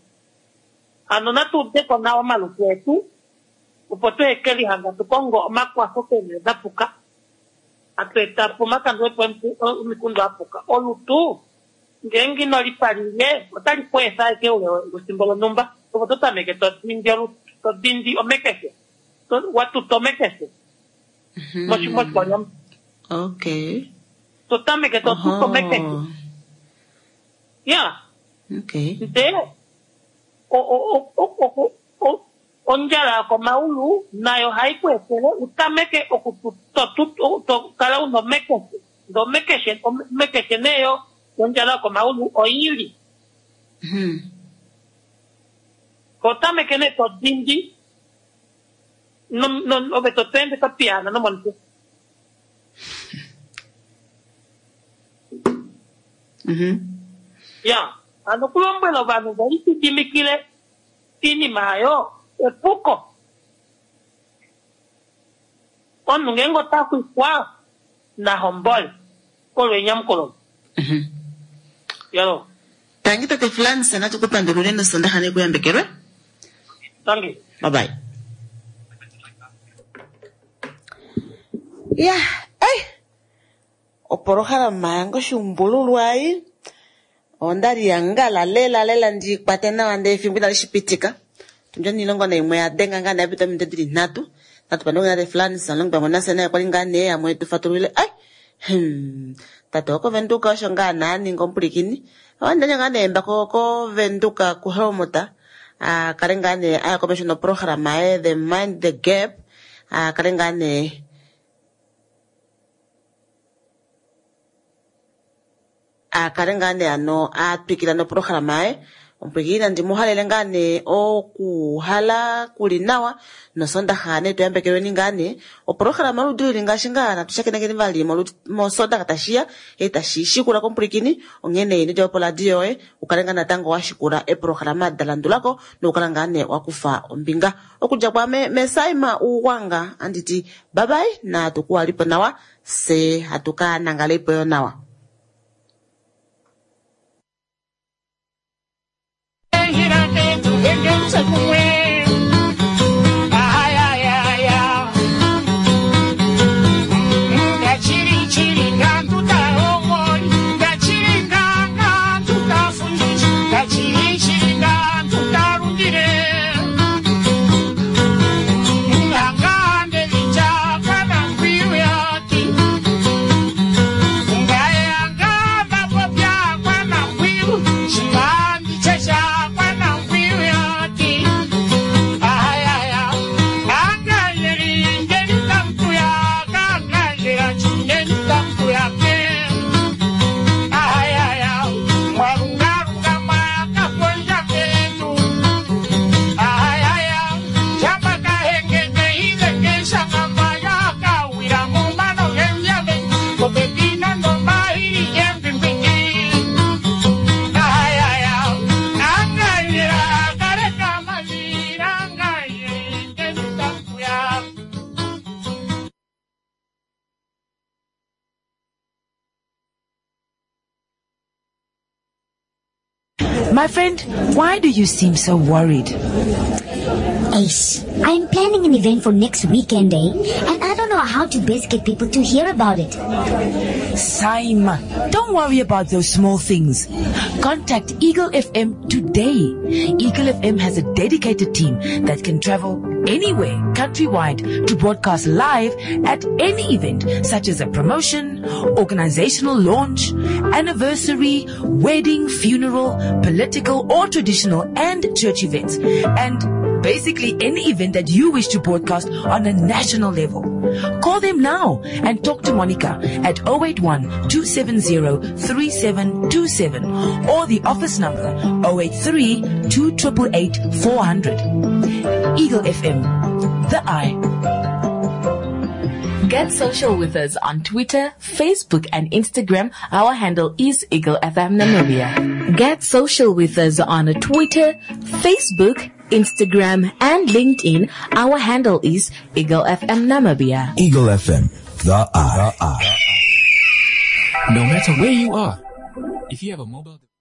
Ano natu udeko nawa omalutu etu, opo tu ekelihanga tu kongo omakwafo keenhele da puka. Hatu eta po omakandulepo omiku- omikundu a puka. Olutu, ngeenge ino lipalile, otali ku efa ashike oule wefimbo lonhumba. Opo to tameke to dindi olutu, to dindi omekeshe. To- wa tuta omekeshe. Mhm. Moshi- moshikwanyama. Okay. To tameke to tuta omekeshe. Oho. Ya. Okay. Ndee o- o- o- o- o- o- ondjala yokomaulu nayo ohayi ku etele utameke oku to- to- to kala una omekeshe. Ndee omekeshe omekeshe neyo yondjala yokomaulu oili. Mhm. Ko tameke nee to dindi no- no- ove to ende to piyaana nomomutwe. Mhm. Ya, ano okulombwela ovanhu ve lididimikile iinima ayo epuko. Omunhu ngeenge ota xwikwa na hombole olo enyamukulo. Mhm. Yalo, Tangi tate Frans, natu ku pandulule nosondaxa nekuyambekelwe. tangi. Bye bye. Ya, ei. Opolohalama yange oshuumbululwa ei. Onda li yangala lela lela ndi kwate nawa ndee efimbo inali shi pitika. Tundja niilongo naimwe ya denga ngaa nee yapita ominute dili nhatu. Natu pandule tate Frans alongi pamwe nafye naye kwali ngaa nee amwe tu fatululile. Ai, hmm, tate wokovenduka osho ngaa naaninga omupulikini. Owandenya ngaa nee mbako kovenduka kuhelmut. A kale ngaa nee aya komesho noprograma ye The Mind the Gap. A kale ngaa nee a kale ngaa nee ano a twikila noprograma ye. Omupulikini nandi mu halele ngaa nee okuhala kuli nawa nosondaxa nee tuyambekelweni ngaa nee. Oprograma yoludi lili ngaashi ngaa natu shakenekeni vali moludi- mosondaxa tashiya e tashi shikula komupulikini onghene ino djapo poradio yoye ukale ngaa natango wa shikula eprograma da landulako nokukala ngaa nee wakufa ombinga. Okudja kwame mesaima Uugwanga anditi bye bye natu kuwalipo nawa se hatu ka nangalepo yo nawa. My friend, why do you seem so worried? Ace, I'm planning an event for next weekend, eh? And I don't know how to best get people to hear about it. Saima, don't worry about those small things. Contact Eagle F M today. Eagle F M has a dedicated team that can travel anywhere, countrywide, to broadcast live at any event, such as a promotion, organizational launch, anniversary, wedding, funeral, political or traditional and church events. And Basically, any event that you wish to broadcast on a national level. Call them now and talk to Monica at oh eight one, two seven zero, three seven two seven or the office number oh eight three, two triple eight, four hundred. Eagle F M, the eye. Get social with us on Twitter, Facebook, and Instagram. Our handle is Eagle F M Namibia. Get social with us on Twitter, Facebook, Instagram, and LinkedIn. Our handle is Eagle F M Namibia. Eagle F M, the eye. No matter where you are, if you have a mobile device.